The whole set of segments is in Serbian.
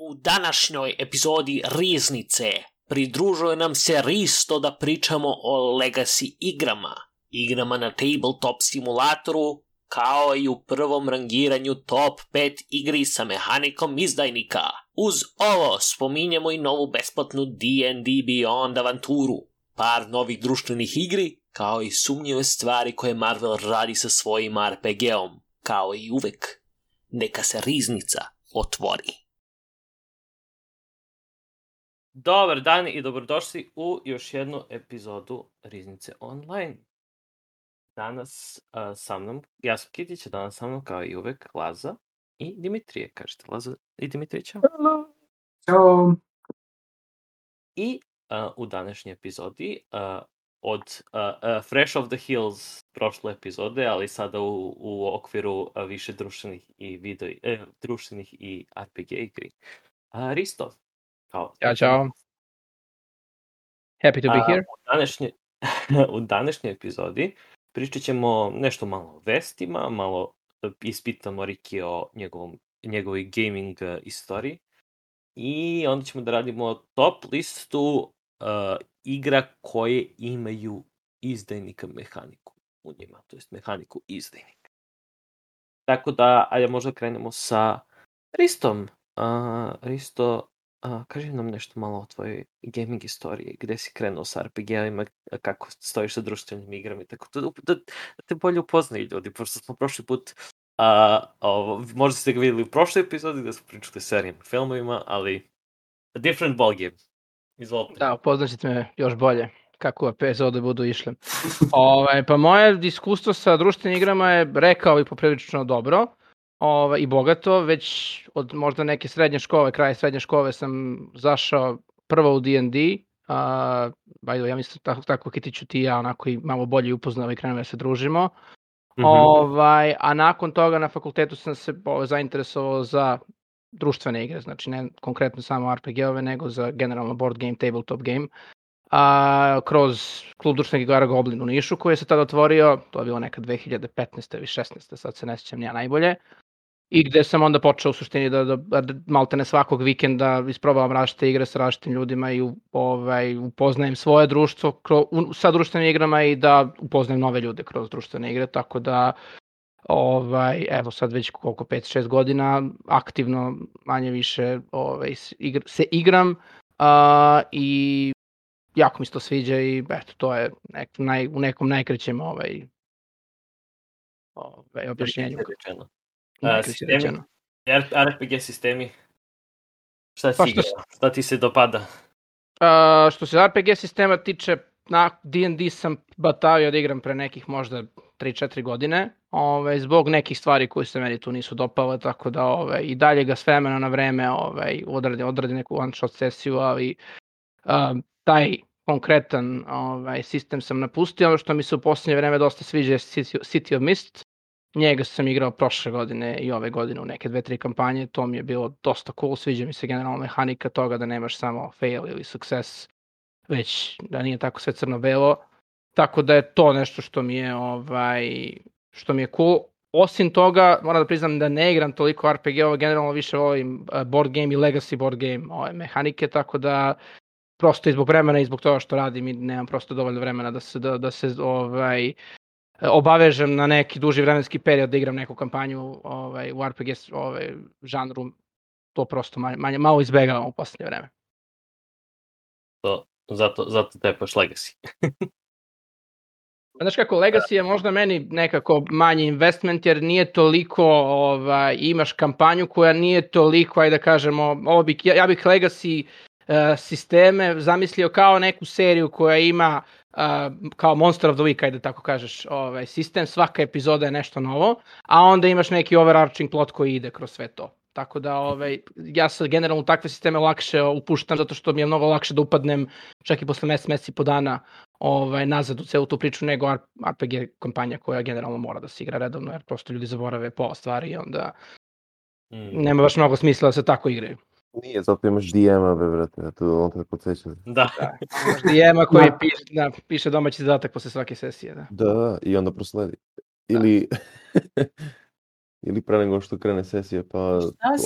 U današnjoj epizodi Riznice pridružuje nam se Risto da pričamo o Legacy igrama na tabletop simulatoru, kao i u prvom rangiranju top 5 igri sa mehanikom izdajnika. Uz ovo spominjemo i novu besplatnu D&D Beyond avanturu, par novih društvenih igri, kao i sumnjive stvari koje Marvel radi sa svojim RPG-om. Kao i uvek, neka se Riznica otvori. Dobar dan i dobrodošli u još jednu epizodu Riznice online. Danas sa mnom, ja sam Kitić, danas sa mnom kao i uvek Laza i Dimitrije. Kažete Laza i Dimitrije, čao. Ćao. I u današnjoj epizodi od Fresh of the Hills prošle epizode, ali sada u okviru više društvenih i društvenih i RPG igri. Risto. Ćao. Happy to be here. U današnjoj epizodi pričat ćemo nešto malo o vestima, malo ispitamo Riki o njegovoj gaming istoriji i onda ćemo da radimo top listu igra koje imaju izdajnika mehaniku u njima, to jest mehaniku izdajnika. Tako da, ajde možda krenemo sa Ristom. Risto, kaži nam nešto malo o tvojoj gaming istoriji, gde si krenuo sa RPG-ima, kako stojiš sa društvenim igrama, tako da te bolje upoznaju ljudi, pošto smo prošli put, možda ste ga vidjeli u prošloj epizodi gde smo pričali serijama, filmovima, ali a different ball game. Izvolite. Da, upoznaćete me još bolje kako epizode budu išle. Pa moje iskustvo sa društvenim igrama je, rekao i poprilično dobro i bogato. Već od možda neke srednje škole, kraje srednje škole sam zašao prvo u D&D. Ja mislim tako Kitiću ti i ja onako i malo bolje upoznali i krenuli da se družimo. A nakon toga na fakultetu sam se zainteresovao za društvene igre, znači ne konkretno samo RPG-ove, nego za generalno board game, tabletop game, kroz klub društvenih igara Goblin u Nišu, koji je se tada otvorio, to je bilo nekad 2015. ili 16. sad se ne sjećam ja najbolje, i gde sam onda počeo u suštini da maltene svakog vikenda isprobavam različite igre sa različitim ljudima i upoznajem svoje društvo sa društvenim igrama i da upoznajem nove ljude kroz društvene igre, tako da evo sad već koliko 5-6 godina aktivno manje više se igram i jako mi se to sviđa i eto to je u nekom najkraćem objašnjenju. RPG sistemi. Šta si igrao? Šta ti se dopada? Što se RPG sistema tiče, na D&D sam batavio da igram pre nekih možda 3-4 godine, zbog nekih stvari koje se meni tu nisu dopale, tako da i dalje ga s vremena na vreme odradi neku one shot sesiju, ali taj konkretan sistem sam napustio. Ono što mi se u posljednje vreme dosta sviđa je City of Mist. Njega sam igrao prošle godine i ove godine u neke 2-3 kampanje, to mi je bilo dosta cool, sviđa mi se generalno mehanika toga da nemaš samo fail ili success, već da nije tako sve crno-belo, tako da je to nešto što mi je cool. Osim toga, moram da priznam da ne igram toliko RPG-ova, generalno više volim board game i legacy board game mehanike, tako da prosto i zbog vremena i zbog toga što radim i nemam prosto dovoljno vremena da se obavežem na neki duži vremenski period da igram neku kampanju u RPG žanru, to prosto malo izbegavam u posljednje vreme. Zato tepaš Legacy. Znaš kako, Legacy je možda meni nekako manji investment, jer nije toliko, imaš kampanju koja nije toliko, ajde da kažemo, ja bih Legacy sisteme zamislio kao neku seriju koja ima kao Monster of the Week, ajde tako kažeš, sistem, svaka epizoda je nešto novo, a onda imaš neki overarching plot koji ide kroz sve to. Tako da ja se generalno u takve sisteme lakše upuštam, zato što mi je mnogo lakše da upadnem čak i posle mesec i po dana nazad u celu tu priču, nego RPG kampanja koja generalno mora da se igra redovno, jer prosto ljudi zaborave pola stvari i onda nema baš mnogo smisla da se tako igraju. Nije, zato imaš DM-a, brate, on te podsjeća. Da. Imaš DM-a koji piše domaći zadatak posle svake sesije, da. Da, i onda prosledi. Ili pre nego što krene sesija, pa šta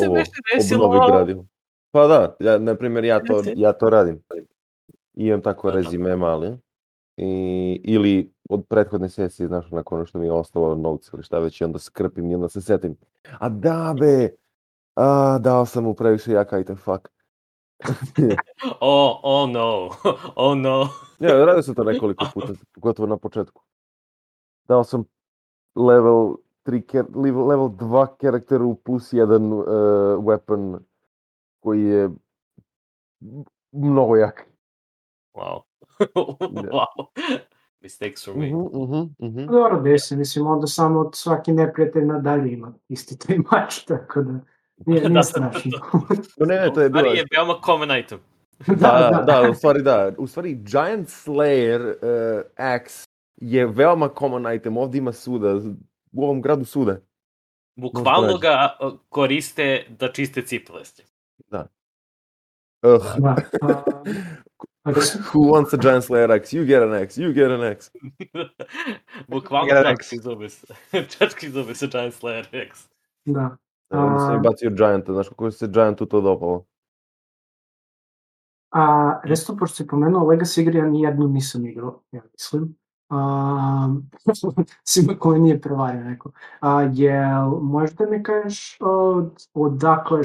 se ovo obnovi gradivo. Pa da, na primjer, ja to radim. Imam tako rezime mali. Ili od prethodne sesije, znaš, nakon ono što mi je ostalo novci ili šta već, i onda skrpim i onda se setim. A da be, dao sam mu previše jak item, fuck. Oh no, oh no. Ja, radio sam to nekoliko puta, gotovo na početku. Dao sam level 2 karakteru plus 1 weapon koji je mnogo jak. Wow. Wow. Mistakes for me. Dobro, desi, mislim, onda samo od svaki neprijatelj nadalje ima isti taj mač, tako da nije strašno. Ne, to je bilo... Ali je veoma common item. Da, u stvari Giant Slayer Axe je veoma common item, ovdje ima suda, u ovom gradu suda. Bukvalno ga koriste da čiste cipele. Da. Who wants a Giant Slayer Axe? You get an axe, you get an axe. Bukvalno čački zube sa Giant Slayer Axe. Da. Onda sam i bacio Gianta, znaš kako se Giantu to dopalo. Resto, pošto si pomenuo Legacy igre, ja nijednu nisam igrao, ja mislim. Svima koji nije prevario neko. Jel, možda mi kažeš odakle,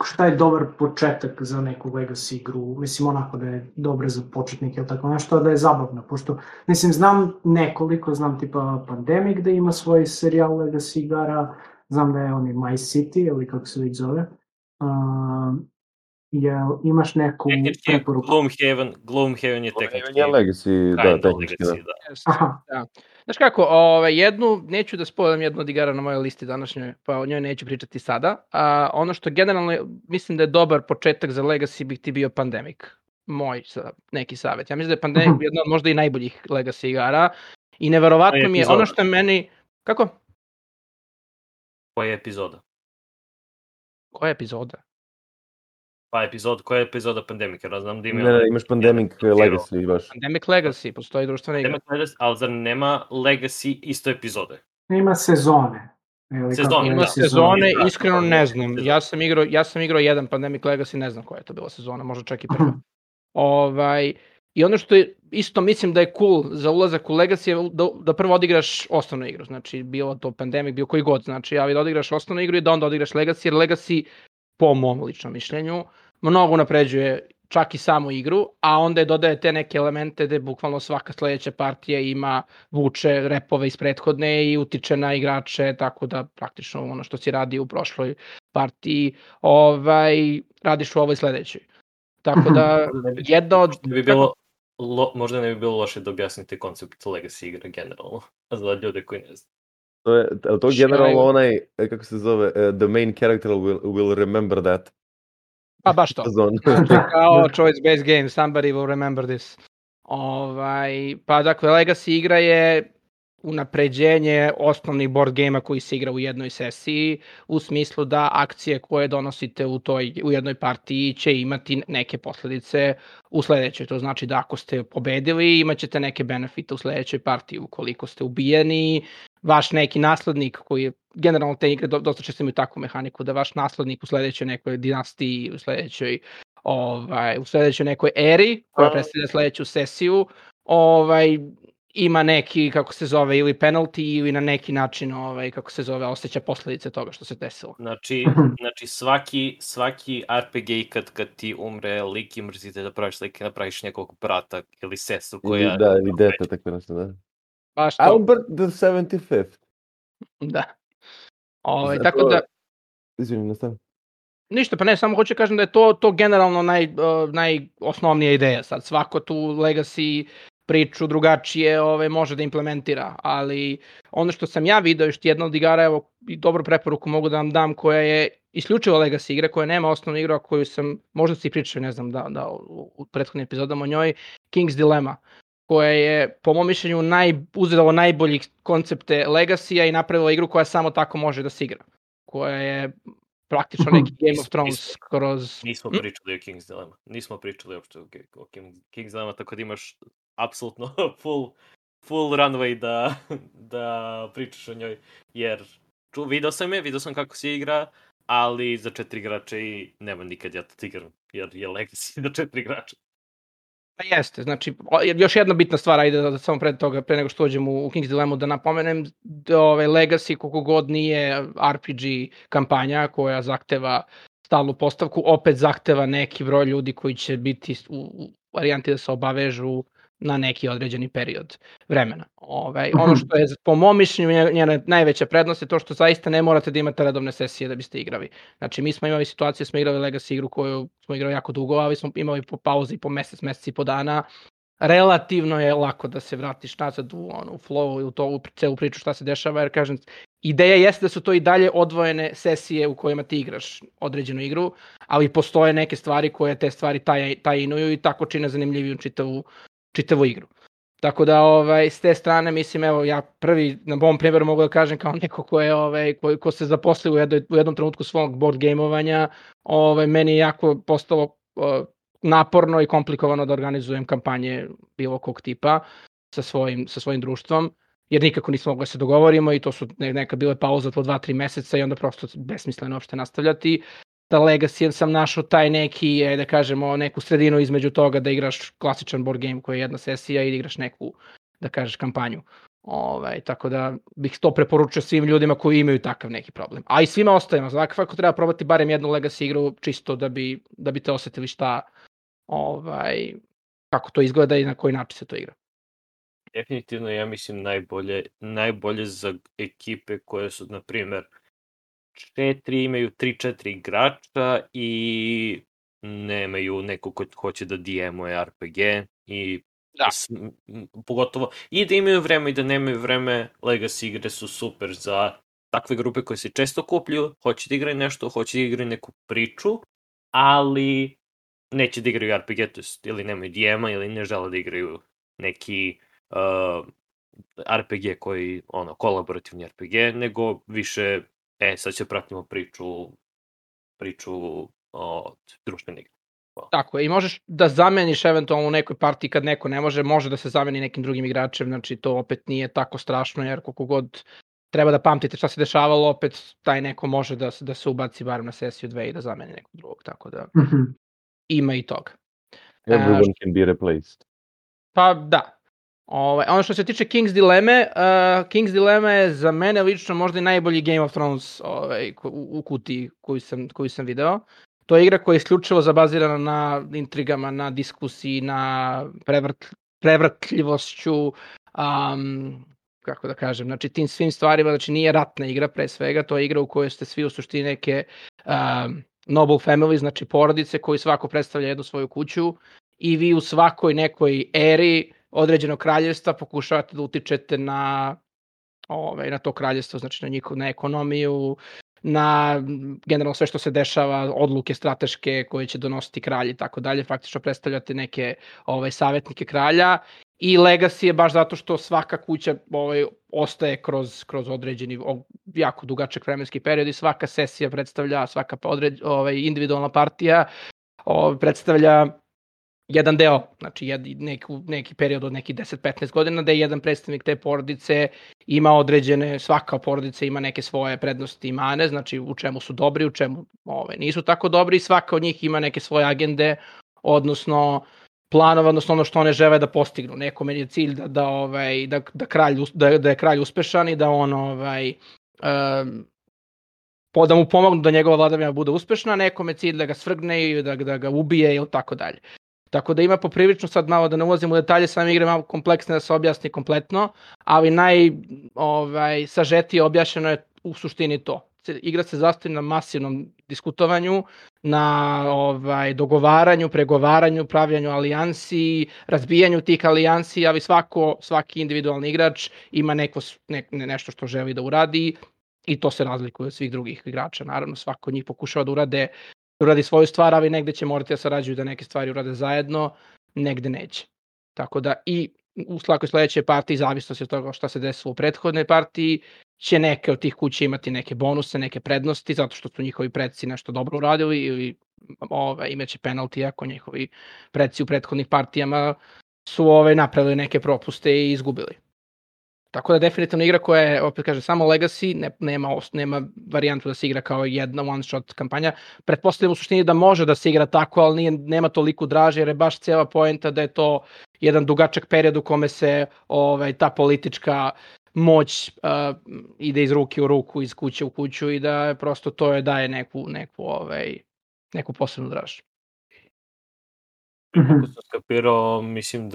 šta je dobar početak za neku Legacy igru? Mislim, onako da je dobra za početnike ili tako nešto, da je zabavna, pošto, mislim, znam nekoliko, znam tipa Pandemic da ima svoj serijal Legacy igara, znam da je on i My City, ili kako se već zove. Jel imaš neku preporuku? Gloomhaven je tehnički. Je Legacy, da, tehnički, da. Znaš kako, jednu, neću da spoilam jednu od igara na mojoj listi današnjoj, pa o njoj neću pričati sada. Ono što generalno mislim da je dobar početak za Legacy bi ti bio Pandemic. Moj neki savjet. Ja mislim da je Pandemic jedna od možda i najboljih Legacy igara. I neverovatno mi je ono što je meni... Kako? Koja je epizoda? Koja je epizoda? Pa koja je epizoda Pandemica? Znam da ima... Ne, imaš Pandemic Legacy baš. Pandemic Legacy, postoji društvena igra. Ali zar nema Legacy isto epizode? Ima sezone. Ima sezone, iskreno ne znam. Ja sam igrao jedan Pandemic Legacy, ne znam koja je to bila sezona, možda čak i prva. I ono što je isto mislim da je cool za ulazak u Legacy je da prvo odigraš osnovnu igru. Znači, bilo to Pandemic, bio koji god. Znači, da odigraš osnovnu igru i da onda odigraš Legacy, jer Legacy, po mom ličnom mišljenju, mnogo unapređuje čak i samu igru, a onda je dodaje te neke elemente gde bukvalno svaka sledeća partija ima vuče repove iz prethodne i utiče na igrače, tako da praktično ono što si radio u prošloj partiji radiš u ovoj sledećoj. Tako da jedna od... Možda ne bi bilo loše da objasnite koncept Legacy igre generalno, za ljude koji ne znaju. To generalno onaj, kako se zove, the main character will remember that. Pa baš to. Kao choice-based game, somebody will remember this. Pa dakle, Legacy igra je unapređenje osnovnih board game-a koji se igra u jednoj sesiji, u smislu da akcije koje donosite u jednoj partiji će imati neke posledice u sledećoj. To znači da ako ste pobedili, imat ćete neke benefite u sledećoj partiji. Ukoliko ste ubijeni, vaš neki naslednik, koji je generalno te igre dosta često imaju takvu mehaniku, da vaš naslednik u sledećoj nekoj dinastiji, u sledećoj nekoj eri, koja predstavlja sledeću sesiju, ima neki, kako se zove, ili penalty, ili na neki način, kako se zove, osjeća posledice toga što se desilo. Znači svaki RPG kad ti umre lik i mrzite da praviš lik i napraviš nekog brata ili sestru koja... Da, ili dete, tako nešto, da. Baš to. Albert the 75th. Da. Tako da... Izvini, nastavim. Ništa, pa ne, samo hoću kažem da je to generalno najosnovnija ideja sad. Svako tu Legacy priču drugačije može da implementira, ali ono što sam ja video, još jedna od igara, evo, i dobru preporuku mogu da vam dam, koja je isključivo Legacy igra, koja nema osnovnu igru, a koju sam, možda si pričao, ne znam, da u prethodnim epizodama o njoj, King's Dilemma, koja je, po mom mišljenju, uzela najboljih koncepte Legacy-a i napravila igru koja samo tako može da se igra. Koja je praktično neki Game of Thrones kroz... Nismo pričali o King's Dilemma. Nismo pričali uopšte o King's Dilemma, tako da imaš apsolutno full runway da pričaš o njoj, jer vidio sam kako se igra, ali za 4 igrača i nema nikad ja to igram, jer je Legacy za 4 igrača. Pa jeste, znači, još jedna bitna stvar, ajde da samo pre toga, pre nego što uđem u King's Dilemmu, da napomenem da Legacy koliko god nije RPG kampanja koja zahteva stalnu postavku, opet zahteva neki broj ljudi koji će biti u varijanti da se obavežu na neki određeni period vremena. Ono što je po mom mišljenju njena najveća prednost je to što zaista ne morate da imate redovne sesije da biste igrali. Znači mi smo imali situaciju da smo igrali Legacy igru koju smo igrali jako dugo, ali smo imali po pauzi po mesec i po dana. Relativno je lako da se vratiš nazad u flow i u celu priču šta se dešava, jer kažem, ideja jeste da su to i dalje odvojene sesije u kojima ti igraš određenu igru, ali postoje neke stvari koje te stvari tajinuju i tako čine zanimljiviju čitavu igru. Tako da s te strane mislim, evo ja prvi na ovom primjeru mogu da kažem kao neko ko se zaposlio u jednom trenutku svog board gameovanja, meni je jako postalo naporno i komplikovano da organizujem kampanje bilo kog tipa sa svojim društvom, jer nikako nismo mogli da se dogovorimo i to su neka bile pauza po 2-3 meseca i onda prosto besmisleno uopšte nastavljati. Da Legacy sam našao taj neki, da kažemo, neku sredinu između toga da igraš klasičan board game koji je jedna sesija i da igraš neku, da kažeš, kampanju. Tako da bih to preporučio svim ljudima koji imaju takav neki problem. A i svima ostajemo, svakako treba probati barem jednu Legacy igru čisto da bi te osetili šta, kako to izgleda i na koji način se to igra. Definitivno, ja mislim najbolje za ekipe koje su, na primjer, 4 imaju 3-4 igrača i nemaju neko ko hoće da DM-uje RPG i pogotovo i da imaju vreme i da nemaju vreme. Legacy igre su super za takve grupe koje se često kupljuju, hoće da igraju nešto, hoće da igraju neku priču, ali neće da igraju RPG, to jest ili nemaju DM-a ili ne žele da igraju neki RPG koji, kolaborativni RPG, nego više sad će pratimo priču od društvene igre. Tako je, i možeš da zameniš eventualno u nekoj partiji kad neko ne može da se zameni nekim drugim igračem, znači to opet nije tako strašno, jer koliko god treba da pamtite šta se dešavalo, opet taj neko može da se ubaci barem na sesiju 2 i da zameni nekog drugog, tako da ima i toga. Everyone can be replaced. Pa da. Ono što se tiče King's Dilemma je za mene lično možda i najbolji Game of Thrones u kutiji koju sam video. To je igra koja je isključivo zabazirana na intrigama, na diskusiji, na prevrtljivošću, kako da kažem, znači tim svim stvarima, znači nije ratna igra pre svega, to je igra u kojoj ste svi u suštini neke noble family, znači porodice koji svako predstavlja jednu svoju kuću i vi u svakoj nekoj eri određenog kraljevstva pokušavate da utičete na to kraljevstvo, znači na ekonomiju, na generalno sve što se dešava, odluke strateške koje će donositi kralj i tako dalje, faktično predstavljate neke savjetnike kralja i Legacy je baš zato što svaka kuća ostaje kroz određeni jako dugačak vremenski period i svaka sesija predstavlja, svaka individualna partija predstavlja jedan deo, znači neki period od nekih 10-15 godina da je jedan predstavnik te porodice ima određene, svaka porodica ima neke svoje prednosti i mane, znači u čemu su dobri, u čemu nisu tako dobri i svaka od njih ima neke svoje agende, odnosno planova, odnosno ono što one žele da postignu. Nekome je cilj da je kralj uspešan i da on da mu pomognu da njegova vladavina bude uspešna, nekome je cilj da ga svrgne i da ga ubije ili tako dalje. Tako da ima poprilično, sad malo da ne ulazim u detalje, same igre malo kompleksne da se objasni kompletno, ali najsažetije objašnjeno je u suštini to. Igra se zasnovi na masivnom diskutovanju, na dogovaranju, pregovaranju, pravljanju alijansi, razbijanju tih alijansi, ali svaki individualni igrač ima nešto što želi da uradi i to se razlikuje od svih drugih igrača. Naravno, svako od njih pokušava da uradi svoju stvar, ali negde će morati da sarađuju da neke stvari urade zajedno, negde neće. Tako da i u svakoj sledećoj partiji, zavisnosti od toga šta se desilo u prethodnoj partiji, će neke od tih kuća imati neke bonuse, neke prednosti, zato što su njihovi predsi nešto dobro uradili ili imaće penalti ako njihovi predsi u prethodnih partijama su napravili neke propuste i izgubili. Tako da definitivno igra koja je, opet kaže, samo Legacy, nema varijantu da se igra kao jedna one-shot kampanja. Pretpostavljam u suštini da može da se igra tako, ali nema toliko draže, jer je baš cijela poenta da je to jedan dugačak period u kome se ta politička moć ide iz ruke u ruku, iz kuće u kuću i da prosto to je daje neku posebnu draž. Kako sam skapirao, mislim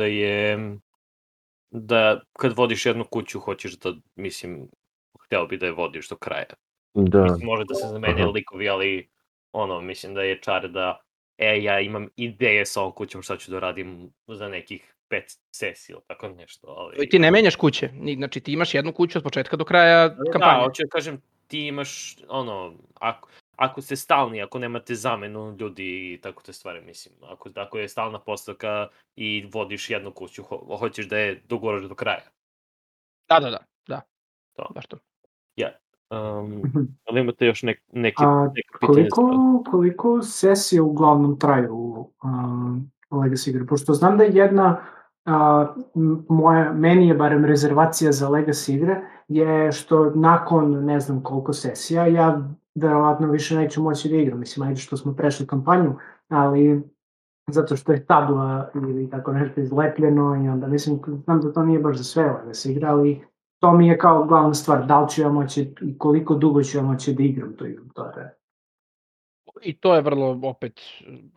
da kad vodiš jednu kuću hoćeš da, mislim, hteo bi da je vodiš do kraja. Da. Mislim, može da se zamene likovi, ali mislim da je čar da ja imam ideje sa ovom kućom šta ću da radim za nekih 5 sesija, tako nešto. Ali... I ti ne menjaš kuće, znači ti imaš jednu kuću od početka do kraja kampanje. Da, hoću da kažem, ti imaš, ako ste stalni, ako nemate zamenu ljudi i tako te stvari, mislim, ako je stalna postavka i vodiš jednu kuću, hoćeš da je doguraš do kraja. Da. To. Baš to. Ali imate još neke pitanje? Koliko sesije uglavnom traju Legacy igre? Pošto znam da je jedna, meni je barem rezervacija za Legacy igre, je što nakon ne znam koliko sesija, ja verovatno više neću moći da igram. Mislim, ajde što smo prešli kampanju, ali zato što je tabla ili tako nešto izlepljeno i onda mislim, znam da to nije baš za sve Legacy igra, ali to mi je kao glavna stvar, da li ću ja moći i koliko dugo ću ja moći da igram tu igru, to je. I to je vrlo, opet,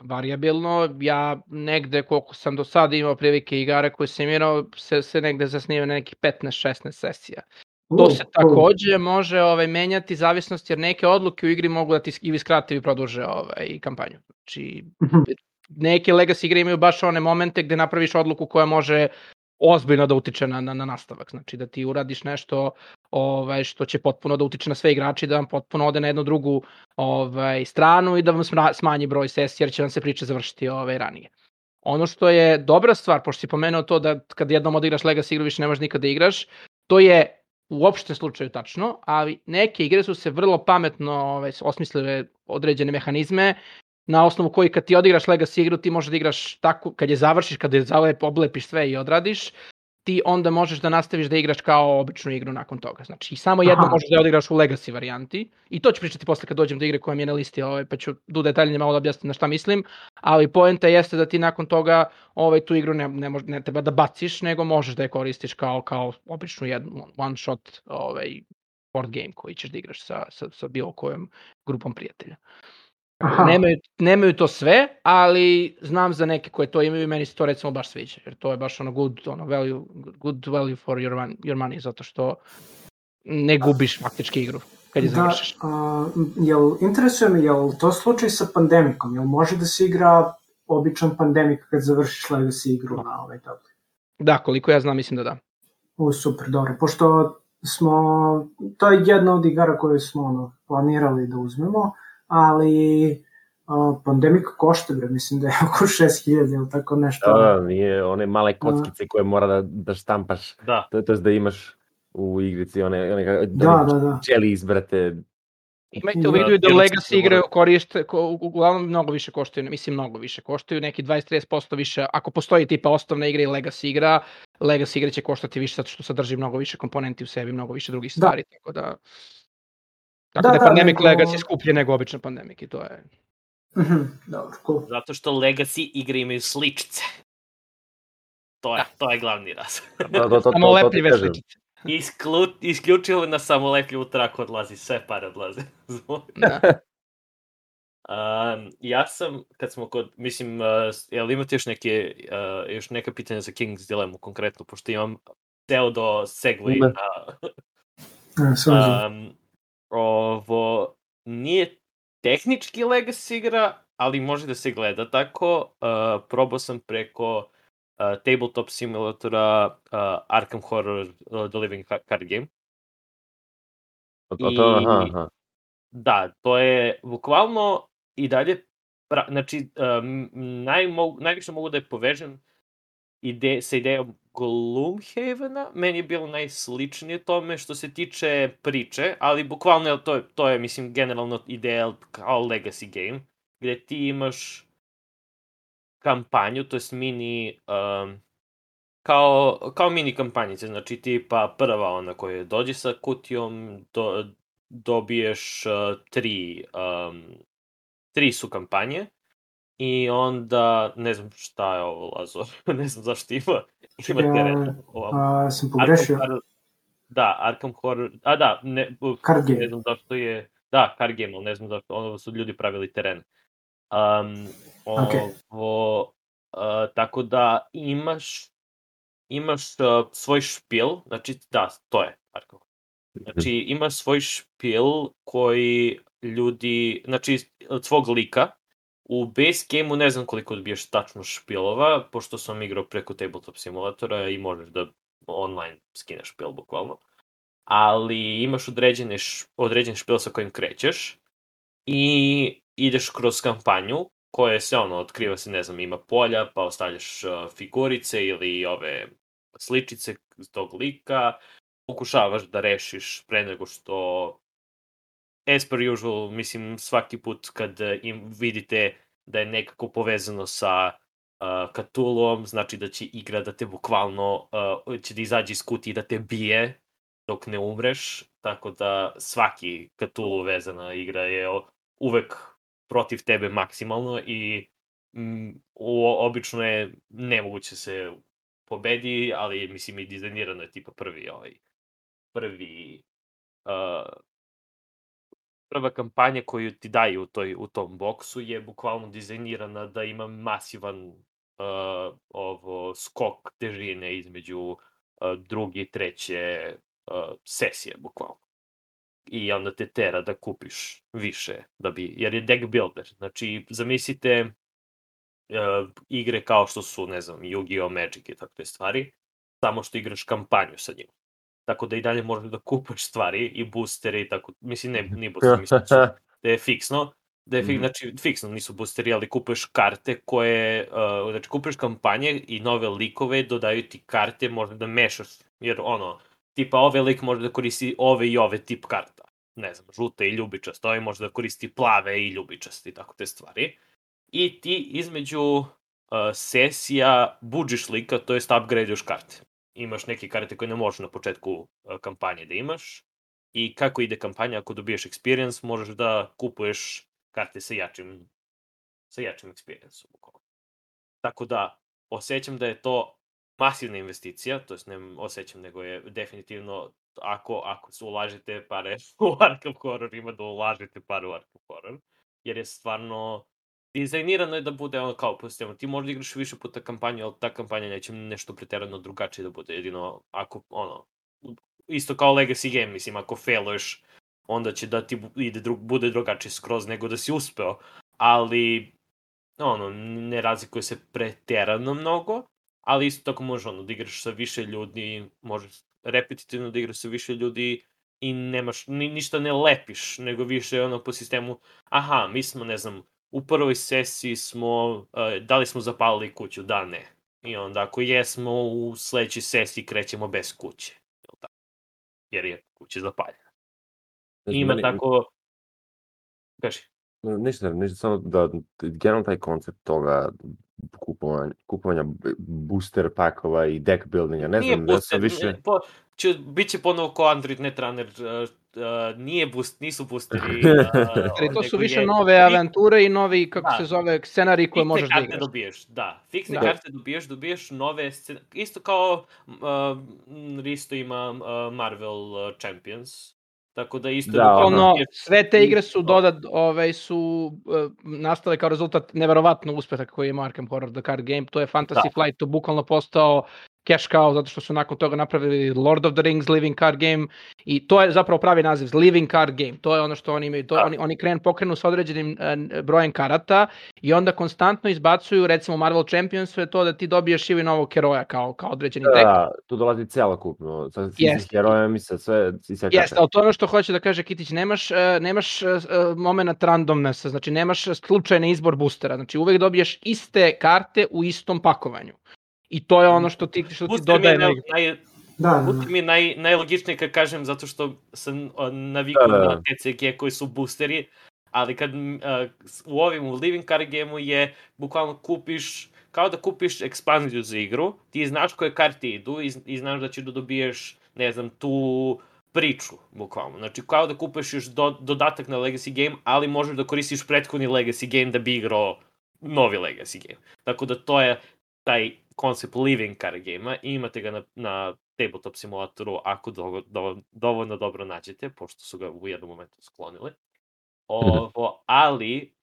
variabilno. Ja negde, koliko sam do sada imao prilike igara koje sam igrao, se negde zasniva na nekih 15-16 sesija. To se takođe može menjati zavisnost, jer neke odluke u igri mogu da ti ili skrate ili produže kampanju. Znači, neke Legacy igre imaju baš one momente gde napraviš odluku koja može ozbiljno da utiče na nastavak. Znači da ti uradiš nešto što će potpuno da utiče na sve igrače, da vam potpuno ode na jednu drugu stranu i da vam smanji broj sesija, jer će vam se priče završiti ranije. Ono što je dobra stvar, pošto si pomenuo to da kad jednom odigraš Legacy igru više ne možeš nikada da igraš, to je u opštem slučaju tačno, ali neke igre su se vrlo pametno osmislile određene mehanizme na osnovu koji kad ti odigraš Legacy igru ti možeš da igraš tako, kad je završiš, kad je oblepiš sve i odradiš, ti onda možeš da nastaviš da igraš kao običnu igru nakon toga. Znači, samo jedno možeš da odigraš u Legacy varijanti. I to ću pričati posle kad dođem do igre koja mi je na listi, pa ću detaljnije malo da objasnim na šta mislim. Ali poenta jeste da ti nakon toga tu igru ne treba da baciš, nego možeš da je koristiš kao običnu jednu one shot board game koji ćeš da igraš sa bilo kojom grupom prijatelja. Nemaju to sve, ali znam za neke koje to imaju i meni se to recimo baš sviđa, jer to je baš good value for your money, zato što ne gubiš faktički igru kad je završiš. Interesuje me, jel to slučaj sa Pandemicom? Jel može da se igra običan Pandemic kad završiš Legacy igru na ovaj tabli? Da, koliko ja znam, mislim da da. Super, dobro, pošto to je jedna od igara koje smo planirali da uzmemo, ali Pandemic košta, mislim da je oko 6.000 ili tako nešto. Da, nije one male kockice koje mora da štampaš, to je da imaš u igrici, one čeli izbrate. Imajte u vidu da Legacy igre uglavnom mnogo više koštaju, neki 20-30% više, ako postoji tipa osnovna igra i Legacy igra, Legacy igre će koštati više zato što sadrži mnogo više komponenti u sebi, mnogo više drugih stvari, tako da je Pandemic Legacy skuplje nego običan Pandemic i to je... Dobro, cool. Zato što Legacy igre imaju sličice. To je glavni razlog. Samolepljive sličice. Isključivo na samolepljivu traku odlazi, sve pare odlaze. Ja sam, kad smo kod, mislim, jel imate još neka pitanja za King's Dilemma konkretno, pošto imam teo do segway ovo nije tehnički Legacy igra, ali može da se gleda tako. Probao sam preko tabletop simulatora Arkham Horror The Living Card Game. Da, to je bukvalno i dalje, znači najviše mogu da je povežem sa idejom Gloomhavena, meni je bilo najsličnije tome što se tiče priče, ali bukvalno to je mislim, generalno ideja kao Legacy game, gde ti imaš kampanju, to je mini kao mini kampanjice, znači tipa prva ona koja dođe sa kutijom, dobiješ tri su kampanje i onda, ne znam šta je ovo, Lazor, ne znam zašto ima teren. Sam pogrešio. Arkham Horror, Card game. Ne znam zašto je, card game, ali ne znam zašto, ono su ljudi pravili teren. Tako da imaš svoj špil, znači to je Arkham. Znači imaš svoj špil koji ljudi, znači od svog lika, u base game-u ne znam koliko dobiješ tačno špilova, pošto sam igrao preko tabletop simulatora i možeš da online skineš špil bukvalno, ali imaš određen špil sa kojim krećeš i ideš kroz kampanju koje se otkriva se, ne znam, ima polja, pa ostavljaš figurice ili ove sličice tog lika, pokušavaš da rešiš pre nego što, as per usual, mislim, svaki put kad vidite da je nekako povezano sa Cthulhuom, znači da će igra da te bukvalno, će da izađe iz kutije da te bije dok ne umreš, tako da svaki Cthulhu vezana igra je uvek protiv tebe maksimalno i obično je nemoguće se pobedi, ali mislim i dizajnirano je tipa prva kampanja koju ti daju u tom boksu je bukvalno dizajnirana da ima masivan skok težine između druge i treće sesije bukvalno. I onda te tera da kupiš više, jer je deck builder. Znači, zamislite igre kao što su, ne znam, Yu-Gi-Oh! Magic i takve stvari, samo što igraš kampanju sa njim. Tako da i dalje možeš da kupaš stvari i boostere i tako, mislim, nije booster, mislim da je fiksno, znači, fiksno nisu boosteri, ali kupuješ karte koje, znači, kupuješ kampanje i nove likove, dodaju ti karte, možda da mešaš, jer tipa ove lik može da koristi ove i ove tip karta, ne znam, žute i ljubičaste, ovaj može da koristi plave i ljubičaste i tako te stvari. I ti između sesija budžiš lika, to jest upgradeuješ karte. Imaš neke karte koje ne možeš na početku kampanje da imaš i kako ide kampanja, ako dobiješ experience, možeš da kupuješ karte sa jačim experience-om. Tako da, osjećam da je to masivna investicija, to jest ne osjećam, nego je definitivno, ako se ulažete pare u Arkham Horror, ima da ulažete pare u Arkham Horror, jer je stvarno dizajnirano je da bude kao po sistemu. Ti možda igraš više puta kampanju, ali ta kampanja neće nešto preterano drugačije da bude. Jedino ako, isto kao Legacy game, mislim, ako failuješ, onda će da ti bude drugačije skroz nego da si uspeo. Ali, ne razlikuje se preterano mnogo, ali isto tako možeš da igraš sa više ljudi, možeš repetitivno da igraš sa više ljudi i nemaš, ništa ne lepiš, nego više po sistemu, mi smo, ne znam, u prvoj sesiji da li smo zapalili kuću? Da, ne. I onda ako jesmo, u sledećoj sesiji krećemo bez kuće. Jer je kuća zapaljena. Ima tako... Kaži. Ništa, samo da generalno taj koncept toga kupovanja booster pakova i deck buildinga, ne znam, da sam više... Biće ponovo ko Android Netrunner, nisu boosteri. To su više nove avanture i novi, kako se zove, scenariji koje možeš da igraš. Fiksne karte dobiješ nove scenarije. Isto kao Risto ima Marvel Champions. Tako da isto... sve te igre su su nastale kao rezultat neverovatno uspeha koji ima Arkham Horror The Card Game. To je Fantasy Flight, to bukvalno postao cash cow, zato što su nakon toga napravili Lord of the Rings Living Card Game i to je zapravo pravi naziv, Living Card Game. To je ono što oni imaju. Oni pokrenu sa određenim brojem karata i onda konstantno izbacuju, recimo Marvel Champions, je to da ti dobiješ ili novog heroja kao određeni deck. Da, tu dolazi celokupno, sa herojem i sa sve karte. Jeste, ali to je ono što hoće da kaže Kitić, nemaš moment randomnessa, znači nemaš slučajni izbor boostera, znači uvek dobiješ iste karte u istom pakovanju. I to je ono što ti dodaje. Booster mi je najlogičnije kad kažem, zato što sam navikao na TCG koji su boosteri, ali kad u Living Card Game-u je bukvalno kupiš kao da kupiš ekspanziju za igru, ti znaš koje karte idu i znaš da ćeš da dobiješ, ne znam, tu priču, bukvalno. Znači, kao da kupiš još dodatak na Legacy game, ali možeš da koristiš prethodni Legacy game da bi igrao novi Legacy game. Tako da to je taj koncept living card game-a i imate ga na tabletop simulatoru ako dovoljno dobro nađete, pošto su ga u jednom momentu sklonili. Ali,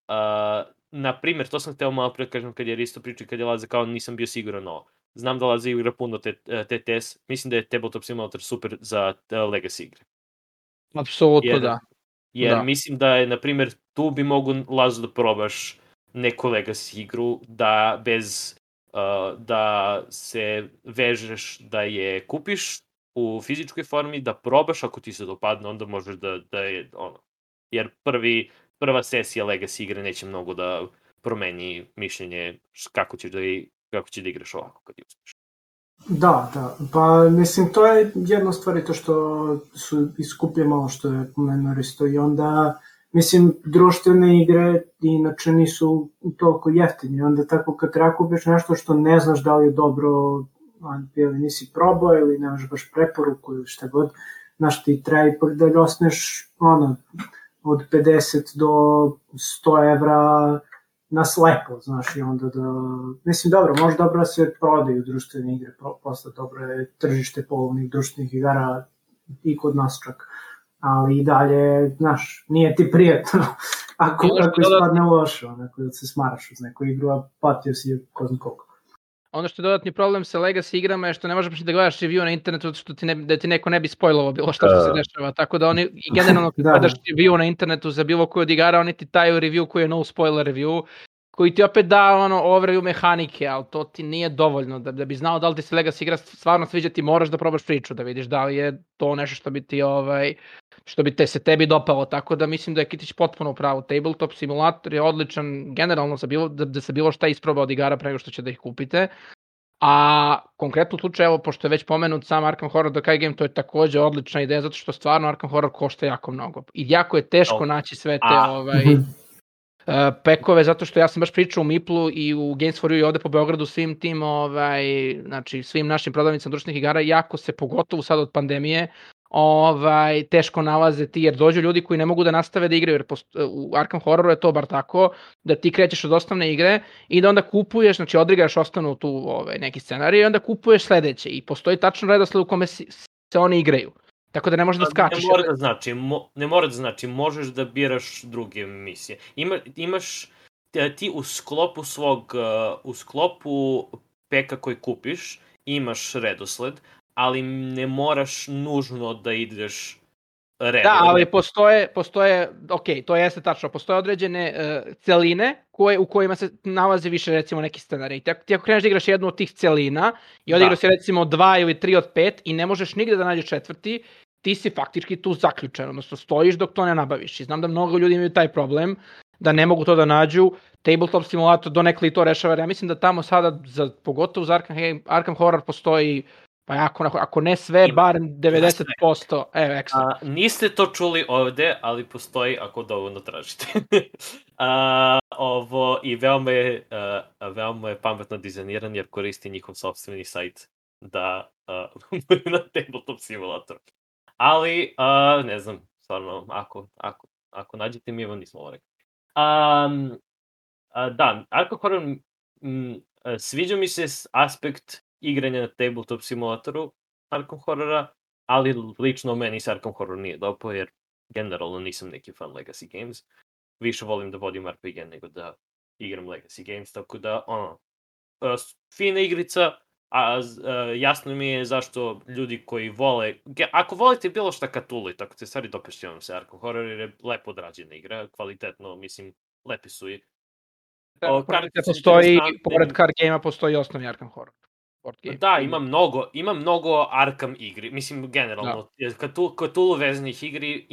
na primjer, to sam hteo malo pre kažem kad je Risto pričao, kad je Laza kao nisam bio siguran ovo. Znam da Laza igra puno TTS, mislim da je tabletop simulator super za Legacy igre. Apsolutno da. Jer mislim da je, na primjer, tu bi mogu Lazu da probaš neku Legacy igru, da bez da se vežeš da je kupiš u fizičkoj formi, da probaš, ako ti se dopadne, onda možeš da je ono. Jer prva sesija Legacy igre neće mnogo da promeni mišljenje kako ćeš da igraš ovako kad je uspeš. Da, pa mislim to je jedna stvar i to što su iskuplje malo što je pomenuo Risto i onda mislim društvene igre inače nisu toliko jeftine, onda tako kad treba kupiš nešto što ne znaš da li je dobro ili nisi probao ili nemaš baš preporuku ili šta god, znaš ti treba ipak da osneš od 50 do 100 evra na slepo, znaš, i onda da... Mislim, dobro, može dobro da se prodaju društvene igre, posle dobro je tržište polovnih društvenih igara i kod nas čak, ali i dalje, znaš, nije ti prijatno ako ispadne loše, onako da se smaraš uz neku igru, a patio si ko zna koliko. Ono što je dodatni problem sa Legacy igrama je što ne možeš da gledaš review na internetu što da ti neko ne bi spojlovao bilo što se dešava, tako da oni i generalno kad gledaš review na internetu za bilo koju od igara, oni ti daju review koji je no spoiler review, koji ti opet da overview mehanike, ali to ti nije dovoljno, da bi znao da li ti se Legacy igra stvarno sviđa, ti moraš da probaš priču, da vidiš da li je to nešto što bi ti što bi se tebi dopalo, tako da mislim da je Kitić potpuno u pravu. Tabletop simulator je odličan generalno da se bilo šta isproba od igara pre nego što će da ih kupite, a konkretno u slučaju, evo, pošto je već pomenut sam Arkham Horror The Card Game, to je takođe odlična ideja, zato što stvarno Arkham Horror košta jako mnogo. I jako je teško naći sve te pekove, zato što ja sam baš pričao u Miplu i u Games for You i ovde po Beogradu svim tim, znači svim našim prodavnicama društvenih igara, jako se, pogotovo sad od pandemije, teško nalaze ti, jer dođu ljudi koji ne mogu da nastave da igraju, jer u Arkham Horroru je to bar tako, da ti krećeš od osnovne igre i da onda kupuješ, znači odrigaš osnovnu tu neki scenarij i onda kupuješ sledeće i postoji tačno redosled u kome se oni igraju. Tako da ne možeš da skačeš. Ne mora da znači, možeš da biraš druge misije. Imaš ti u sklopu peka koji kupiš, imaš redosled, ali ne moraš nužno da ideš redom. Da, ali postoje, ok, to jeste tačno, postoje određene celine u kojima se nalazi više recimo neki scenarij. Ti ako kreneš da igraš jednu od tih celina i odigraš si recimo 2 ili 3 od 5 i ne možeš nigde da nađeš četvrti, ti si faktički tu zaključen, odnosno stojiš dok to ne nabaviš. I znam da mnogo ljudi imaju taj problem, da ne mogu to da nađu. Tabletop simulator donekle i to rešava, ja mislim da tamo sada, pogotovo za Arkham Horror postoji, pa ako ne sve, bar 90%, ekstra. Niste to čuli ovde, ali postoji ako dovoljno tražite. I veoma je pametno dizajniran jer koristi njihov sopstveni sajt da na tabletop simulator. Ali, ne znam, stvarno, ako nađete mi vam nismo ovo rekli. Da, Arkham Horror, sviđa mi se aspekt igranja na tabletop simulatoru Arkham Horrora, ali lično meni se Arkham Horror nije dopao, jer generalno nisam neki fan Legacy Games. Više volim da vodim RPG nego da igram Legacy Games, tako da, fina igrica, jasno mi je zašto ljudi koji vole, ako volite bilo šta Cthulhu i tako te stvari, dopešće vam se Arkham Horror, jer je lepo odrađena igra, kvalitetno, mislim, lepi su i... Pored card game-a postoji osnovni Arkham Horror. Da, ima mnogo Arkham igri, mislim, generalno, Cthulhu vezanih igri,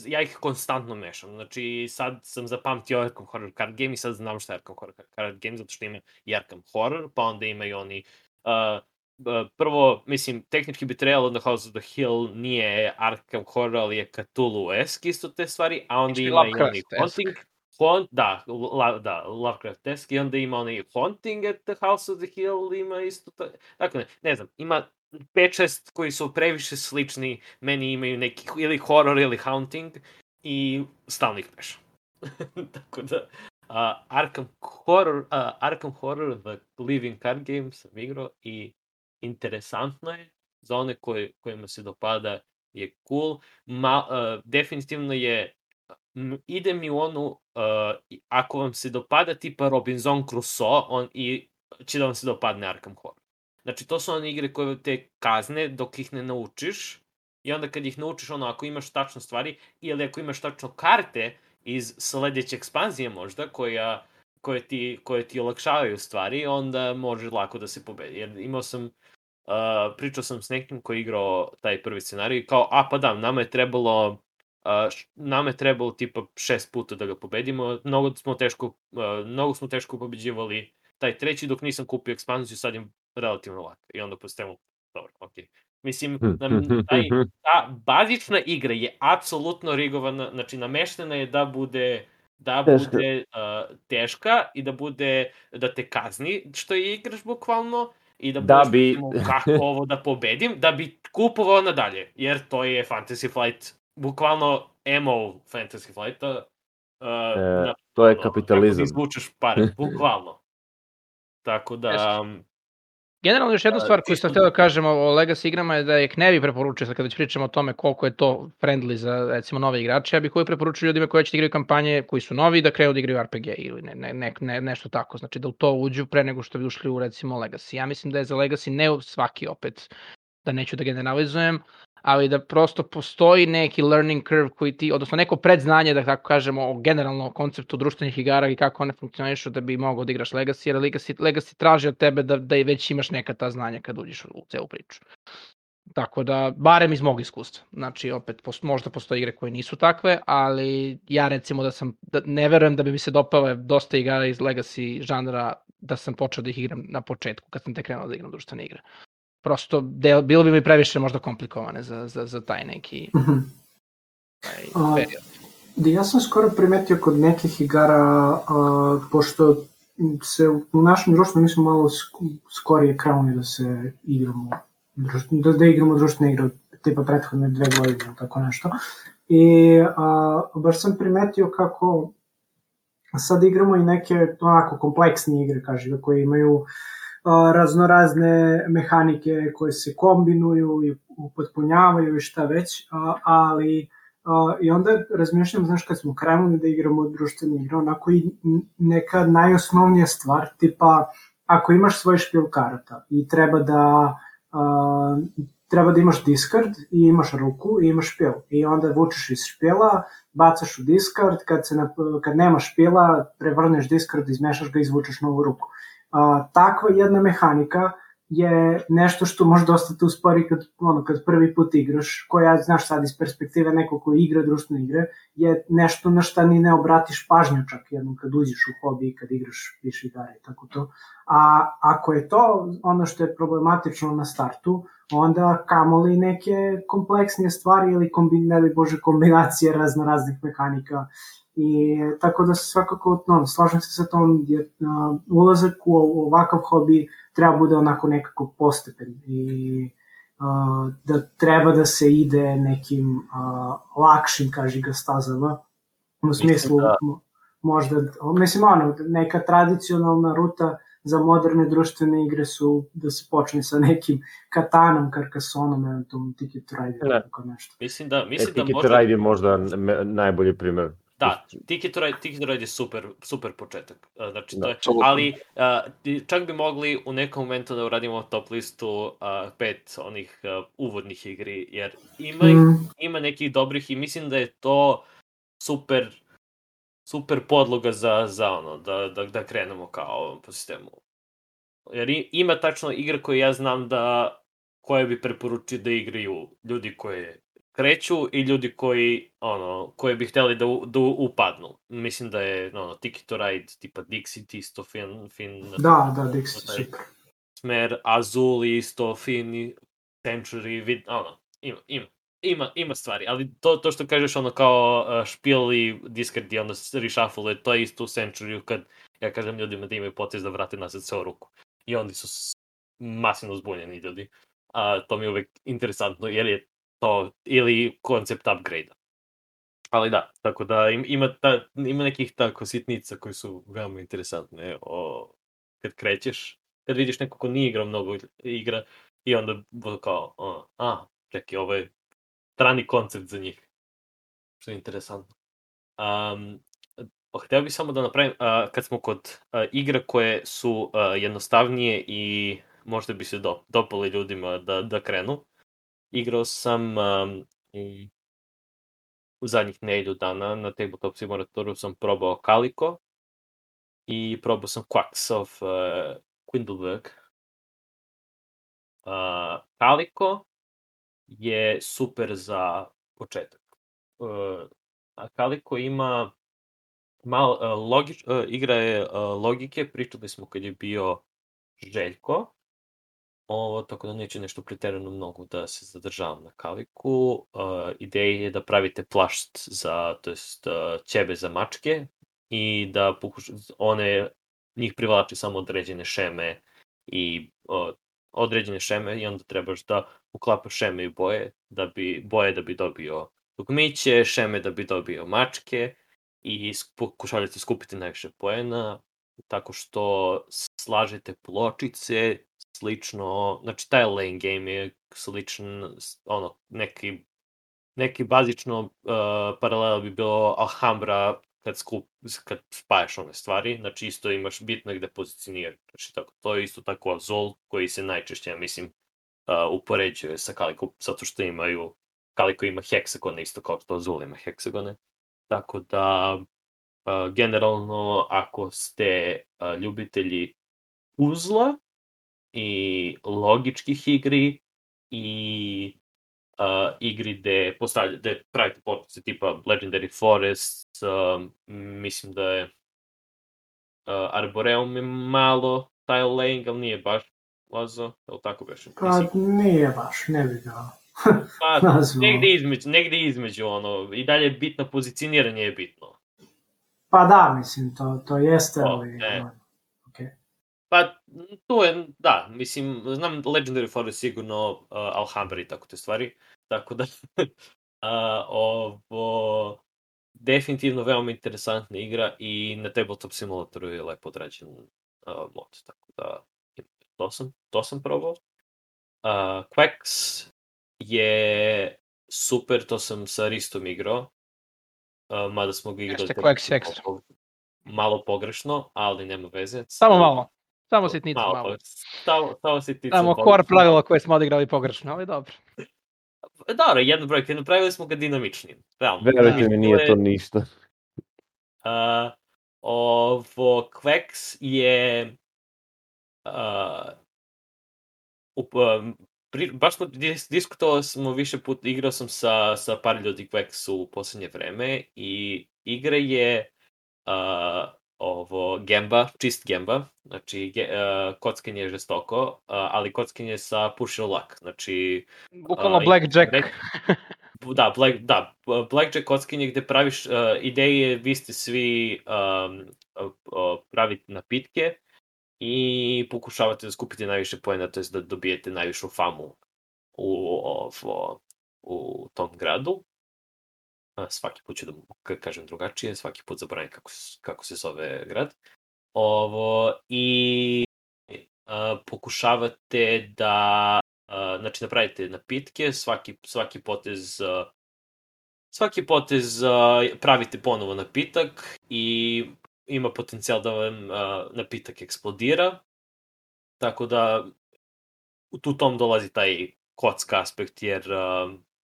ja ih konstantno mešam, znači sad sam zapamtio Arkham Horror card game i sad znam šta je Arkham Horror card game, zato što ima i Arkham Horror, pa onda ima i oni, prvo, mislim, tehnički bi trebalo da House of the Hill nije Arkham Horror, ali je Cthulhu-esk isto te stvari, a onda ima i oni Haunting, Lovecraft-esk, i onda ima onaj Haunting at the House of the Hill, ima isto to. Dakle, ne znam, ima 5-6 koji su previše slični, meni imaju neki ili horror ili haunting i stalno ih mešam. Tako da, Arkham Horror The Living Card Game sam igrao i interesantno je, za one kojima se dopada je cool. Definitivno je, ide mi u onu, ako vam se dopada tipa Robinson Crusoe, i će da vam se dopadne Arkham Horror. Znači, to su one igre koje te kazne dok ih ne naučiš, i onda kad ih naučiš, ako imaš tačno stvari, ili ako imaš tačno karte iz sledeće ekspanzije možda, koje ti olakšavaju stvari, onda može lako da se pobedi. Jer pričao sam s nekim koji je igrao taj prvi scenarij i kao, nama je trebalo tipa 6 puta da ga pobedimo, mnogo smo teško pobeđivali taj treći dok nisam kupio ekspanziju, sad je relativno lako. I onda postavimo, dobro, okej. Mislim, ta bazična igra je apsolutno rigovana, znači nameštena je da bude teška i da te kazni što je igraš bukvalno, i da kako ovo da pobedim, da bi kupovao nadalje, jer to je Fantasy Flight, bukvalno MO Fantasy Flighta. To je kapitalizam. Kako izvučeš pare, bukvalno. Tako da... Generalno, još jednu stvar koju sam htio da kažem o Legacy igrama je da ih ne bi preporučio, kada već pričamo o tome koliko je to friendly za, recimo, nove igrače, ja bih uvijek preporučio ljudima koji će igraju kampanje, koji su novi, da krenu da igraju RPG ili nešto tako, znači da u to uđu pre nego što bi ušli u, recimo, Legacy. Ja mislim da je za Legacy ne svaki, opet, da neću da generalizujem, ali da prosto postoji neki learning curve koji ti, odnosno neko predznanje, da tako kažemo, o generalno konceptu društvenih igara i kako one funkcionišu da bi mogao da igraš Legacy, jer Legacy traži od tebe da već imaš neka ta znanja kad uđeš u celu priču. Tako da, barem iz mog iskustva. Znači, opet, možda postoje igre koje nisu takve, ali ja recimo ne verujem da bi mi se dopale dosta igara iz Legacy žanra da sam počeo da ih igram na početku, kad sam tek krenuo da igram društvene igre. Prosto, bilo bi mi previše možda komplikovane za taj neki period. Ja sam skoro primetio kod nekih igara, pošto se u našem društvu mi smo malo skorije krenuli da se igramo, da igramo društvene igre, tipa prethodne 2 godine, tako nešto. I baš sam primetio kako sad igramo i neke onako kompleksne igre, kažem, koje imaju raznorazne mehanike koje se kombinuju i upotpunjavaju i šta već, ali i onda razmišljam, znaš, kad smo krenuli da igramo društvene igre, onako i neka najosnovnija stvar, tipa ako imaš svoj špil karata i treba da imaš discard i imaš ruku i imaš špil i onda vučeš iz špila, bacaš u discard, kad nemaš špila prevrneš discard, izmešaš ga i izvučeš novu ruku. Takva jedna mehanika je nešto što može dosta te uspori kad prvi put igraš, koja, znaš, sad iz perspektive nekog koji igra društvene igre, je nešto na šta ni ne obratiš pažnju čak jednom kad uđeš u hobi i kad igraš više igara i tako to. A ako je to ono što je problematično na startu, onda kamoli neke kompleksnije stvari ili kombinacije raznih mehanika. I tako da se svakako, slažem se sa tom, jer ulazak u ovakav hobi treba bude onako nekako postepen i da treba da se ide nekim lakšim, kaži ga, stazama, u smislu možda, mislim, neka tradicionalna ruta za moderne društvene igre su da se počne sa nekim Katanom, Carcassonom, eventualno Ticket to Ride, tako nešto. Mislim da Ticket to Ride je možda najbolji primer. Da, Ticket to Ride je super početak. Znači, to je, ali čak bi mogli u nekom momentu da uradimo top listu 5 onih uvodnih igri, jer ima nekih dobrih i mislim da je to super podloga za ono, da krenemo kao po sistemu. Jer ima tačno igra koje ja znam koje bi preporučio da igraju ljudi koje kreću i ljudi koji bi hteli da upadnu. Mislim da je Ticket to Ride, tipa Dixit isto fin. Da, Dixit, super. Smer, Azul isto fin, Century, ima. Ima stvari, ali to što kažeš ono kao špil i discard i onda reshuffle, to je isto u Century kad ja kažem ljudima da imaju potez da vrate nazad ceo ruku. I oni su masivno zbunjeni ljudi. To mi je uvek interesantno, jer je to ili koncept upgrade-a. Ali da, tako da ima nekih tako sitnica koji su veoma interesantne kad krećeš, kad vidiš neko ko nije igrao mnogo igra i onda bude kao, čekaj, ovo je strani koncept za njih. Što je interesantno. Hteo bih samo da napravim, kad smo kod igra koje su jednostavnije i možda bi se dopali ljudima da krenu. Igrao sam u zadnjih nedelju dana na Tabletop Simulatoru sam probao Calico i probao sam Quacks of Quindleberg. Calico je super za početak. Calico ima malo igra je logike, pričali smo kad je bio Željko, tako da neće nešto preterano mnogo da se zadržavam na Calicu. Ideja je da pravite plašt ćebe za mačke i da njih privlači samo određene šeme i onda trebaš da uklapaš šeme i boje da bi dobio dugmiće, šeme da bi dobio mačke i pokušavate skupiti najviše poena tako što slažete pločice, slično, znači taj lane game je sličan, neki bazično paralela bi bilo Alhambra kad spajaš one stvari, znači isto imaš bitno gde pozicionirati, znači to je isto tako Azul koji se najčešće, ja mislim, upoređuje sa Calico, zato što Calico ima heksagone isto kao što Azul ima heksagone, tako da generalno ako ste ljubitelji puzla i logičkih igri i igri gde pravite potpice tipa Legendary Forest, mislim da je Arboreum je malo tile laying, ali nije baš Lazo, je li tako beše? Pa nije baš, ne bi ga negde između, i dalje bitno pozicioniranje je bitno. Pa da, mislim, to jeste, ali... Pa, tu je, da, mislim, znam Legendary Forest sigurno, Alhambra i tako te stvari, tako da, ovo, definitivno veoma interesantna igra i na Tabletop Simulatoru je lepo odrađen mod, tako da, to sam probao. Quacks je super, to sam sa Ristom igrao, mada smo ga igrali malo pogrešno, ali nema veze. Samo malo. Samo sitnicu malo. Samo sitnicu. Samo core pravila koje smo odigrali pogrešno, ali dobro. Dobro, jedna brojka, napravili smo ga dinamičnim. Verujte mi, nije to ništa. Ovo Quacks je... baš smo diskutovali smo više puta, igrao sam sa par ljudi Quacks u poslednje vreme i igra je čist gemba, znači kockanje je žestoko, ali kockanje sa push your luck, znači... Bukvalno blackjack. Blackjack kockanje gde praviš ideje, vi ste svi pravite napitke i pokušavate da skupite najviše poena, to je da dobijete najvišu famu u tom gradu. Svaki put ću da kažem drugačije, svaki put zaboravim kako se zove grad. I pokušavate da napravite napitke, svaki potez pravite ponovo napitak i ima potencijal da vam napitak eksplodira, tako da u tom dolazi taj kocka aspekt, jer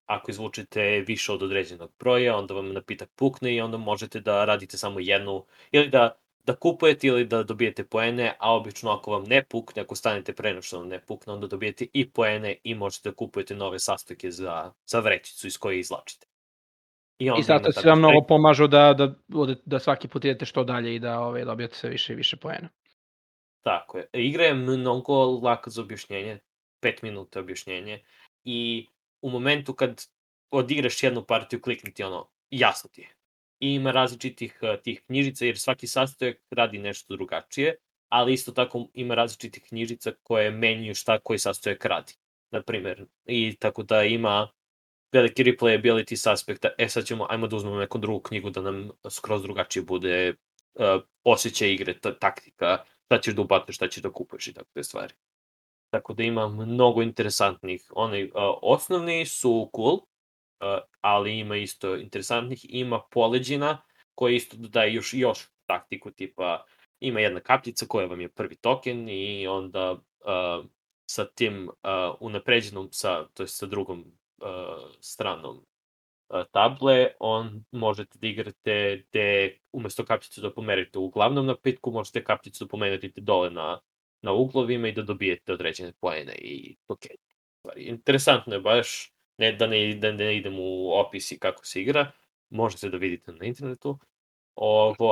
ako izvučete više od određenog broja, onda vam napitak pukne i onda možete da radite samo jednu, ili da kupujete ili da dobijete poene, a obično ako vam ne pukne, ako stanete pre nego što vam ne pukne, onda dobijete i poene i možete da kupujete nove sastojke za vrećicu iz koje izlačite. I zato se vam mnogo pomažu da svaki put idete što dalje i da dobijete sve više i više poena. Tako je. Igra je mnogo laka za objašnjenje, 5 minuta objašnjenje i u momentu kad odigraš jednu partiju, kliknuti jasno ti je. I ima različitih tih knjižica, jer svaki sastojak radi nešto drugačije, ali isto tako ima različitih knjižica koje menjuju šta koji sastojak radi. Naprimer, i tako da ima veliki replayability s aspekta, sad ajmo da uzmemo neku drugu knjigu da nam skroz drugačije bude osjećaj igre, taktika, šta ćeš da ubacuješ, šta ćeš da kupuješ i tako te stvari. Tako da ima mnogo interesantnih, osnovni su cool, ali ima isto interesantnih, ima poleđina koji isto dodaje još taktiku, tipa ima jedna kapljica koja vam je prvi token i onda sa tim unapređenom, to je sa drugom stranom table, možete da igrate gde umesto kapljicu da pomerite u glavnom napitku, možete kapljicu da pomerite dole na uglovima i da dobijete određene poene i tokene. Interesantno je baš, da ne idem u opisi kako se igra, možete da vidite na internetu.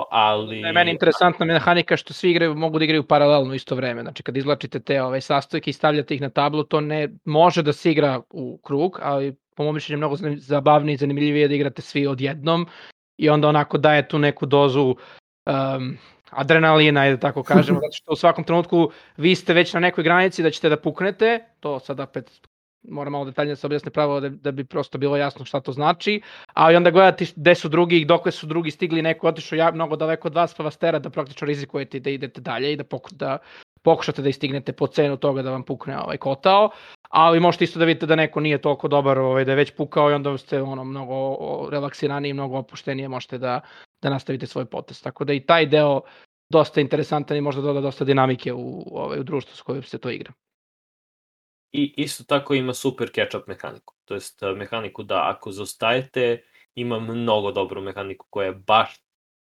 Ali... Meni je interesantna mehanika što svi mogu da igraju paralelno isto vreme. Znači, kad izvlačite te sastojke i stavljate ih na tablu, to ne može da se igra u krug, ali po mom mišljenju mnogo zabavnije i zanimljivije da igrate svi odjednom i onda onako daje tu neku dozu adrenalina, da tako kažemo, zato što u svakom trenutku vi ste već na nekoj granici da ćete da puknete, to sad opet moram malo detaljnije da se objasne pravo da bi prosto bilo jasno šta to znači, ali onda gledati gde su drugi i dokle su drugi stigli, neko otišao mnogo daleko od vas pa vas tera da praktično rizikujete da idete dalje i da pokušate da istignete po cenu toga da vam pukne kotao, ali možete isto da vidite da neko nije toliko dobar, da je već pukao i onda ste mnogo relaksiraniji, mnogo opuštenije, možete da nastavite svoj potez. Tako da i taj deo dosta interesantan i možda doda dosta dinamike u društvu s kojim se to igra. I isto tako ima super catch-up mehaniku. To jest mehaniku da ako zaostajete, ima mnogo dobru mehaniku koja baš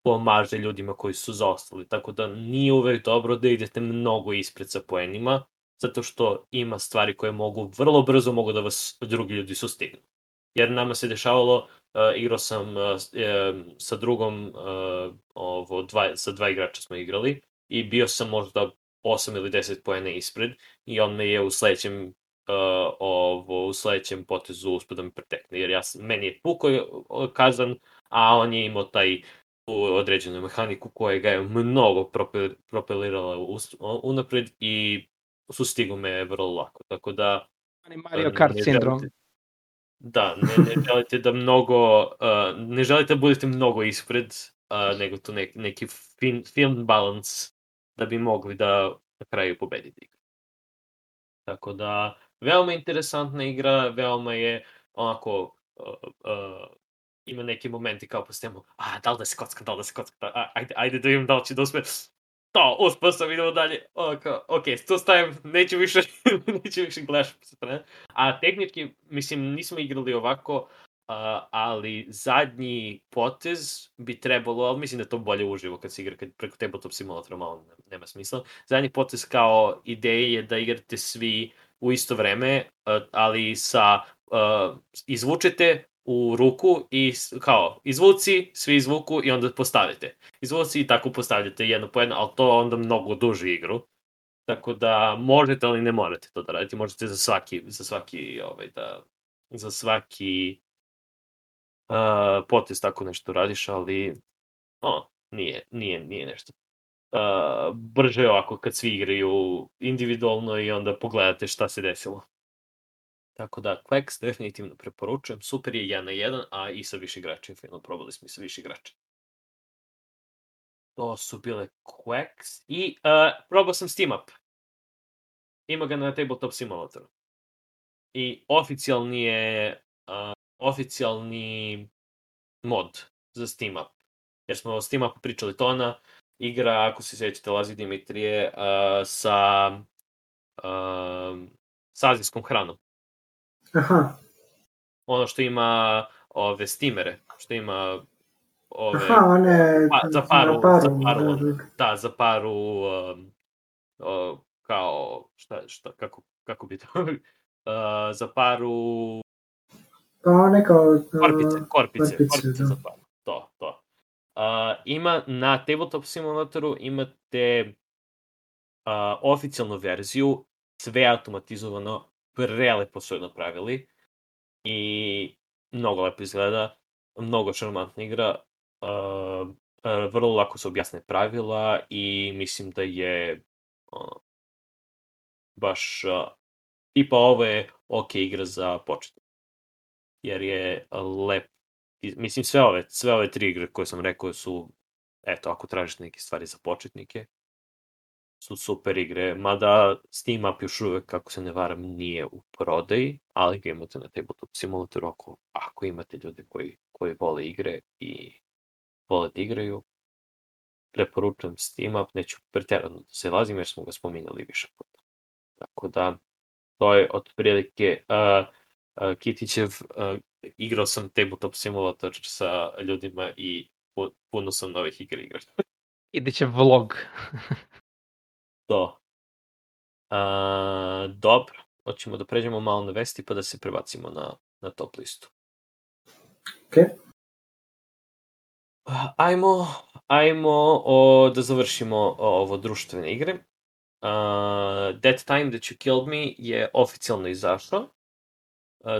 pomaže ljudima koji su zaostali. Tako da nije uvek dobro da idete mnogo ispred sa poenima, zato što ima stvari koje vrlo brzo mogu da vas drugi ljudi sustignu. Jer nama se dešavalo, igrao sam sa drugom, sa 2 igrača smo igrali i bio sam možda 8 ili 10 poena ispred i on me je u sledećem potezu uspio da me pretekne, jer meni je pukao kazan, a on je imao taj određenu mehaniku koja ga je mnogo propelirala unapred i sustigo me vrlo lako, tako da... Mario Kart sindrom. Da, ne želite da ne želite da budete mnogo ispred, nego tu neki film balans da bi mogli da na kraju pobedite igru. Tako da, veoma interesantna igra, veoma je onako, ima neki momenti kao postajemo, da li da se kocka, ajde da vidim da li će da uspe, uspeo sam, idemo dalje, ok, tu stavim, neću više gledaš, a tehnički, mislim, nismo igrali ovako, ali zadnji potez bi trebalo, ali mislim da je to bolje uživo kad se igra preko tabletop simulatora, malo nema smisla. Zadnji potez kao ideja je da igrate svi u isto vreme, ali izvučete u ruku i kao izvuci, svi izvuku i onda postavite. Izvuci i tako postavljate jedno po jedno, ali to onda mnogo duži igru. Tako da možete, ali ne morate to da radite. Možete za svaki potez tako nešto radiš, ali nije nešto. Brže je ovako kad svi igraju individualno i onda pogledate šta se desilo. Tako da, Quacks definitivno preporučujem. Super je 1 na 1, a i sa više igrača. Probali smo i sa više igrača. To su bile Quacks. I probao sam Steam Up. Ima ga na Tabletop Simulatoru. I oficijalni mod za Steam Up. Jer smo o Steam Upu pričali, to ona igra, ako se sjećate, Lazi Dimitrije, sa azijskom hranom. Aha. Ono što ima ove steamere, što ima za paru kao kako bi to za paru korpice za paru. To. Ima na Tabletop Simulatoru imate oficijalnu verziju, sve automatizovano, prelepo su je napravili i mnogo lepo izgleda, mnogo šarmantna igra, vrlo lako se objasne pravila i mislim da je baš tipa ovo je ok igra za početnike. Jer je lep. Mislim, sve ove 3 igre koje sam rekao su, eto, ako tražiš neke stvari za početnike, su super igre, mada Steam Up još uvek, kako se ne varam, nije u prodaji, ali ga imate na Tabletop Simulatoru ako imate ljude koji vole igre i vole da igraju. Preporučujem Steam Up, neću pretjerano da se lazim jer smo ga spominjali više puta. Tako da, to je otprilike Kitićev, igrao sam Tabletop Simulator sa ljudima i puno sam novih igra igrao. Kitićev vlog. To. Dobro, hoćemo da pređemo malo na vesti pa da se prebacimo na top listu. Ok. Ajmo da završimo ovo društvene igre. That Time That You Killed Me je oficijalno izašao.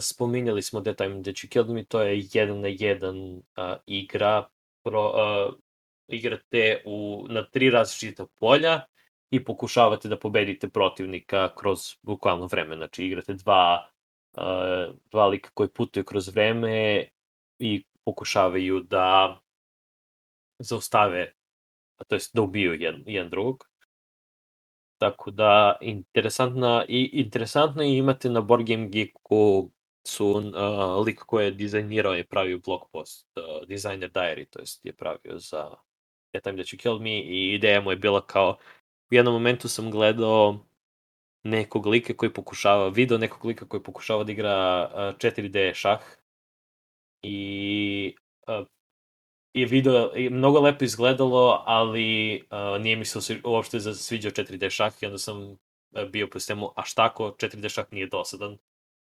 Spominjali smo That Time That You Killed Me, to je 1-1 igra. Igrate na 3 različita polja i pokušavate da pobedite protivnika kroz bukvalno vreme. Znači igrate dva lika koji putuju kroz vreme i pokušavaju da zaustave, to jest da ubiju jedan drugog. Tako da, interesantno je imate na Board Game Geeku su lik koji je dizajnirao i pravio blog post, Designer Diary, to jest je pravio za That Time That You Killed Me i ideja mu je bila kao, u jednom momentu sam gledao nekog lika koji pokušava da igra 4D šah i video je mnogo lepo izgledalo, ali nije mi se uopšte sviđao 4D šah i onda sam bio po sistemu, a šta ako 4D šah nije dosadan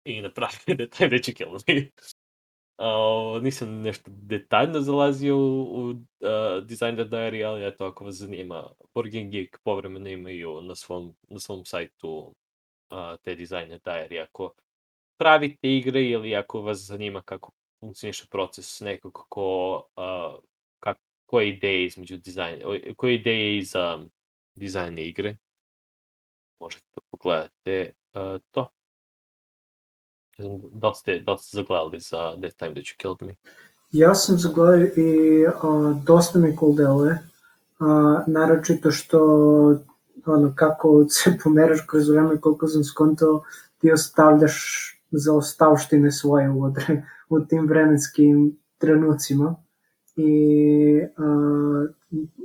i napravio That Time That You Killed Me. Nisam nešto detaljno zalazio u Designer Diary, ali eto, ako vas zanima, Board Game Geek povremeno imaju na svom sajtu te Designer Diary. Ako pravite igre ili ako vas zanima kako funkcioniše proces nekog koje ideje između dizajna, koje ideje iza dizajna igre, možete da pogledate to. Da ste zagledali za That Time That You Killed Me? Ja sam zagledao i dosta mi cool deluje, naročito što kako se pomeraš kroz vreme, koliko sam skontao, ti ostavljaš zaostavštine svoje u tim vremenskim trenucima i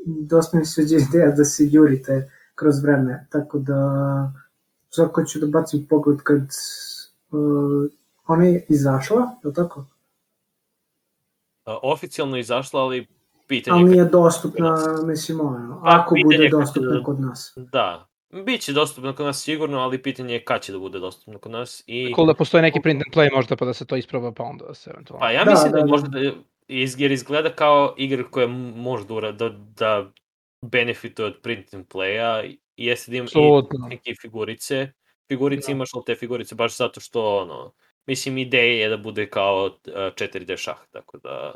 dosta mi sviđa ideja da se jurite kroz vreme, tako da svako ću da bacim pogled kad ona je izašla, je li tako? Oficijalno je izašla, ali pitanje... Ali nije dostupna, mislim, ako bude dostupna kod nas. Da, bit će dostupna kod nas sigurno, ali pitanje je kad će da bude dostupna kod nas. Cool da postoji neki print and play možda pa da se to isproba pa onda da se eventualno... Pa ja mislim da možda da jer izgleda kao igra koja može da benefituje od print and playa i jeste da ima i neke figurice. Figurice imaš, ali te figurice baš zato što, mislim, ideja je da bude kao 4D šah, tako da...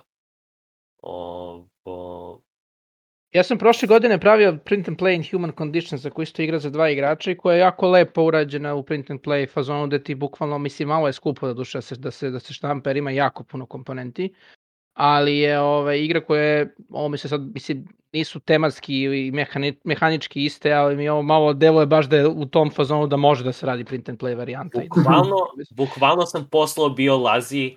Ja sam prošle godine pravio print and play in Human Conditions za koju isto igra za 2 igrača i koja je jako lepo urađena u print and play fazonu gde ti bukvalno, mislim, malo je skupo da duše da se štampa jer ima jako puno komponenti, ali je igra koja je, ovo mi se sad, mislim, nisu tematski i mehanički iste, ali mi ovo malo deluje baš da je u tom fazonu da može da se radi print and play varijanta. Bukvalno sam poslao Biolazi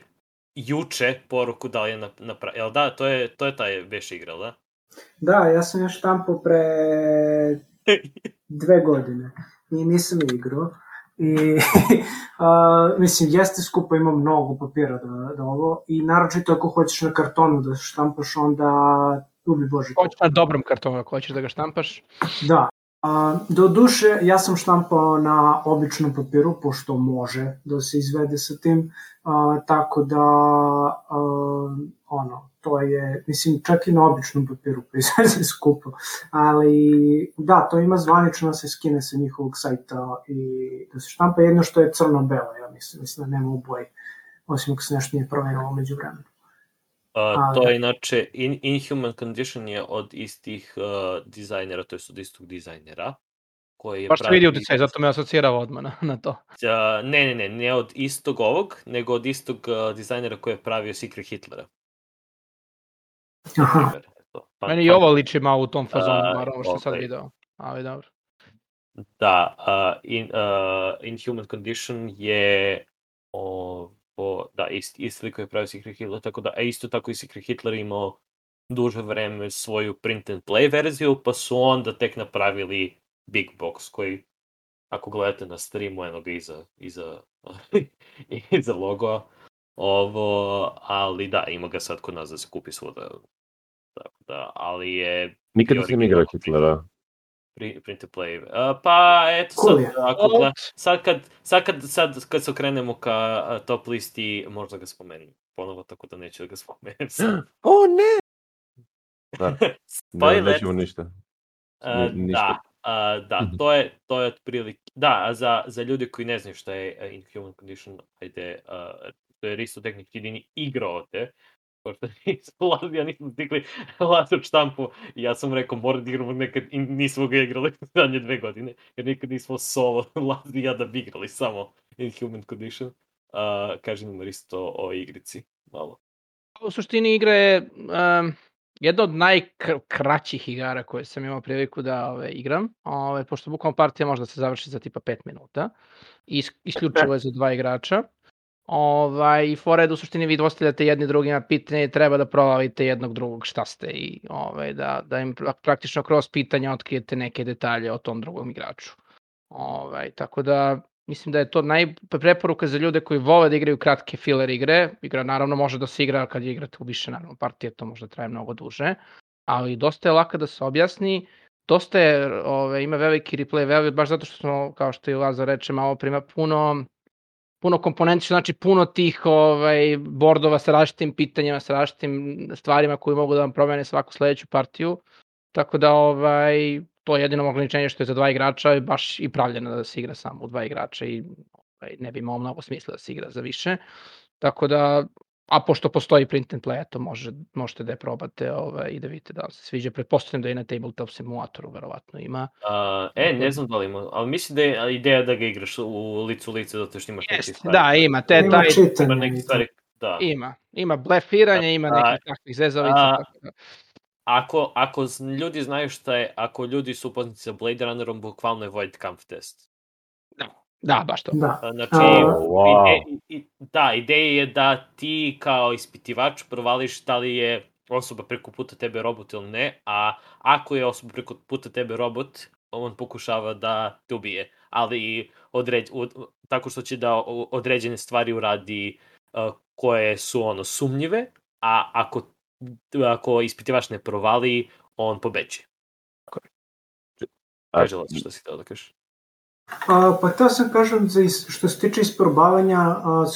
juče poruku da li je napravio. Jel da, to je taj veš igra, da? Da, ja sam još štampao pre 2 godine i nisam igrao. I mislim, jeste skupo, ima mnogo papira da ovo i naročito ako hoćeš na kartonu da štampaš, onda ubi Bože. Hoćeš na dobrom kartonu ako hoćeš da ga štampaš? Da. Do duše, ja sam štampao na običnom papiru, pošto može da se izvede sa tim, tako da to je, mislim, čak i na običnom papiru pa izvede skupo, ali da, to ima zvanično da se skine sa njihovog sajta i da se štampa, jedno što je crno-belo, ja mislim da nema u boji, osim ako se nešto nije promenilo među vremenu. To je inače, Inhuman Condition je od istih dizajnera, to je od istog dizajnera. Koji je baš se vidi uticaj, zato me asocirao odmah na to. Ne od istog ovog, nego od istog dizajnera koji je pravio Secret Hitlera. Aha. Meni i ovo liči malo u tom fazonu, bar ovo što sad video, ali dobro. Da, Inhuman Condition je isti lik koji je pravio Secret Hitler, tako da, isto tako i Secret Hitler imao duže vreme svoju print and play verziju, pa su onda tek napravili Big Box, koji, ako gledate na streamu, eno ga iza logo, ali da, ima ga sad kod nas da se kupi svuda. Tako da, ali je... Nikad nisam igrao Hitlera. Print and play. Pa, eto, sad kad se okrenemo ka top listi, možda ga spomenem ponovo, tako da neću da ga spomenem sad. O, ne! Da, nećemo ništa. Da, to je otprilike... Da, za ljudi koji ne znaju šta je Inhuman Condition, ajde, to je isto tehnički jedini igrao te, pošto ja nisam stigli Lazo štampu i ja sam rekao mora da igramo nekad i nismo ga igrali zadnje 2 godine, jer nikad nismo solo Lazo i ja da bi igrali samo Inhuman Condition. Kažem nam isto o igrici malo. U suštini igra je jedna od najkraćih igara koje sam imao priliku da igram, pošto bukvalno partija može da se završi za tipa 5 minuta i isključivo je za 2 igrača. I fora je da u suštini vi dostavljate jedni drugima pitanje i treba da provalite jednog drugog šta ste i da im praktično kroz pitanja otkrijete neke detalje o tom drugom igraču. Tako da mislim da je to preporuka za ljude koji vole da igraju kratke filler igre. Igra naravno može da se igra kad igrate u više naravno partije, to može da traje mnogo duže, ali dosta je laka da se objasni. Dosta je, ima veliki replay value, baš zato što smo, kao što i Lazar reče, malo prima puno komponenti, znači puno tih bordova sa različitim pitanjima, sa različitim stvarima koji mogu da vam promene svaku sledeću partiju. Tako da to je jedino ograničenje što je za 2 igrača i baš i pravljeno da se igra samo u 2 igrača i ne bi imao mnogo smisla da se igra za više. Tako da, a pošto postoji print and play, to možete da je probate i da vidite da vam se sviđa. Pretpostavljam da i na tabletop simulatoru verovatno ima. Ne znam da li ima, ali mislim da je ideja da ga igraš u lice zato što imaš neke stvari. Da, ima. Ima neke stvari, da. Ima blefiranje, ima nekih takvih zezavica. Ako ljudi znaju šta je, ako ljudi su upoznati sa Blade Runnerom, bukvalno je Void Kampf test. Da, baš to. Znači, ideja je da ti kao ispitivač provališ da li je osoba preko puta tebe robot ili ne, a ako je osoba preko puta tebe robot, on pokušava da te ubije, ali tako što će da određene stvari uradi koje su sumnjive, a ako ispitivač ne provali, on pobeđe. Kaži Lazo što si htio da kažeš. Pa to sam kažem, što se tiče isprobavanja,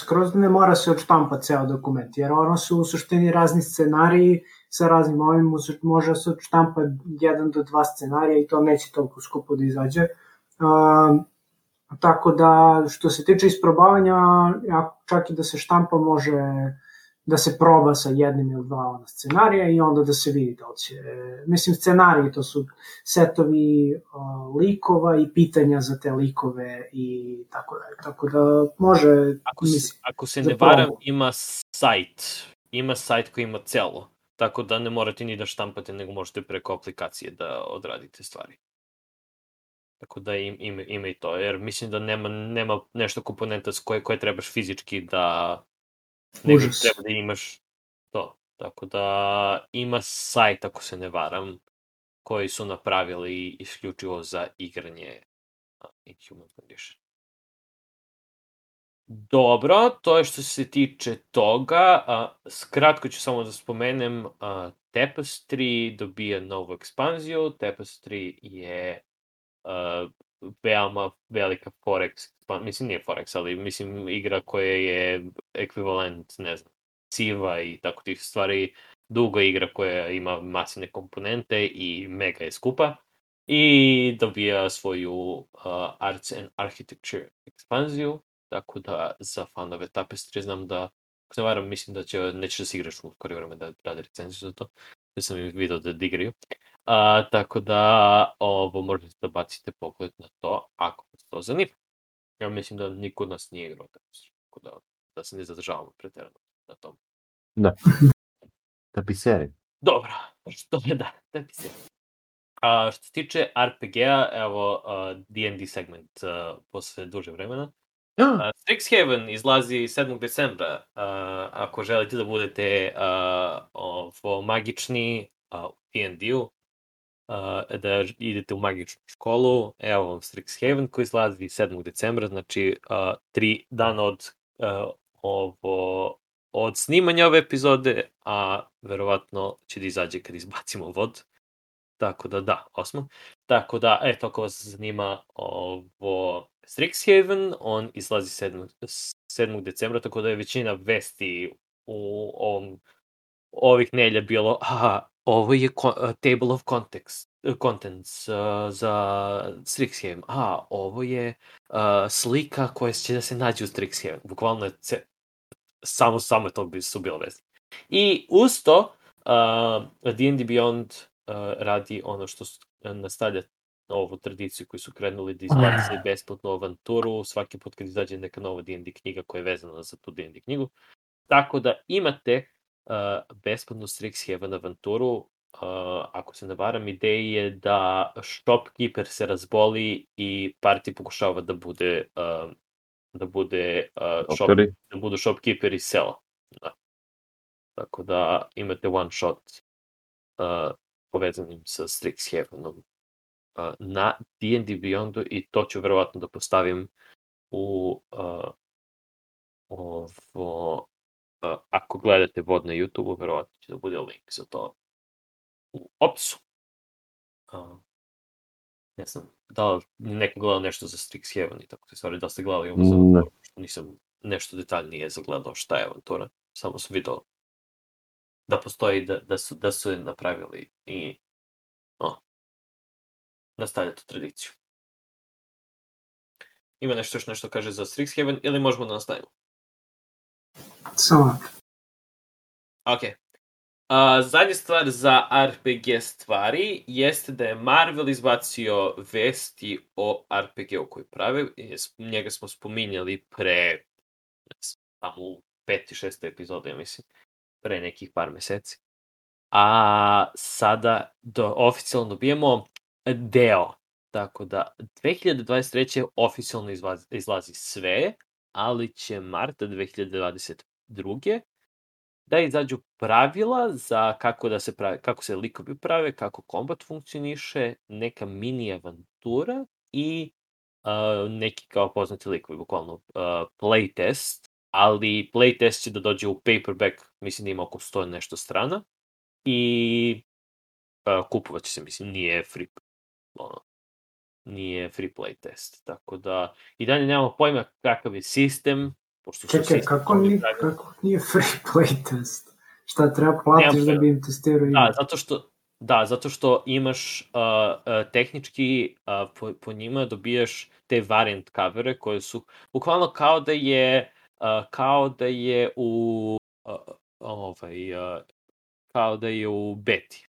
skroz ne mora se odštampa ceo dokument, jer ono su u suštini razni scenariji sa raznim ovim, može se odštampa 1 do 2 scenarija i to neće toliko skupo da izađe. Tako da, što se tiče isprobavanja, čak i da se štampa može da se proba sa 1 ili 2 scenarija i onda da se vidi da li će... Mislim, scenariji to su setovi likova i pitanja za te likove i tako dalje. Tako da može... Ako se ne varam, ima sajt koji ima celo. Tako da ne morate ni da štampate, nego možete preko aplikacije da odradite stvari. Tako da ima i to, jer mislim da nema nešto komponenta koje trebaš fizički da... nego treba da imaš to. Tako da ima sajt, ako se ne varam, koji su napravili isključivo za igranje Inhuman Condition. Dobro, to je što se tiče toga. Skratko ću samo da spomenem, Tapestry dobija novu ekspanziju. Tapestry je veoma velika Forex, mislim nije Forex, ali mislim igra koja je ekvivalent, ne znam, Civa i tako tih stvari, duga igra koja ima masivne komponente i mega je skupa i dobija svoju Arts and Architecture ekspanziju, tako da za fanove Tapestry znam da ako se varam, mislim da neće da se igraš u skoro vreme da rade recenziju za to. Da sam im vidio da igraju. Tako da ovo možete da bacite pogled na to ako vas to zanima. Ja mislim da niko od nas nije igrao, tako da se ne zadržavamo preterano na tom. Da. Tapiseri. Dobro, što je da tapiseri. Što se tiče RPG-a, evo D&D segment posle duže vremena. Strixhaven izlazi 7. decembra. Ako želite da budete magični u D&D-u, da idete u magičnu školu, evo vam Strixhaven koji izlazi 7. decembra, znači 3 dana od snimanja ove epizode, a verovatno će da izađe kad izbacimo vod. Tako da, 8. Tako da, eto, ako vas zanima ovo Strixhaven, on izlazi 7. decembra, tako da je većina vesti u ovih nelja bilo, ovo je table of contents za Strixhaven, ovo je slika koja će da se nađe u Strixhaven. Bukvalno je samo to su bilo vesti. I uz to, D&D Beyond radi ono što nastavlja ovu tradiciju koju su krenuli da izbaci besplatnu avanturu svaki put kad izađe neka nova D&D knjiga koja je vezana za tu D&D knjigu. Tako da imate besplatnu Strixhaven avanturu. Ako se ne varam, ideja je da shopkeeper se razboli i party pokušava da budu shopkeeper iz sela. Da. Tako da imate one shot povezanim sa Strixhavenom na D&D Beyondu i to ću verovatno da postavim u ako gledate vod na YouTube-u, verovatno će da bude link za to u opisu. Ne znam, da li neko gledao nešto za Strixhaven i tako te stvari, da ste gledali ovo za avanturu, što nisam nešto detaljnije zagledao šta je avantura, samo sam vidio da postoji, da su je napravili i nastavlja tu tradiciju. Ima nešto kaže za Strixhaven ili možemo da nastavimo? Samo. Ok. Zadnja stvar za RPG stvari jeste da je Marvel izbacio vesti o RPG-u koji prave. Njega smo spominjali pre tamo u 5. 6. epizode, ja mislim. Pre nekih par meseci. A sada oficijalno dobijemo deo. Tako da 2023. oficijalno izlazi sve, ali će marta 2022. da izađu pravila za kako se likovi prave, kako kombat funkcioniše, neka mini avantura i neki kao poznati likovi, bukvalno playtest, ali playtest će da dođe u paperback, mislim da ima oko 100 nešto strana i kupovat će se, mislim, nije free playtest, tako da i dalje nemamo pojma kakav je sistem. Čekaj, kako nije free playtest? Šta treba platiš da bi im testirao igru? Zato što imaš tehnički po njima dobijaš te variant covere koje su bukvalno kao da je u beti.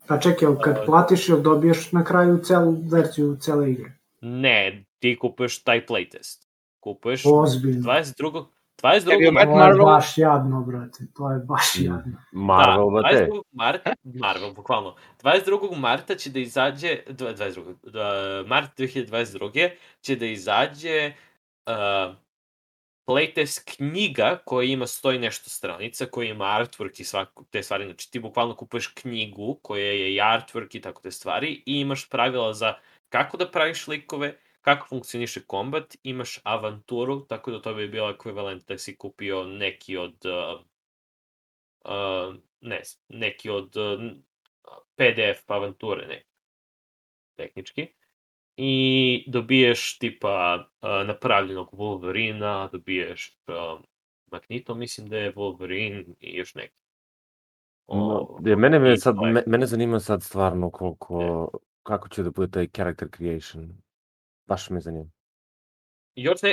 Pa čekaj, kad platiš ili dobiješ na kraju celu verziju cele igre? Ne, ti kupuješ taj playtest. Kupuješ 22. To je baš jadno, brate. To je baš jadno. Marvel, brate. Marvel, bukvalno. 22. marta će da izađe, mart 2022. će da izađe playtest knjiga koja ima 100 i nešto stranica, koja ima artwork i te stvari. Znači ti bukvalno kupuješ knjigu koja je i artwork i tako te stvari i imaš pravila za kako da praviš likove, kako funkcioniše kombat, imaš avanturu, tako da to bi bilo ekvivalent da si kupio neki od PDF avanture, tehnički. I dobiješ tipa napravljenog Wolverina, dobiješ Magneto, mislim da je Wolverine i još neki. Mene zanima sad stvarno kako će da bude taj character creation. Baš me zanima.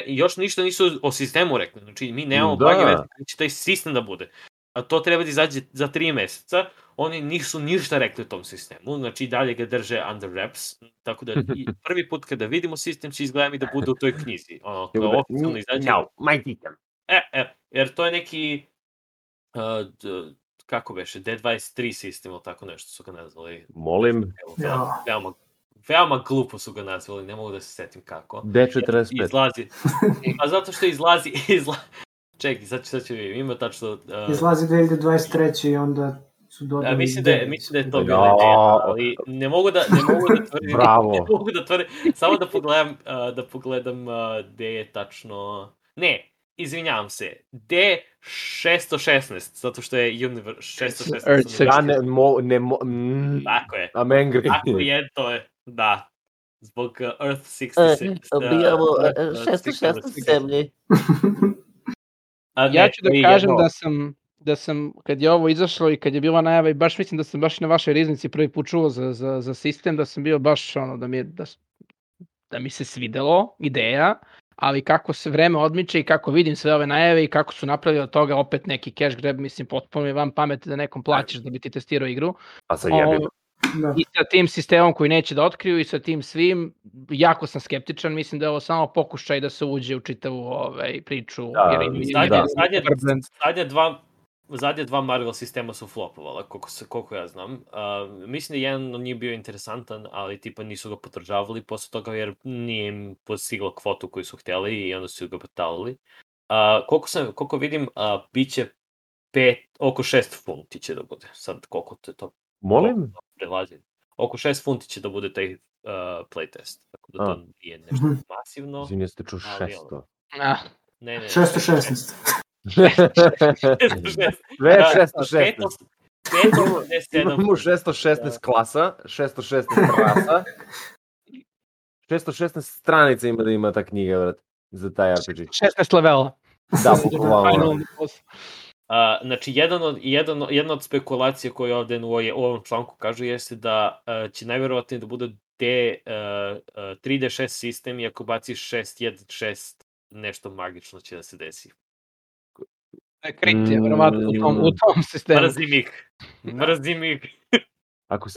još ništa nisu o sistemu rekli. Znači, mi nemamo Da. blage veze kada će taj sistem da bude. A to treba da izađe za 3 meseca. Oni nisu ništa rekli o tom sistemu. Znači, dalje ga drže under wraps. Tako da prvi put kada vidimo sistem će izgleda mi da bude u toj knjizi. Ono, kao oficijalno izađe. Jer to je neki kako beše, D23 sistem ili tako nešto su ga nazvali. Molim. Veoma glupo su ga nazvali, ne mogu da se setim kako. D45. Izlazi. A zato što izlazi... Čekaj, sad ću vidim, ima tačno... Izlazi 2023 i onda su dodali... Mislim da je to bila ideja, ali ne mogu da tvrdim... Bravo. Ne mogu da tvrdim, samo da pogledam gde je tačno... Ne, izvinjavam se, D616, zato što je 616... Ja ne Tako je. I'm angry. Tako je, to je, da. Zbog Earth 66. Dobijamo 616 zemlji. Ja ću da kažem da sam, kad je ovo izašlo i kad je bila najava, i baš mislim da sam baš na vašoj riznici prvi put čuo za sistem, da sam bio baš ono, da mi se svidelo ideja, ali kako se vreme odmiče i kako vidim sve ove najave i kako su napravili od toga opet neki cash grab, mislim, potpuno je vam pameti da nekom plaćaš da bi ti testirao igru. A sad jebim. I sa tim sistemom koji neće da otkriju i sa tim svim, jako sam skeptičan, mislim da je ovo samo pokušaj da se uđe u čitavu priču. Zadnje dva Marvel sistema su flopovala, koliko ja znam. Mislim da je jedan od njih bio interesantan, ali tipa nisu ga podržavali posle toga jer nije im postiglo kvotu koju su htjeli i onda su ga batalili. Koliko vidim, bit će oko 6 funti će da bude. Sad koliko to Molim? Prelazi. Oko 6 funti će da bude taj playtest. Tako da to nije nešto masivno. Izvim, jeste čuo 600. Ne. 616. 616. 587. Imamo 616 klasa, 616 rasa. 616 stranica ima da ima ta knjiga, vrat, za taj RPG. 16 levela. Da, bukvalno. Znači, jedna od spekulacija koje ovde u ovom članku kažu jeste da će najverovatnije da bude 3D6 sistem i ako baciš 616 nešto magično će da se desi. Kritija, verovatno u tom sistemu. Mrzim ih.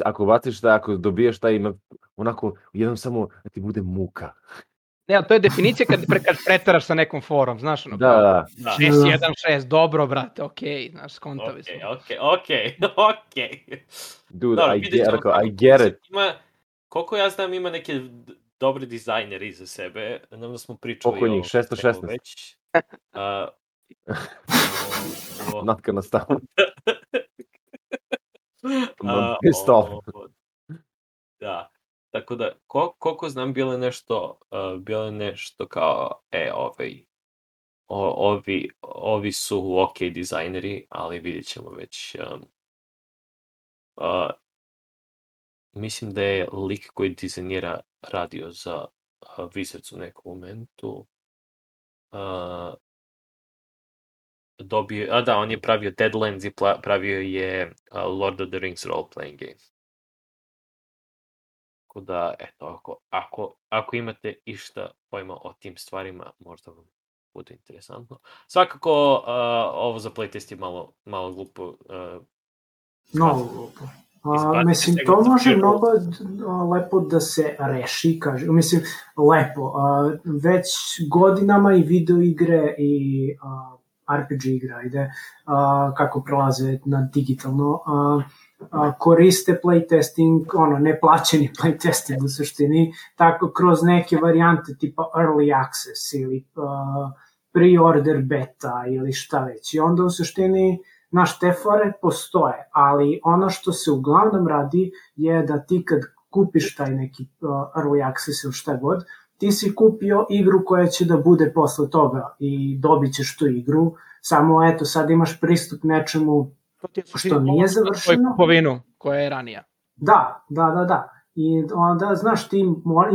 Ako baciš taj, ako dobiješ taj, onako, jednom samo da ti bude muka. Ne, ali to je definicija kad pretaraš sa nekom forom, znaš ono. Da. 616, dobro, brate, okej, znaš, skontavi smo. Okej. Dude, I get it. Koliko ja znam, ima neke dobre dizajneri iza sebe, nam da smo pričali koliko njih, 616? Već. Not gonna stop. Pissed off. Da. Tako da, koliko znam, bilo je nešto kao, ovi su ok dizajneri, ali vidjet ćemo već. Mislim da je lik koji dizajnira radio za Wizards u nekom momentu. On je pravio Deadlands i pravio je Lord of the Rings role-playing game. Tako da, eto, ako imate išta pojma o tim stvarima, možda vam bude interesantno. Svakako, ovo za playtest je malo glupo. Mnogo glupo. Mislim, to može mnogo lepo da se reši, mislim, lepo. Već godinama i video igre i RPG igra ide, kako prelaze na digitalno, koriste playtesting, neplaćeni playtesting u suštini, tako kroz neke varijante tipa early access ili pre-order beta ili šta već. I onda u suštini te fore postoje, ali ono što se uglavnom radi je da ti kad kupiš taj neki early access ili šta god, ti si kupio igru koja će da bude posle toga i dobit ćeš tu igru, samo eto sad imaš pristup nečemu što nije završeno. Kupovinu koja je ranija. Da. I onda, znaš, ti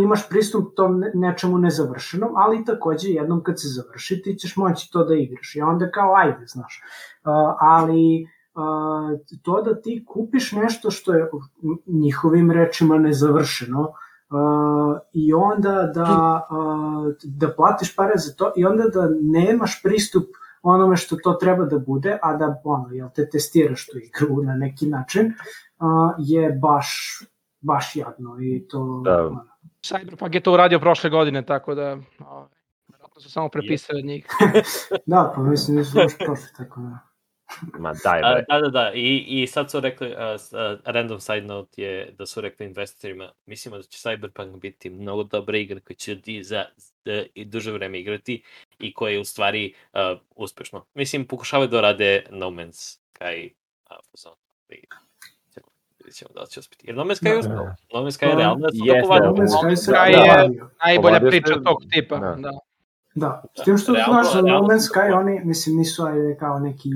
imaš pristup tom nečemu nezavršenom, ali takođe jednom kad se završi ti ćeš moći to da igraš. I onda kao ajde, znaš. Ali to da ti kupiš nešto što je njihovim rečima nezavršeno, i onda da platiš pare za to i onda da nemaš pristup onome što to treba da bude, a da te testiraš tu igru na neki način, je baš jadno i to... Cyberpunk je to uradio prošle godine, tako da vjerojatno su samo prepisali od njih. Da, pa mislim da su baš prošli, tako da... Ma daj, da. I sad su rekli, random side note je da su rekli investitorima, mislimo da će Cyberpunk biti mnogo dobra igra koja će za duže vreme igrati i koja je u stvari uspešno. Mislim, pokušavaju da rade No Man's Sky vidjet ćemo da li će uspjeti. Jer No Man's Sky je uspjelo. No Man's Sky je realno da su dopovadili. No Man's Sky je najbolja priča tog tipa. Da, s tim što znaš za No Man's Sky, oni, mislim, nisu kao neki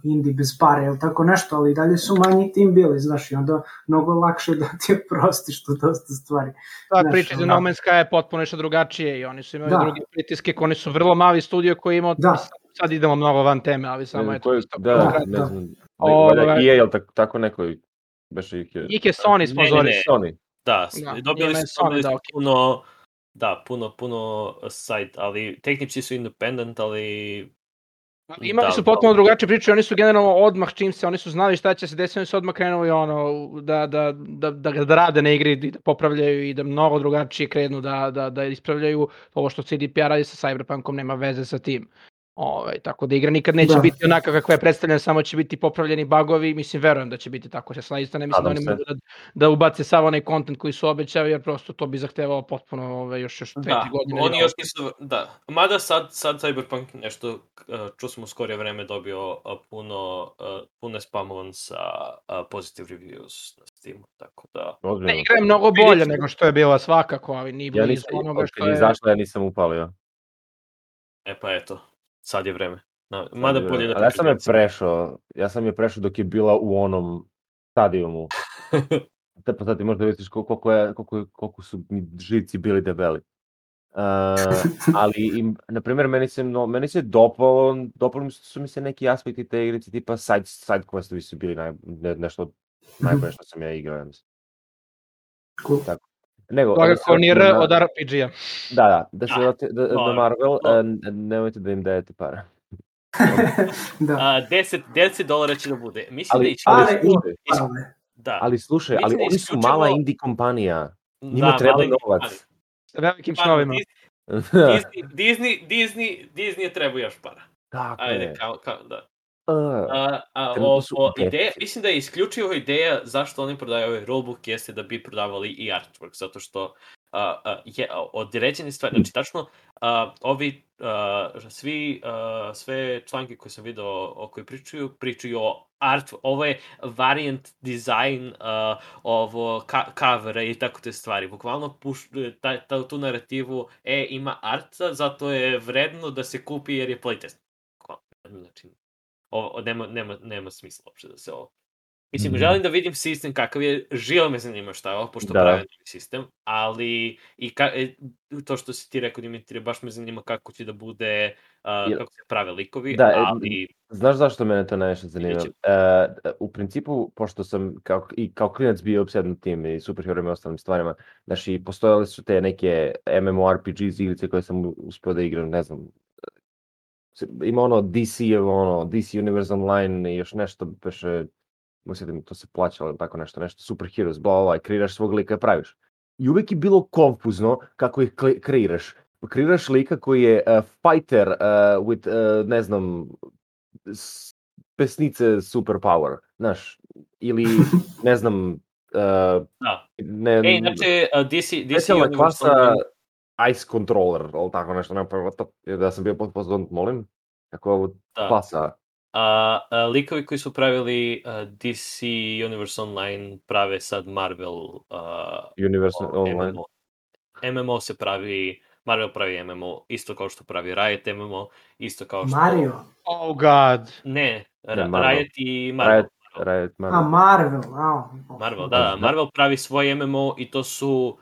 indie bez pare ili tako nešto, ali dalje su manji tim bili, znaš, i onda mnogo lakše da ti prostiš to dosta stvari. Ta priča za No Man's Sky je potpuno nešto drugačije i oni su imali drugi pritiske, oni su vrlo mali studio koji imao, sad idemo mnogo van teme, ali samo je to isto. Da, ne znam, EA, je li tako neko, baš ih je... Ih je Sony sponzori. Da, dobili su puno... Da, puno sajt, ali tehnički su independent, ali... Imali su potpuno drugačije priče, oni su generalno odmah čim se, oni su znali šta će se desiti, oni su odmah krenuli da rade na igri, da popravljaju i da mnogo drugačije krenu da ispravljaju. Ovo što CDPR radi sa Cyberpunkom nema veze sa tim. Tako da igra nikad neće biti onaka kakva je predstavljena, samo će biti popravljeni bugovi, mislim, verujem da će biti tako, ja isto ne mislim da oni mogu da ubace sav onaj content koji su obećali, jer prosto to bi zahtevalo potpuno još 2-3 godine. Oni još nisu, mada sad Cyberpunk nešto, čuo smo u skorije vreme dobio puno spamovan sa positive reviews na Steamu, tako da... Ne, igra je mnogo bolje nego što je bila svakako, ali nije blizu onoga što je... Izašla, ja nisam upalio. Pa eto. Sad je vreme. Ja sam je prešao dok je bila u onom stadijumu. Pa sad ti možda vidiš koliko su mi živci bili debeli. Ali, na primjer, meni se dopalo su mi se neki aspekti te igrice, tipa side questovi su bili nešto najbolje što sam ja igrao. Tako. Svakako ni R od RPG-a. Da se Marvel, nemojte da im dajete para. $10 će da bude. Mislim ali slušaj, ali oni su mala indie kompanija. Njima treba novac. Sa velikim snovima. Disney je treba još para. Tako je. Ideja, mislim da je isključivo ideja zašto oni prodaju ovaj rulebook jeste da bi prodavali i artwork, zato što je određene stvari, znači tačno sve članke koje sam video koji pričaju o ovo je variant design ovo covera i tako te stvari, bukvalno tu narativu ima arta, zato je vredno da se kupi jer je playtest. Znači, nema smisla uopšte da se ovo... Mislim, želim da vidim sistem kakav je, živo me zanima šta je ovo, pošto pravi novi sistem, ali i to što si ti rekao, Dimitrije, baš me zanima kako će da bude, kako se prave likovi, ali... Znaš zašto mene to najviše zanima? U principu, pošto sam kao klinac bio obsedan tim i superherojima i ostalim stvarima, znači, postojale su te neke MMORPGs igrice koje sam uspio da igram, ne znam, ima DC Universe Online i još nešto, mislim to se plaćalo, tako nešto, Super Heroes, kreiraš svog lika i praviš. I uvijek je bilo konfuzno kako ih kreiraš. Kreiraš lika koji je fighter with, ne znam, pesnice superpower, znaš, ili, ne znam, znači, DC Universe klasa Ice Controller, ali tako nešto, da sam bio potpoznat, molim, kako ovo klasa. Likovi koji su pravili DC Universe Online prave sad Marvel Universe Online. MMO se pravi, Marvel pravi MMO, isto kao što pravi Riot MMO, isto kao što... Mario? Oh god! Ne, Riot i Marvel. Marvel, da, Marvel pravi svoj MMO i to su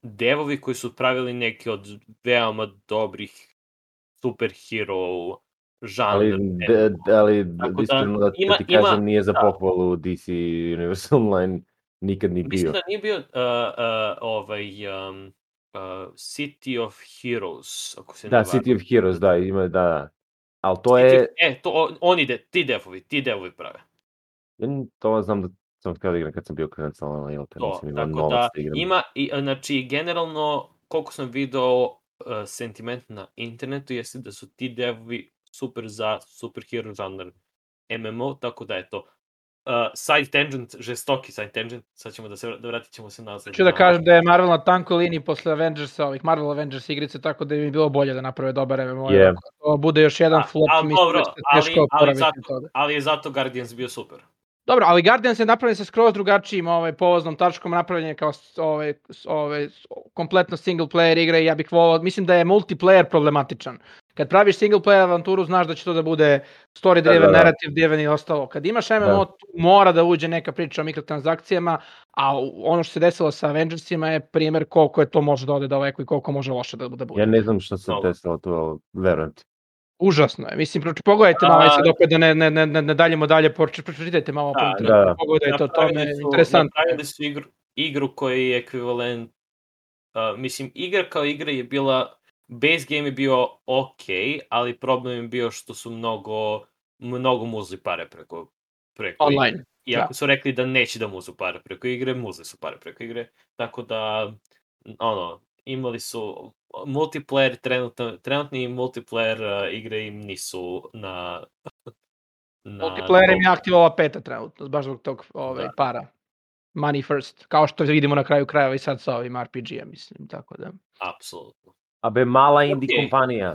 devovi koji su pravili neki od veoma dobrih superhero žanr. Ali iskreno da ti kažem, nije za pohvalu DC Universe Online. nikad ni bio. Mislim da nije bio City of Heroes, ako se ne varam. City of Heroes, da, ima, da. Ali to je... Ti devovi prave. To znam da sam htio da igram kad sam bio klinac, ali nisam imao novac da igram. Ima, znači, generalno, koliko sam video sentiment na internetu, jeste da su ti devovi super za superhero žanr MMO, tako da je to side tangent, žestoki side tangent, sad ćemo vratit ćemo se nazad. Ću da kažem da je Marvel na tankoj liniji posle Avengersa, ovih Marvel Avengers igrice, tako da bi mi bilo bolje da naprave dobar MMO. To bude još jedan flop, mislim da se teško oporaviti toga. Ali je zato Guardians bio super. Dobro, ali Guardians je napravljen sa skroz drugačijim povoznom tačkom, napravljen je kao kompletno single player igra i ja bih volao, mislim da je multiplayer problematičan. Kad praviš single player avanturu, znaš da će to da bude story driven, narrative driven i ostalo. Kad imaš MMO, mora da uđe neka priča o mikrotransakcijama, a ono što se desilo sa Avengersima je primjer koliko je to može da ode daleko i koliko može loše da bude. Ja ne znam što se desilo to, verujem ti. Užasno je. Mislim, pogledajte malo, sad opet da ne daljemo dalje, pročitajte malo po internetu, pogledajte o tome, interesantno. Napravili su igru koji je ekvivalent, mislim, igra kao igra je bila, base game je bio ok, ali problem je bio što su mnogo muzli pare preko online. Iako su rekli da neće da muzu pare preko igre, muzli su pare preko igre, tako da, imali su multiplayer, trenutni multiplayer igre im nisu na multiplayer im je aktivovala peta trenutno, baš zbog tog para. Money first, kao što vidimo na kraju krajeva i sad sa ovim RPG-em, mislim, tako da. Apsolutno. Abe, mala indie kompanija.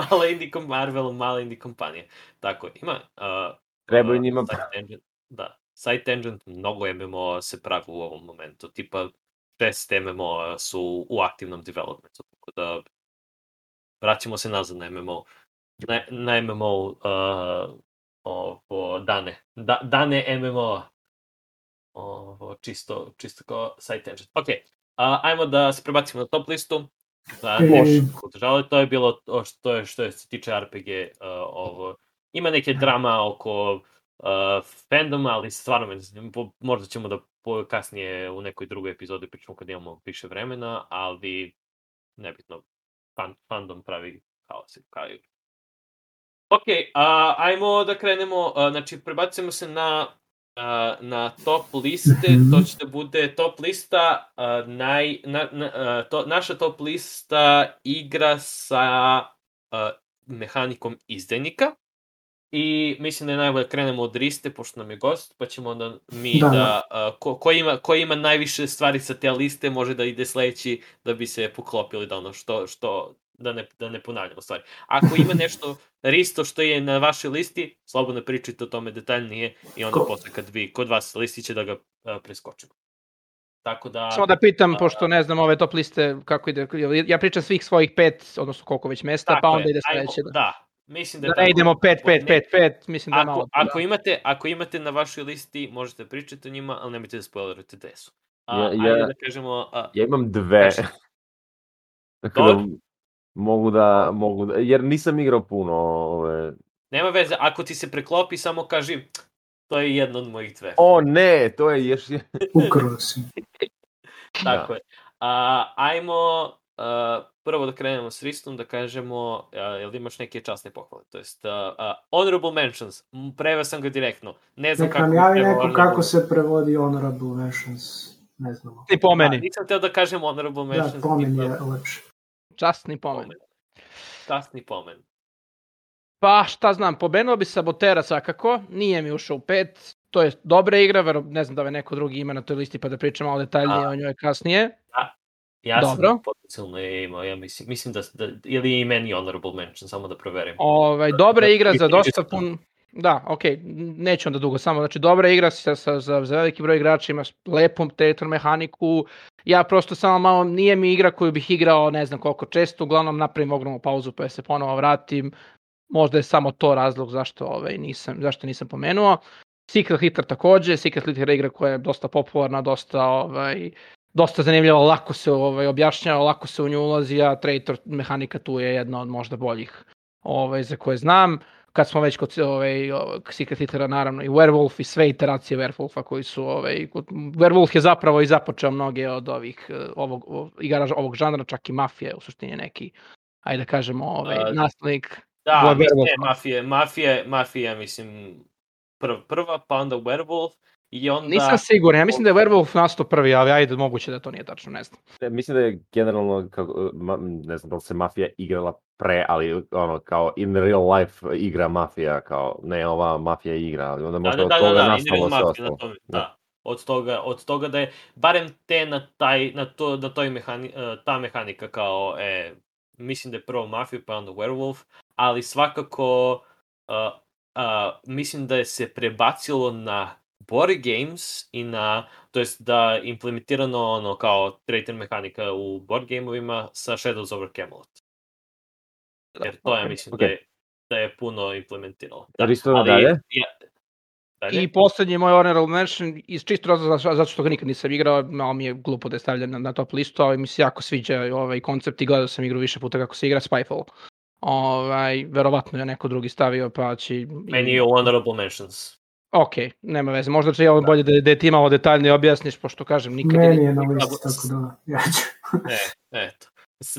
Mala indie kompanija. Tako, ima... Trebaju njima... Side tangent, mnogo MMO se pravi u ovom momentu, tipa 6 MMO su u aktivnom developmentu, tako da vraćamo se nazad na MMO. Na MMO dane MMO čisto kao side tangent. Ok, ajmo da se prebacimo na top listu. To je bilo što se tiče RPG. Ima neke drama oko fandoma, ali stvarno možda ćemo da kasnije u nekoj drugoj epizodi pričamo kad imamo više vremena, ali nebitno, fandom pravi haos. Ok, ajmo da krenemo, znači prebacimo se na top liste, to će da bude top lista, naša top lista igra sa mehanikom izdajnika. I mislim da je najbolje krenemo od Riste, pošto nam je gost, pa ćemo onda mi ko ima najviše stvari sa te liste, može da ide sledeći da bi se poklopili da ono što da ne ponavljamo stvari. Ako ima nešto Risto što je na vašoj listi, slobodno pričajte o tome detaljnije i onda posle kad vi kod vas listiće da ga preskočimo. Tako da... Samo da pitam, pošto ne znam ove top liste kako ide, ja pričam svih svojih 5, odnosno koliko već mesta, pa onda ide sledeće. Da. Mislim da ne idemo 5, mislim da malo. Ako imate na vašoj listi, možete pričati o njima, ali nemojte da spoilerujete gde su. Ja imam 2. Tako da mogu da, jer nisam igrao puno. Nema veze, ako ti se preklopi, samo kaži, to je jedno od mojih 2. O ne, to je još... Ukrao si. Tako je. Ajmo... prvo da krenemo s Ristom, da kažemo, jel imaš neke časne pohvale, to jest honorable mentions, preveo sam ga direktno, ne znam kako... Nek nam javi neko kako se prevodi honorable mentions, ne znam. Ti pomeni. Nisam teo da kažem honorable mentions. Da, pomen je lepše. Časni pomen. Časni pomen. Pa šta znam, pomenuo bi Sabotera svakako, nije mi ušao u 5, to je dobra igra, ne znam da je neko drugi ima na toj listi pa da pričam malo detaljnije o njoj kasnije. Ja sam potencijalno imao, ja mislim da ili i meni honorable mention, samo da proverim. Dobra igra za dosta pun... Da, okej, neću onda dugo, samo, znači dobra igra za veliki broj igrača, imaš lepu territory mehaniku, ja prosto samo malo, nije mi igra koju bih igrao ne znam koliko često, uglavnom napravim ogromnu pauzu pa se ponovo vratim, možda je samo to razlog zašto nisam pomenuo. Secret Hitler takođe, Secret Hitler je igra koja je dosta popularna, dosta zanimljiva, lako se objašnjava, lako se u nju ulazi, a traitor mehanika tu je jedna od možda boljih za koje znam. kad smo već kod Secret Hitlera, naravno, i Werewolf i sve iteracije Werewolfa koji su, Werewolf je zapravo i započeo mnoge od ovih, igara ovog žanra, čak i Mafije, u suštini neki, ajde da kažemo, naslednik. Da, Mafija, mislim, prva, pa onda Werewolf, i onda... Nisam siguran, ja mislim da je Werewolf nastao prvi, ali ajde, moguće da to nije tačno, ne znam. Mislim da je generalno, ne znam da li se Mafija igrala pre, ali ono, kao in real life igra Mafija, kao ne ova Mafija igra, ali onda možda od toga nastalo sve ostalo. Da. Od toga da je, barem te ta mehanika kao, mislim da je prvo Mafija, pa onda Werewolf, ali svakako mislim da je se prebacilo na board games i to jest da implementirano ono kao traitor mehanika u board gameovima sa Shadows over Camelot. Jer to ja mislim da je puno implementiralo. Dalje? I poslednji moj honorable mention, iz čisto razloga zato što ga nikad nisam igrao, malo mi je glupo da je stavljen na top listu, ali mi se jako sviđa ovaj koncept i gledao sam igru više puta kako se igra, Spyfall. Verovatno je neko drugi stavio, pa će... Meni je honorable mentions. Ok, nema veze. Možda će bolje da ti malo detaljnije objasniš, pošto kažem nikad... Meni je na listi, tako da ja ću. Eto.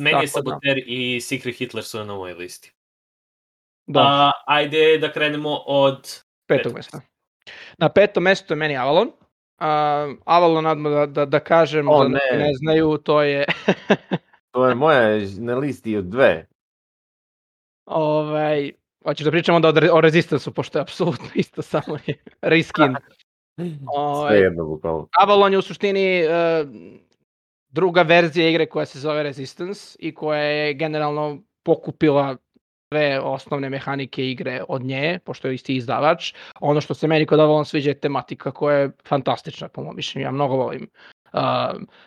Meni je Saboteur i Secret Hitler su na mojoj listi. Ajde da krenemo od... petog mesta. Na petom mestu je meni Avalon. Avalon, odmah da kažem, za ne znaju, to je... To je moja na listi od 2. Hoćeš da pričamo onda o Resistance-u, pošto je apsolutno isto, samo je reskin. Sve jedno, bukvalno. Avalon je u suštini druga verzija igre koja se zove Resistance i koja je generalno pokupila sve osnovne mehanike igre od nje, pošto je isti izdavač. Ono što se meni kod Avalon sviđa je tematika koja je fantastična, po mom mišljenju. Ja mnogo volim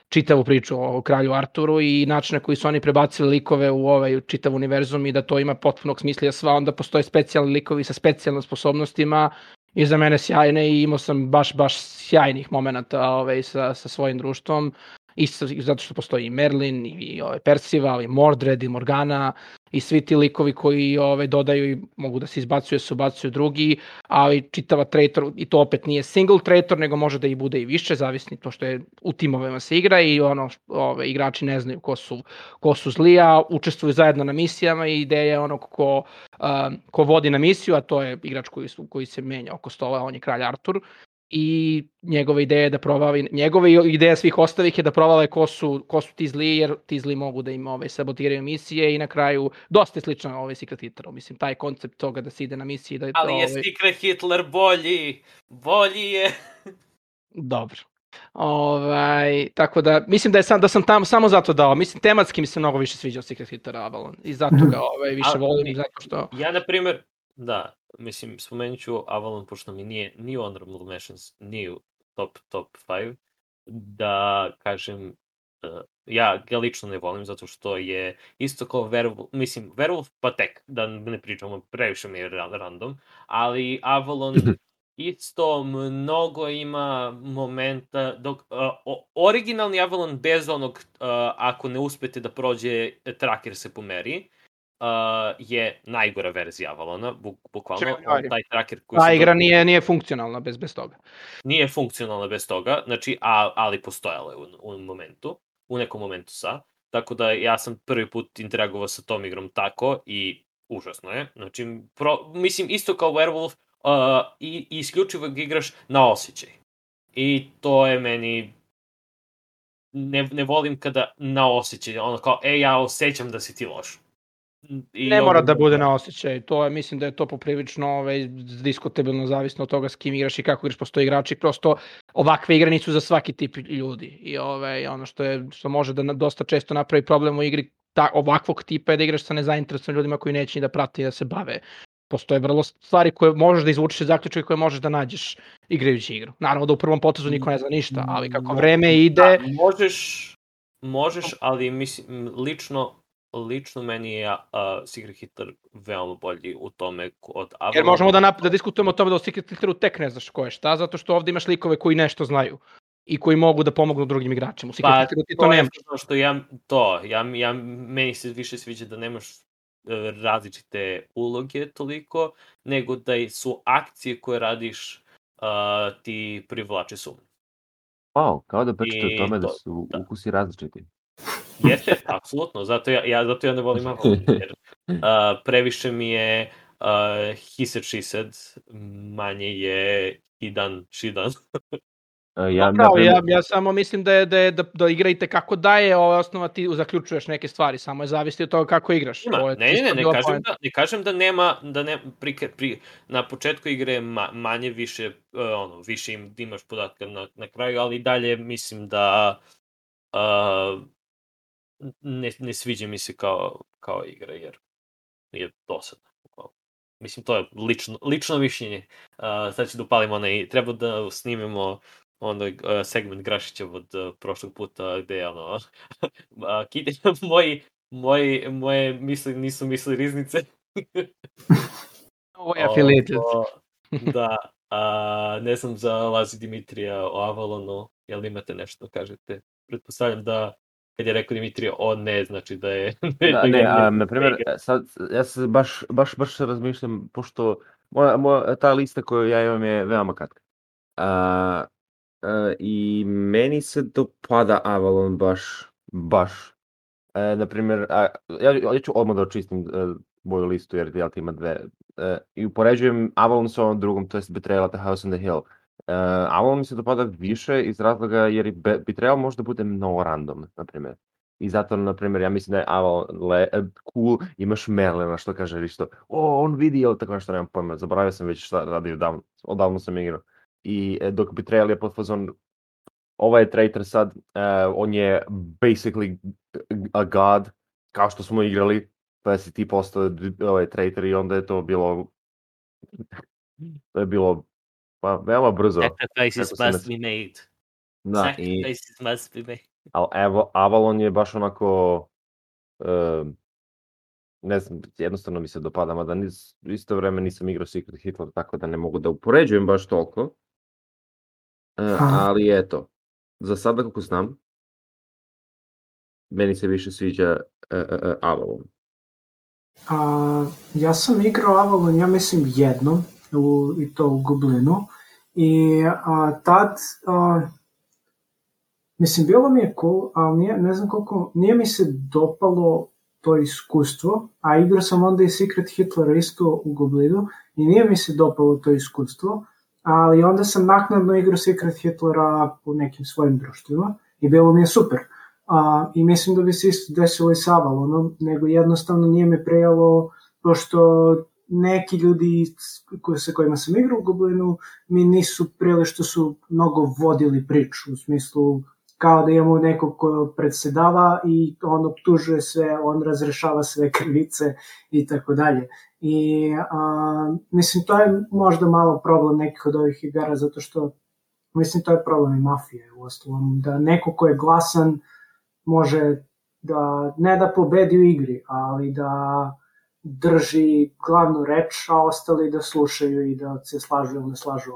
čitavu priču o kralju Arturu i način na koji su oni prebacili likove u ovaj čitav univerzum i da to ima potpunog smisla, sva onda postoje specijalni likovi sa specijalnim sposobnostima i za mene sjajne i imao sam baš sjajnih momenata sa svojim društvom. Isto zato što postoji i Merlin, i Percival, i Mordred, i Morgana, i svi ti likovi koji dodaju i mogu da se izbacuju, se ubacuju drugi, ali čitava traitor, i to opet nije single traitor, nego može da i bude i više, zavisni to što je u timovima se igra i igrači ne znaju ko su zli, a učestvuju zajedno na misijama i ideja je ono ko vodi na misiju, a to je igrač koji se menja oko stola, on je kralj Artur. I njegova ideja je da provali, njegova ideja svih ostalih je da provale ko su ti zli, jer ti zli mogu da im sabotiraju misije i na kraju dosta je slično Secret Hitleru. Mislim, taj koncept toga da se ide na misiji... Ali je Secret Hitler bolji je... Dobro. Tako da, mislim da sam tamo samo zato dao. Mislim, tematski mi se mnogo više sviđao Secret Hitler Avalon i zato ga više volim, zato što... Ja, na primjer, da, mislim, spomenut ću Avalon, pošto mi nije honorable mentions, nije u top 5, da kažem, ja ga lično ne volim, zato što je isto kao Werewolf, mislim, Werewolf pa tek, da ne pričamo, previše mi je random, ali Avalon isto mnogo ima momenta, dok originalni Avalon bez onog, ako ne uspete da prođe, tracker se pomeri, je najgora verzija Avalona, bukvalno, taj tracker koji... Ta igra nije funkcionalna bez toga. Nije funkcionalna bez toga, znači, ali postojala je u nekom momentu tako da ja sam prvi put interagovao sa tom igrom tako i užasno je, znači, mislim, isto kao Werewolf, i isključivo ga igraš na osjećaj. I to je meni... Ne volim kada na osjećaj, ono kao, ja osjećam da si ti loš. Ne mora da bude na osjećaj, mislim da je to poprilično diskutabilno, zavisno od toga s kim igraš i kako igraš, postoje igrači, prosto ovakve igre nisu za svaki tip ljudi i ono što može da dosta često napravi problem u igri ovakvog tipa je da igraš sa nezainteresovanim ljudima koji neće ni da prate i da se bave. Postoje vrlo stvari koje možeš da izvučeš iz zaključka i koje možeš da nađeš igrajući igru. Naravno da u prvom potezu niko ne zna ništa, ali kako vreme ide... Možeš, ali mislim, lično meni je Secret Hitler veoma bolji u tome od Avalona. Jer možemo da diskutujemo o tome da u Secret Hitleru tek ne znaš ko je šta, zato što ovdje imaš likove koji nešto znaju i koji mogu da pomognu drugim igračima. U Secret Hitleru ti to nemaš. Meni se više sviđa da nemaš različite uloge toliko, nego da su akcije koje radiš ti privlače sumnju. Wow, kao da pričate o tome da to- su da. ukusi različiti. Jeste, apsolutno, zato ja ne volim Avalon, jer previše mi je he said, she said, manje je he done, she done. Ja samo mislim da igra i tekako daje osnova, ti zaključuješ neke stvari, samo je zavisi od toga kako igraš. Ne kažem da nema, na početku igre je manje više, više imaš podatka na kraju, ali dalje mislim da ne sviđa mi se kao igra, jer je dosadno. Mislim, to je lično mišljenje. Sad ću da upalim treba da snimimo segment Grašića od prošlog puta, gde je moje misli nisu misli riznice. Ovo je affiliated. Da, ne znam za Lazi Dimitrija o Avalonu, jel imate nešto da kažete? Pretpostavljam da kad je rekao Dimitrija, ne znači da je... na primjer, sad, ja se baš razmišljam, pošto ta lista koju ja imam je veoma kratka. I meni se dopada Avalon baš. Na primjer, ja ću odmah da očistim moju listu, jer ja ima dve. I upoređujem Avalon sa ovom drugom, to je Betrayal at the House on the Hill. Avalon mi se dopada više iz razloga jer Betrayal može da bude mnogo random, na primjer. I zato, na primjer, ja mislim da je Avalon cool, imaš Merlina, što kaže isto, on vidi, ili tako nešto, nemam pojma, zaboravio sam već šta radio, odavno sam igrao. I dok Betrayal je pod fazon, ovaj je traitor sad, on je basically a god, kao što smo igrali, pa si ti postao traitor i onda je to bilo, pa veoma brzo. Sacrifices must be made. Sacrifices must be made. Ali Avalon je baš onako, ne znam, jednostavno mi se dopada, mada isto vreme nisam igrao Secret Hitler, tako da ne mogu da upoređujem baš toliko. Ali eto, za sada kako znam, meni se više sviđa Avalon. Ja sam igrao Avalon, ja mislim jednom, i to u Goblinu, i tad, mislim, bilo mi je cool, ali ne znam koliko, nije mi se dopalo to iskustvo, a igrao sam onda i Secret Hitlera isto u Goblinu i nije mi se dopalo to iskustvo, ali onda sam naknadno igrao Secret Hitlera u nekim svojim društvima i bilo mi je super. I mislim da bi se isto desilo i sa Avalonom, nego jednostavno nije me prejalo, pošto neki ljudi sa kojima sam igrao u Goblinu mi nisu prejeli što su mnogo vodili priču, u smislu kao da imamo nekog ko predsedava i on optužuje sve, on razrešava sve krivice i tako dalje. I mislim, to je možda malo problem nekih od ovih igara, zato što mislim, to je problem i mafije u ostalom, da neko ko je glasan može da, ne da pobedi u igri, ali da drži glavnu reč, a ostali da slušaju i da se slažu ili ne slažu.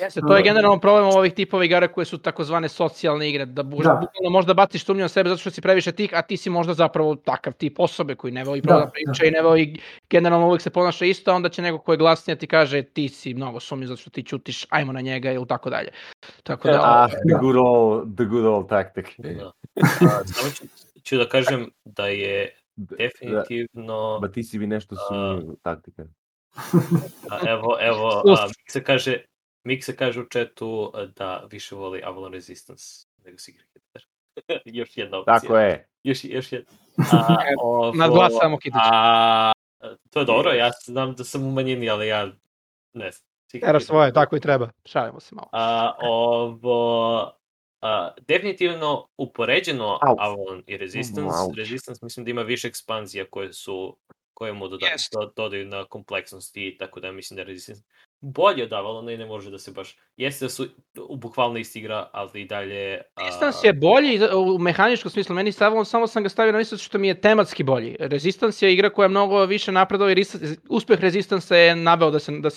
Jeste, to je generalno problem ovih tipova igara koje su takozvane socijalne igre, da bukvalno možda baciš sumnju na sebe zato što si previše tih, a ti si možda zapravo takav tip osobe koji ne voli da priča i ne voli, generalno uvijek se ponaša isto, a onda će neko ko je glasniji ti kaže ti si mnogo sumnju zato što ti ćutiš, ajmo na njega ili tako dalje. Tako da... The good old tactic. Samo ću da kažem da je definitivno... Ba ti si bi nešto sumnju taktika. Evo, Miksa kaže u chatu da više voli Avalon Resistance nego Secret Hitler. Još jedna opcija. Tako je. Još jedna. Nadglasamo Kitić. To je dobro, ja znam da sam u manjini, ali ja ne znam. Teraš svoje, tako i treba. Šalimo se malo. Definitivno upoređeno Avalon i Resistance mislim da ima više ekspanzija koje mu dodaju na kompleksnosti, tako da mislim da je Resistance bolje od Avalona i ne može da se baš jeste da su bukvalno isti igra, ali i dalje... Resistance je bolji u mehaničkom smislu, meni samo sam ga stavio na listu što mi je tematski bolji. Resistance je igra koja je mnogo više napredova i uspeh Resistance je naveo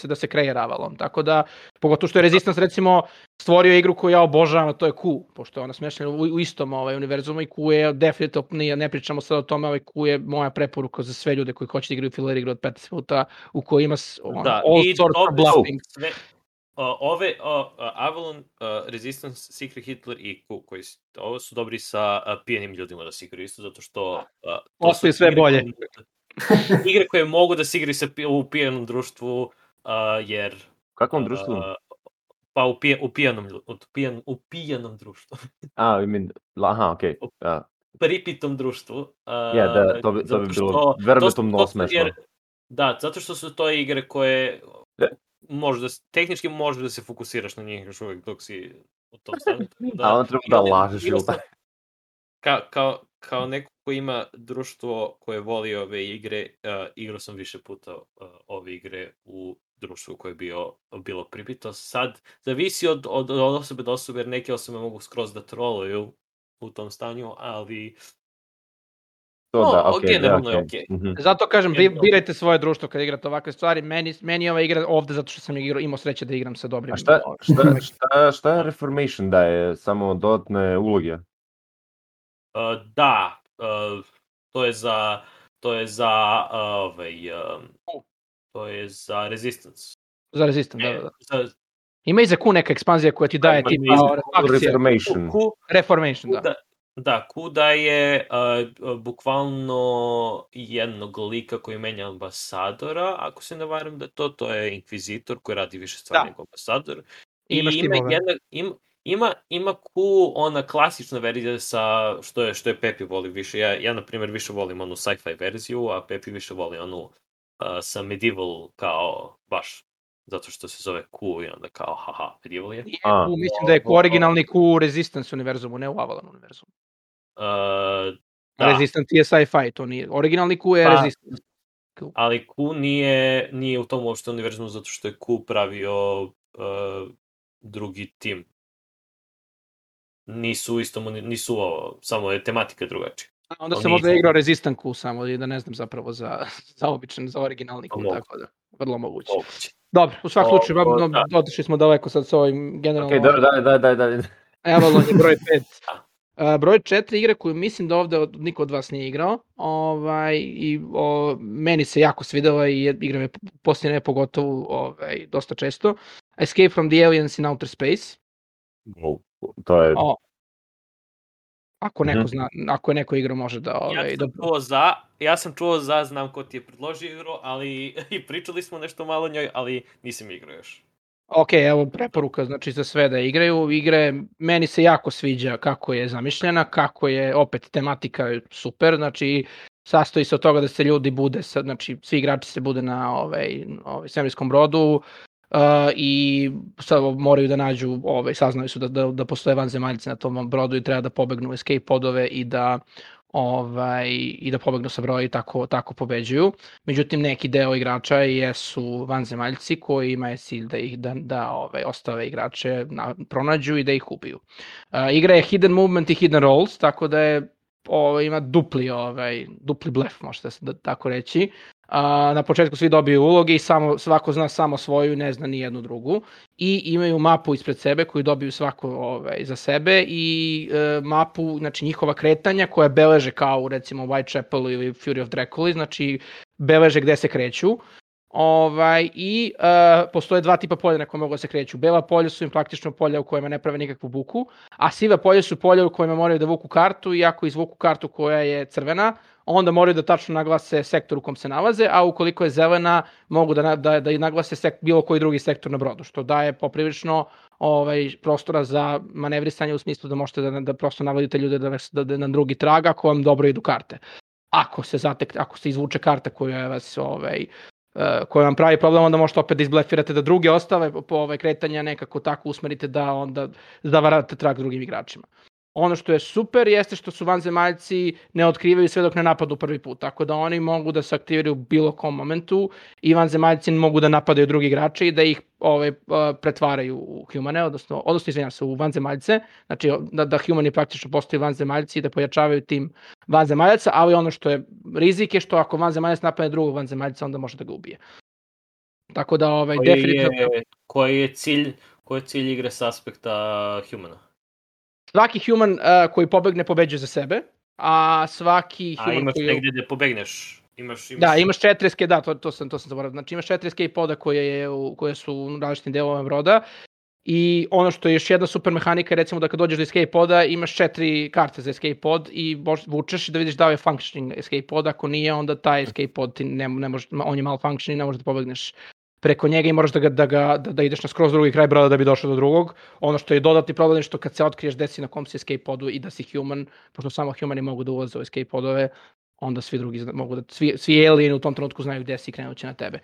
da se kreira Avalon, tako da, pogotovo što je Resistance recimo stvorio igru koju ja obožavam, a to je Q, pošto je ona smještena u istom univerzumu i Q je definitivno, ne pričamo sad o tome, Q je moja preporuka za sve ljude koji hoće da igraju filler igru od 15 minuta, u kojoj ima all sorts of bluffing. Avalon, Resistance, Secret Hitler i Q, ovo su dobri sa pijenim ljudima da se igraju isto, zato što... Postoji sve bolje. Igre koje mogu da se igraju u pijenom društvu, jer... Kakvom društvu? Pa u pijenom društvu. Okej. Pripitom društvu. To bi bilo verbatimno smešno. Da, zato što su to igre koje... tehnički možeš da se fokusiraš na njih još uvijek dok si u tom stanju. A on treba da lažeš. Kao neko koji ima društvo koje voli ove igre, igrao sam više puta ove igre u društvu koje je bilo pripito. Sad, zavisi od osobe do osobe, jer neke osobe mogu skroz da troluju u tom stanju, ali... generalno je okej. Zato kažem, birajte svoje društvo kad igrate ovakve stvari. Meni je ova igra ovde zato što sam imao sreće da igram sa dobrim... A šta je Reformation daje? Samo dodatne uloge? Da, to je za Resistance. Za Resistance, da. Ima i za Q neka ekspanzija koja ti daje tipa Reformation. Reformation, da. Da, Kuda je bukvalno jednog lika koji menja ambasadora, ako se ne varam da to je Inkvizitor koji radi više stvari nego ambasador. I ima Q, ona klasična verzija sa što je Pepi voli više. Ja na primjer više volim onu sci-fi verziju, a Pepi više voli onu sa medieval kao baš zato što se zove Q i onda kao haha, medieval je. Mislim da je originalni Q Resistance univerzumu, ne u Avalon univerzumu. Resistance je sci-fi, to nije. Originalni Q je Resistance. Ali Q nije u tom uopšte univerzumu zato što je Q pravio drugi tim. Nisu samo je tematika drugačija. Onda se možda igrao Resistant Q samo i da ne znam zapravo za običan, za originalni Q, tako da vrlo moguće. Dobro, u svakom slučaju, otišli smo daleko sad s ovim generalno... Okej, daj. Avalon je broj 5. Broj 4 igre koju mislim da ovde niko od vas nije igrao. Meni se jako svidela i igram je posljednje pogotovo dosta često. Escape from the Aliens in Outer Space. To je... Ako neko zna, ako je neko igrao može da... Ja sam čuo znam ko ti je predložio igru, ali i pričali smo nešto malo o njoj, ali nisam igrao još. Ok, evo preporuka znači za sve da igraju. Igre, meni se jako sviđa kako je zamišljena, kako je opet tematika super, znači sastoji se od toga da se ljudi bude, znači svi igrači se bude na svemirskom brodu i sad moraju da nađu, saznali su da postoje vanzemaljci na tom brodu i treba da pobegnu escape podove i da pobegnu sa broja i tako pobeđuju. Međutim, neki deo igrača jesu vanzemaljci koji imaju cilj da ih ostave igrače pronađu i da ih ubiju. Igra je hidden movement i hidden rolls, tako da je ima dupli blef, možete se tako reći. Na početku svi dobiju uloge i svako zna samo svoju i ne zna ni jednu drugu. I imaju mapu ispred sebe koju dobiju svako za sebe i mapu, znači njihova kretanja koja beleže kao recimo Whitechapel ili Fury of Dracula, znači beleže gde se kreću. I postoje dva tipa polja na koje mogu da se kreću. Bela polja su im praktično polja u kojima ne prave nikakvu buku, a siva polja su polja u kojima moraju da vuku kartu i ako izvuku kartu koja je crvena, onda moraju da tačno naglase sektor u kom se nalaze, a ukoliko je zelena, mogu da naglase bilo koji drugi sektor na brodu, što daje poprilično prostora za manevrisanje u smislu da možete da prosto navodite ljude da na drugi trag ako vam dobro idu karte. Ako se izvuče karta koja vam pravi problem, onda možete opet da izblefirate da druge ostave kretanja nekako tako usmerite da onda zavarate trag drugim igračima. Ono što je super jeste što su vanzemaljci ne otkrivaju sve dok ne napadu prvi put, tako da oni mogu da se aktiviraju u bilo kom momentu i vanzemaljci mogu da napadaju drugi igrače i da ih pretvaraju u humane, odnosno izvinjam se, u vanzemaljce, znači da humani praktično postaju vanzemaljci i da pojačavaju tim vanzemaljaca, ali ono što je rizik je što ako vanzemaljac napadne drugog vanzemaljca, onda može da ga ubije. Tako da definitivno... Koji je cilj igre s aspekta humana? Svaki human koji pobegne pobeđuje za sebe, a svaki human imaš koji... negde gde pobegneš. Da, imaš 4 escape, da, to sam zaboravio. Znači imaš 4 escape poda koje su u različitim delovima broda i ono što je još jedna super mehanika je recimo da kad dođeš do escape poda imaš 4 karte za escape pod i vučeš da vidiš da li je functioning escape pod, ako nije onda taj escape pod ti ne može, on je malfunctioning i ne možeš da pobegneš preko njega i moraš da ideš na skroz drugi kraj broda da bi došao do drugog. Ono što je dodatni problem je što kad se otkriješ gde si na kom si escape podu i da si human, pošto samo humani mogu da ulaze u escape podove, onda svi drugi mogu da, svi alieni u tom trenutku znaju gde si i krenuće na tebe.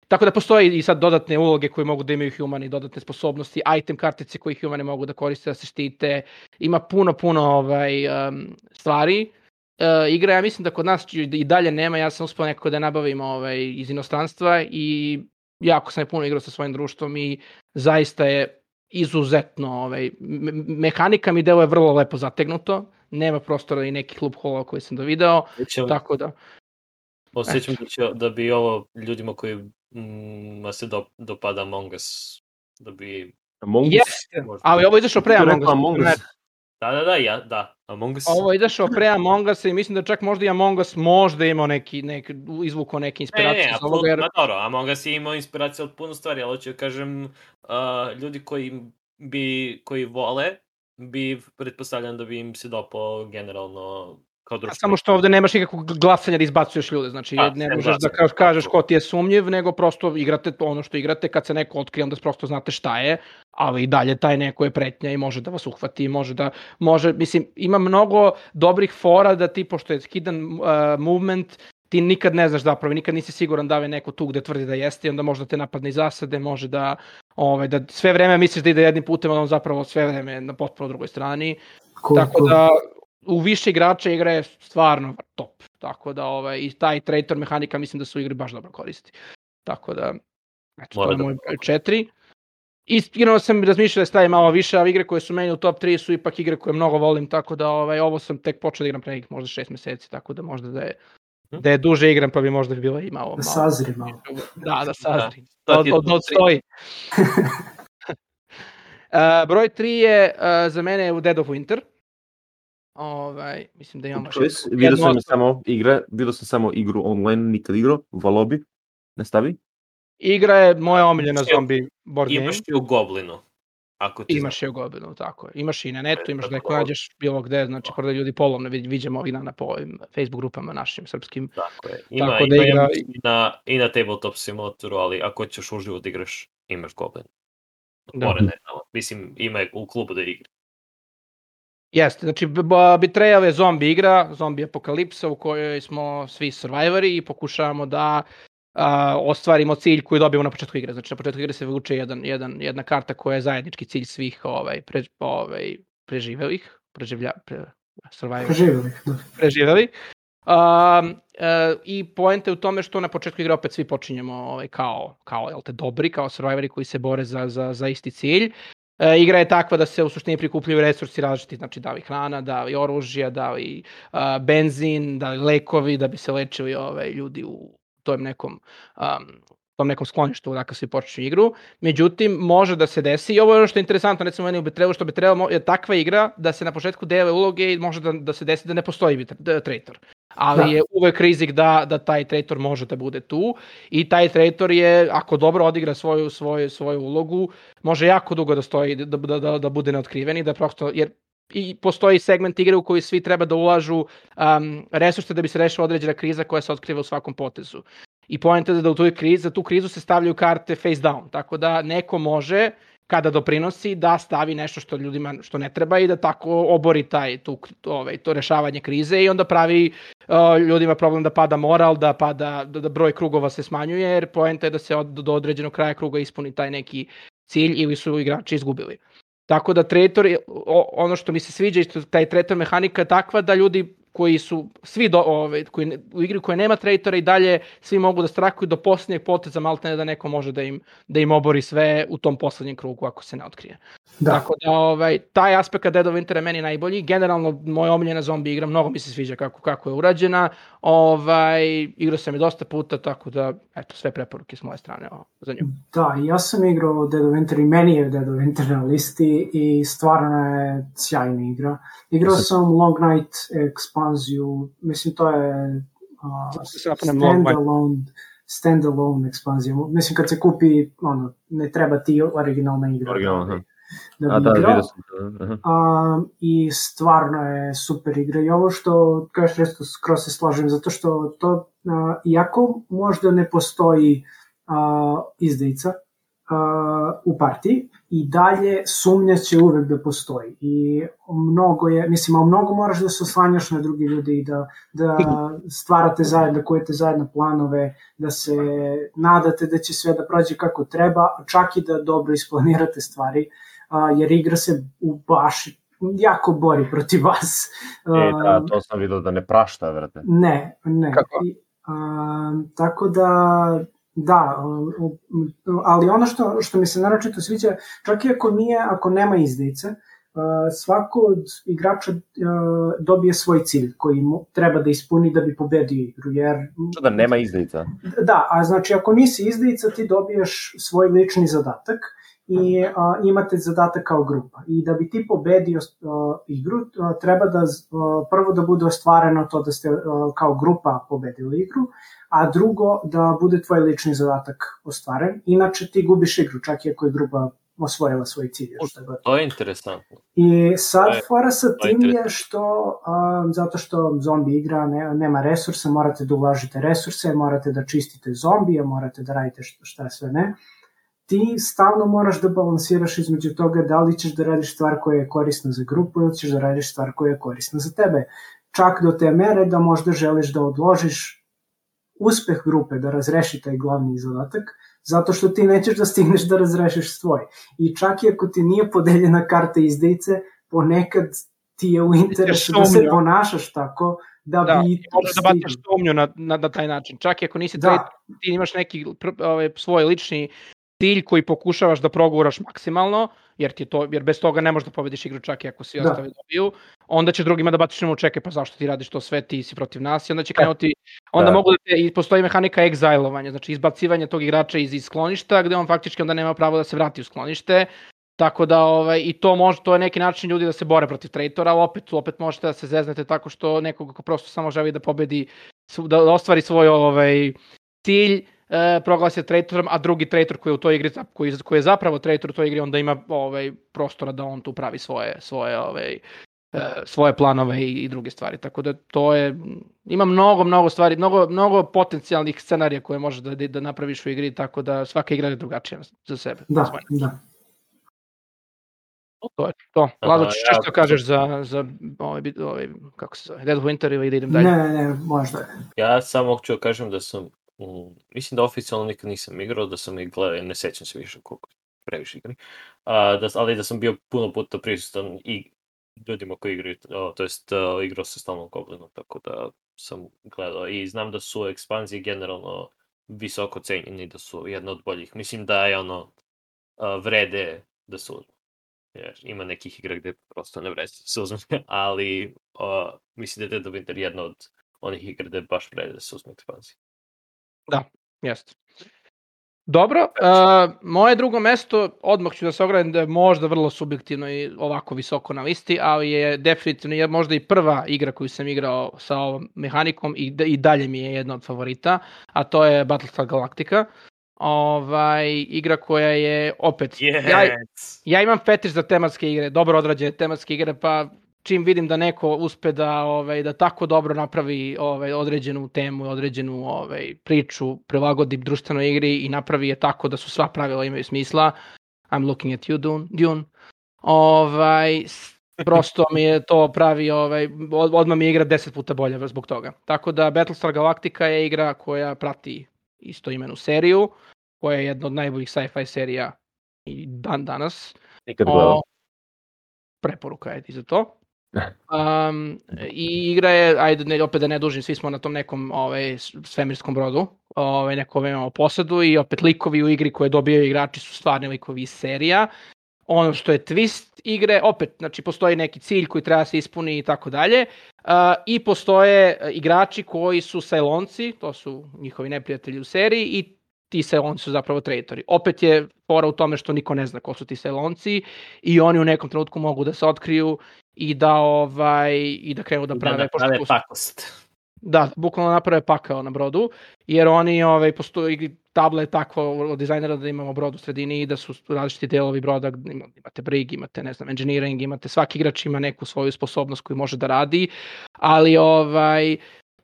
Tako da postoji i sad dodatne uloge koje mogu da imaju humani, dodatne sposobnosti, item kartice koje humani mogu da koriste da se štite. Ima puno stvari. Igra, ja mislim da kod nas i dalje nema, ja sam uspio nekako da nabavim iz inostranstva i jako sam je puno igrao sa svojim društvom i zaista je izuzetno, mehanika mi deluje vrlo lepo zategnuto, nema prostora i nekih loophola koje sam dovideo, tako da... Osjećam da bi ovo ljudima koji se dopada Among Us, da bi... Jeste, ali ovo je izašao pre Among Us. Da, Among Us. Ovo je izašao pre Among Us i mislim da čak možda i Among Us možda imao izvukao neke inspiracije. Dobro, Among Us je imao inspiracije od puno stvari, ali hoću kažem, ljudi koji vole, bi pretpostavljam da bi im se dopao generalno kao društvo. Samo što ovde nemaš nikakvog glasanja da izbacuješ ljude, znači ne možeš da kažeš ko ti je sumnjiv, nego prosto igrate ono što igrate, kad se neko otkrije onda prosto znate šta je, ali i dalje taj neko je pretnja i može da vas uhvati, mislim, ima mnogo dobrih fora da ti, pošto je hidden movement, ti nikad ne znaš zapravo, nikad nisi siguran da je neko tu gde tvrdi da jeste i onda možda te napadne iz zasade, može da sve vreme misliš da ide jednim putem, a on zapravo sve vreme na potpuno drugoj strani, tako da u više igrača igra je stvarno top, tako da i taj traitor mehanika mislim da su u igri baš dobro koristi, tako da to je moj 4. Iskreno sam razmišljao da stavim malo više, ali igre koje su meni u top 3 su ipak igre koje mnogo volim, tako da ovo sam tek počeo da igram pre nekih možda 6 meseci, tako da možda da je duže igram pa bi možda bilo i malo. Da sazri malo. Da sazri. Odstoji. Broj 3 je za mene Dead of Winter. Mislim da imamo... Vidio sam samo igru online, nikad igrao, volao bi. Nastavi. Igra je moja omiljena zombi board game. Imaš i u Goblinu. Imaš i u Goblinu, tako je. Imaš i na netu, imaš da neko nađeš bilo gde, znači da ljudi polovne viđemo ovih dana po ovim Facebook grupama našim srpskim. Tako je. I na Tabletop Simulatoru, ali ako ćeš uživo da igraš, imaš Goblin. Mislim, ima u klubu da igra. Jeste, znači Betrayal je zombi igra, zombi apokalipsa u kojoj smo svi survivori i pokušavamo da ostvarimo cilj koji dobijemo na početku igre. Znači na početku igre se vuče jedna karta koja je zajednički cilj svih preživelih. I poenta je u tome što na početku igre opet svi počinjemo kao dobri, kao survivori koji se bore za isti cilj. Igra je takva da se u suštini prikupljaju resursi različiti, znači da li hrana, da li oružja, da li benzin, da li lekovi, da bi se lečili ljudi u tom nekom skloništu dakle svi počinju igru. Međutim, može da se desi, i ovo je ono što je interesantno, recimo meni u Betrayalu, što Betrayal je takva igra da se na početku dele uloge i može da se desi da ne postoji traitor. Ali je uvek rizik da taj traitor može da bude tu i taj traitor je, ako dobro odigra svoju ulogu, može jako dugo da stoji, da bude neotkriven i da prosto, jer i postoji segment igre u koji svi treba da ulažu resurse da bi se rešila određena kriza koja se otkriva u svakom potezu. I poenta je da za tu krizu se stavljaju karte face down, tako da neko može, kada doprinosi, da stavi nešto što ljudima što ne treba i da tako obori to rešavanje krize i onda pravi ljudima problem da pada moral, da broj krugova se smanjuje, jer poenta je da se do određenog kraja kruga ispuni taj neki cilj ili su igrači izgubili. Tako da traitor, ono što mi se sviđa, isto taj traitor mehanika je takva da ljudi koji su svi u igri koja nema traitora i dalje svi mogu da strakuju do posljednjeg poteza, maltene da neko može da im obori sve u tom poslednjem krugu ako se ne otkrije. Da. Tako da taj aspekt Dead of Winter je meni najbolji. Generalno moja omiljena zombi igra, mnogo mi se sviđa kako je urađena. Igrao sam je dosta puta, tako da eto, sve preporuke s moje strane za nju. Da, ja sam igrao Dead of Winter i meni je Dead of Winter na listi i stvarno je sjajna igra. Igrao sam Long Night ekspanziju, mislim to je standalone ekspanzija. Mislim kad se kupi, ne treba ti originalna igra. Da bi igrao. I stvarno je super igra. I ovo što kažeš resto skroz se slažem, zato što to, iako možda ne postoji izdajica u partiji, i dalje sumnja će uvek da postoji. I mnogo moraš da se oslanjaš na drugi ljudi i da stvarate zajedno, kujete zajedno planove, da se nadate da će sve da prođe kako treba, čak i da dobro isplanirate stvari, jer igra se baš jako bori protiv vas. Da, to sam vidio da ne prašta, vrate. Ne. Kako? Tako da, ali ono što mi se naročito sviđa, čak i ako nema izdajice, svako od igrača dobije svoj cilj koji treba da ispuni da bi pobedio igru. Što da nema izdajica? Da, a znači ako nisi izdajica ti dobiješ svoj lični zadatak i imate zadatak kao grupa. I da bi ti pobedio igru, treba da prvo da bude ostvareno to da ste kao grupa pobedili igru, a drugo da bude tvoj lični zadatak ostvaren. Inače ti gubiš igru, čak i ako je grupa osvojila svoj cilj. To je interesantno. I sad fora sa tim je što, zato što zombi igra nema resursa, morate da ulažite resurse, morate da čistite zombije, morate da radite šta sve ne. Ti stalno moraš da balansiraš između toga da li ćeš da radiš stvar koja je korisna za grupu ili ćeš da radiš stvar koja je korisna za tebe. Čak do te mere da možda želiš da odložiš uspeh grupe, da razreši taj glavni zadatak, zato što ti nećeš da stigneš da razrešiš svoj. I čak i ako ti nije podeljena karta izdajice, ponekad ti je u interesu da se ponašaš tako da bi... možeš da baciš sumnju na taj način. Čak i ako nisi traitor, ti imaš neki svoj lični cilj koji pokušavaš da proguraš maksimalno, jer bez toga ne možeš da pobediš igru čak i ako svi ostali dobiju, onda će drugima da baciš nemo čekaj, pa zašto ti radiš to sve, ti si protiv nas, i onda će krenuti, mogu i postoji mehanika egzajlovanja, znači izbacivanje tog igrača iz skloništa, gde on faktički onda nema pravo da se vrati u sklonište, tako da i to je neki način ljudi da se bore protiv traitora, ali opet možete da se zeznete tako što nekog ko prosto samo želi da pobedi, da ostvari svoj cilj, proglasi traitorom, a drugi traitor koji je u toj igri, koji je zapravo traitor u toj igri, onda ima prostora da on tu pravi svoje planove i druge stvari. Tako da to je, ima mnogo stvari, mnogo potencijalnih scenarija koje možeš da napraviš u igri, tako da svaka igra je drugačija za sebe. Da. To je to. Lazo, što kažeš za kako se zove, Dead of Winter ili da idem dalje? Ne, možda. Ja samo ću kažem da sam mislim da oficijalno nikad nisam igrao, da sam ih gledao, ne sećam se više koliko previše igri, ali da sam bio puno puta prisutan i ljudima koji igraju, to jest igrao se stalno u Goblinu, tako da sam gledao i znam da su ekspanzije generalno visoko cenjeni, da su jedna od boljih. Mislim da je vrede da se uzme. Ima nekih igra gde prosto ne vrede da se uzme, ali mislim da je Dead of Winter jedna od onih igra gde baš vrede da se uzme ekspanzije. Da, jeste. Dobro, moje drugo mesto, odmah ću da se ogradim da je možda vrlo subjektivno i ovako visoko na listi, ali je definitivno možda i prva igra koju sam igrao sa ovom mehanikom i dalje mi je jedna od favorita, a to je Battlestar Galactica. Igra koja je opet... Ja imam fetiš za tematske igre, dobro odrađene tematske igre, pa čim vidim da neko uspe da tako dobro napravi određenu temu, određenu priču, prilagodi društvenoj igri i napravi je tako da su sva pravila imaju smisla. I'm looking at you, Dune. Prosto mi je to pravi, odmah mi je igra 10 puta bolja zbog toga. Tako da Battlestar Galactica je igra koja prati istoimenu seriju, koja je jedna od najboljih sci-fi serija i dan danas. Nikad gledao. preporuka je i za to. I igra je, ajde opet da ne dužim, svi smo na tom nekom svemirskom brodu, neko imamo posadu i opet likovi u igri koje dobijaju igrači su stvarni likovi iz serija. Ono što je twist igre, opet, znači postoji neki cilj koji treba se ispuni i tako dalje, i postoje igrači koji su Cylonci, to su njihovi neprijatelji u seriji, i ti Cylonci su zapravo traitori. Opet je fora u tome što niko ne zna ko su ti Cylonci i oni u nekom trenutku mogu da se otkriju i da krenu da prave pakost. Da, bukvalno naprave pakao na brodu, jer oni postoji tabla je takva od dizajnera da imamo brod u sredini i da su različiti delovi broda, imate brig, imate engineering, imate, svaki igrač ima neku svoju sposobnost koju može da radi, ali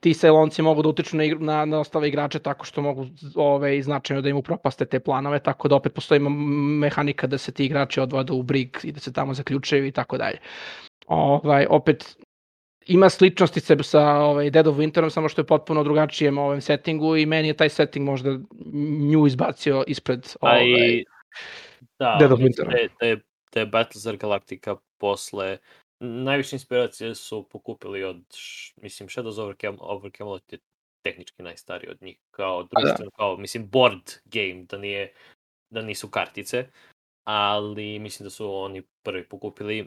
ti Cylonci mogu da utiču na ostale igrače tako što mogu značajno da im upropaste te planove, tako da opet postoji mehanika da se ti igrači odvode u brig i da se tamo zaključaju i tako dalje. Opet ima sličnosti sa Dead of Winterom, samo što je potpuno drugačijem settingu i meni je taj setting možda nju izbacio ispred Dead of Wintera. Da je Battlestar Galactica posle najviše inspiracije su pokupili od, mislim, Shadows over Camelot je tehnički najstariji od njih, kao društveno, kao, mislim, board game, da nisu kartice, ali mislim da su oni prvi pokupili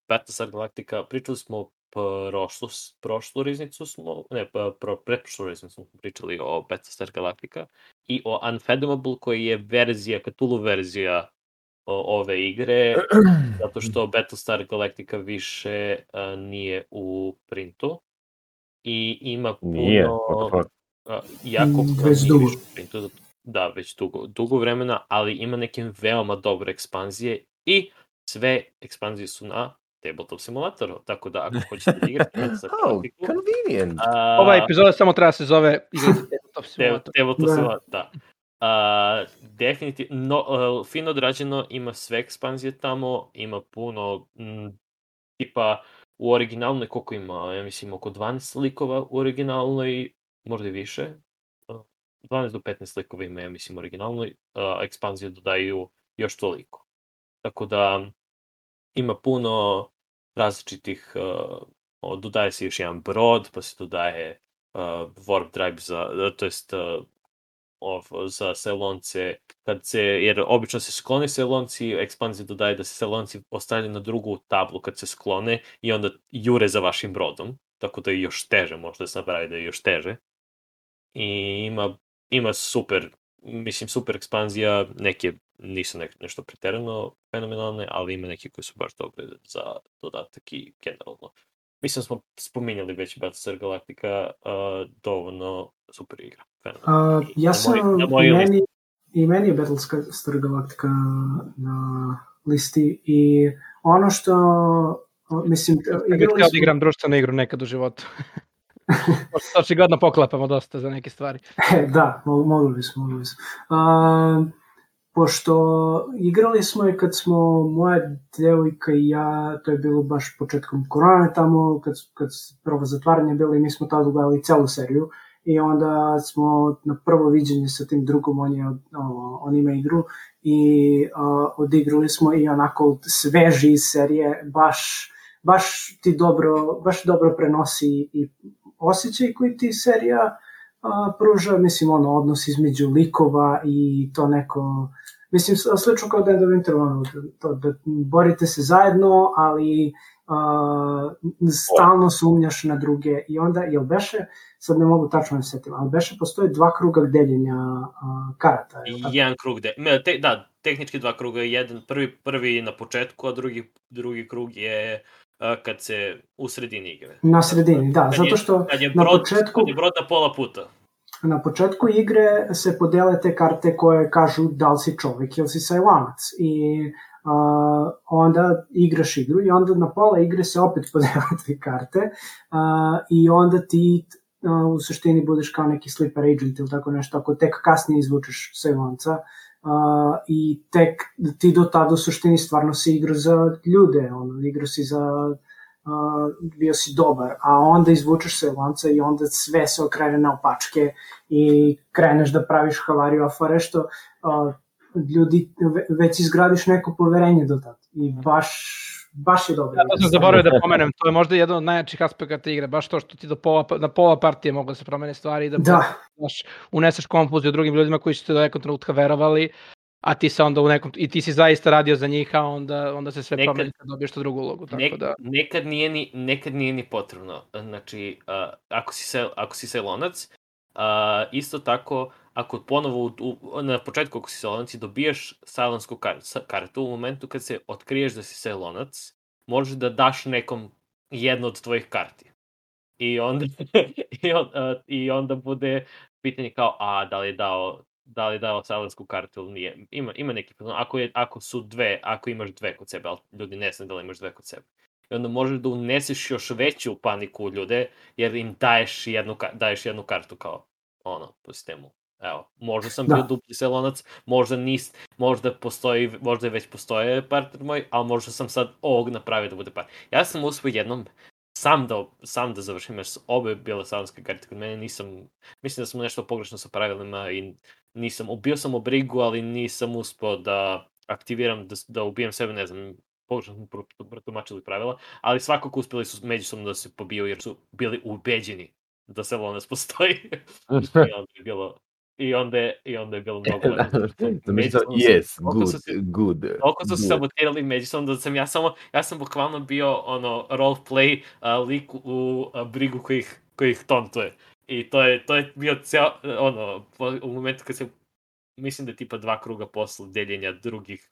Battlestar Galactica. Pričali smo prošlu riznicu pretprošlu riznicu smo pričali o Battlestar Galactica i o Unfathomable, koji je verzija, Cthulhu verzija ove igre, zato što Battlestar Galactica više nije u printu i ima puno jako već dugo. Printu, da, već dugo vremena, ali ima neke veoma dobre ekspanzije i sve ekspanzije su na Tabletop Simulatoru, tako da ako hoćete da igrate Battlestar Galactica... convenient! Ova epizoda samo treba se zove Tabletop Simulator. Tabletop Simulator, da. Definitivno, fino odrađeno, ima sve ekspanzije tamo, ima puno, tipa u originalnoj, koliko ima, ja mislim oko 12 likova u originalnoj, možda i više, 12 do 15 likova ima, ja mislim, originalnoj, ekspanzije dodaju još toliko. Tako da ima puno različitih, dodaje se još jedan brod, pa se dodaje warp drive za Cylonce, jer obično se sklone Cylonci, ekspanzija dodaje da se Cylonci ostavljaju na drugu tablu kad se sklone i onda jure za vašim brodom, tako da je još teže, možda se napravi da je još teže. I ima super ekspanzija, neke nisu nešto preterano fenomenalne, ali ima neke koje su baš dobre za dodatak i generalno. Mislim smo spominjali već Battlestar Galactica, dovoljno super igra. Meni je Battlestar Galactica na listi i ono što mislim... Bih htio da igram društvenu igru nekad u životu. Očigledno poklapamo dosta za neke stvari. Da, mogli bismo. Pošto igrali smo i kad smo moja devojka i ja, to je bilo baš početkom korone tamo, kad prvo zatvaranje bilo i mi smo tada gledali celu seriju i onda smo na prvo viđenje sa tim drugom, on ima igru i odigrali smo i onako sveži iz serije, baš ti dobro prenosi i osjećaj koji ti serija pruža, mislim, odnos između likova i to neko, mislim, slično kao Dead of Winter, to da borite se zajedno, ali stalno sumnjaš na druge i onda, jel beše, sad ne mogu tačno da se setim, ali beše postoje 2 kruga deljenja karata. Jedan krug da, tehnički 2 kruga, jedan prvi na početku, a drugi krug je kad se u sredini igre. Na sredini, da, zato što kad je brod na pola puta. Na početku igre se podele te karte koje kažu da li si čovjek ili si Cylanac i onda igraš igru i onda na pola igre se opet podele te karte i onda ti u suštini budeš kao neki sleeper agent ili tako nešto, ako tek kasnije izvučeš Cylanca i tek ti do tada u suštini stvarno si igra za ljude, igra si za bio si dobar, a onda izvučeš Cylanca i onda sve se okrene na opačke i kreneš da praviš havariju afare što baš je dobro. Ja to sam zaboravio da pomenem, to je možda jedan od najjačih aspekata igre, baš to što ti na pola partije mogu da se promene stvari i da uneseš konfuziju drugim ljudima koji su te do nekog trenutka verovali, a ti se onda i ti si zaista radio za njih, a onda se sve promeni kad dobiješ tu drugu ulogu. Tako da... Nekad nije ni potrebno. Znači, ako si selonac, isto tako, ako ponovo na početku ako si selonac i dobijaš sajlonsku kartu, u momentu kad se otkriješ da si selonac, možeš da daš nekom jednu od tvojih karti. I onda bude pitanje kao, da li je dao sajlonsku kartu ili nije. Ima neki problem. Ako imaš dve kod sebe, ali ljudi ne znaju da li imaš dve kod sebe. I onda možeš da uneseš još veću paniku u ljude, jer im daješ jednu kartu kao po sistemu. Evo, možda sam bio dupli selonac, možda već postoje partner moj, ali možda sam sad ovog napravio da bude partner. Ja sam uspio jednom sam da završim, jer su obe bile salonske karte kod mene, mislim da sam nešto pogrešno sa pravilima i ubio sam obrigu, ali nisam uspio da aktiviram, da ubijem sebe, ne znam, pogrešno smo protumačili pravila, ali svakako uspjeli su međusobno da se pobiju, jer su bili ubeđeni da selonac postoji. I onda je bilo mnogo yes, good. Toliko su se sabotirali međusobno da sam ja sam bukvalno bio roleplay lik u brigu koji ih tontuje. I to je bio u momentu kad se, mislim da je tipa 2 kruga posle deljenja drugih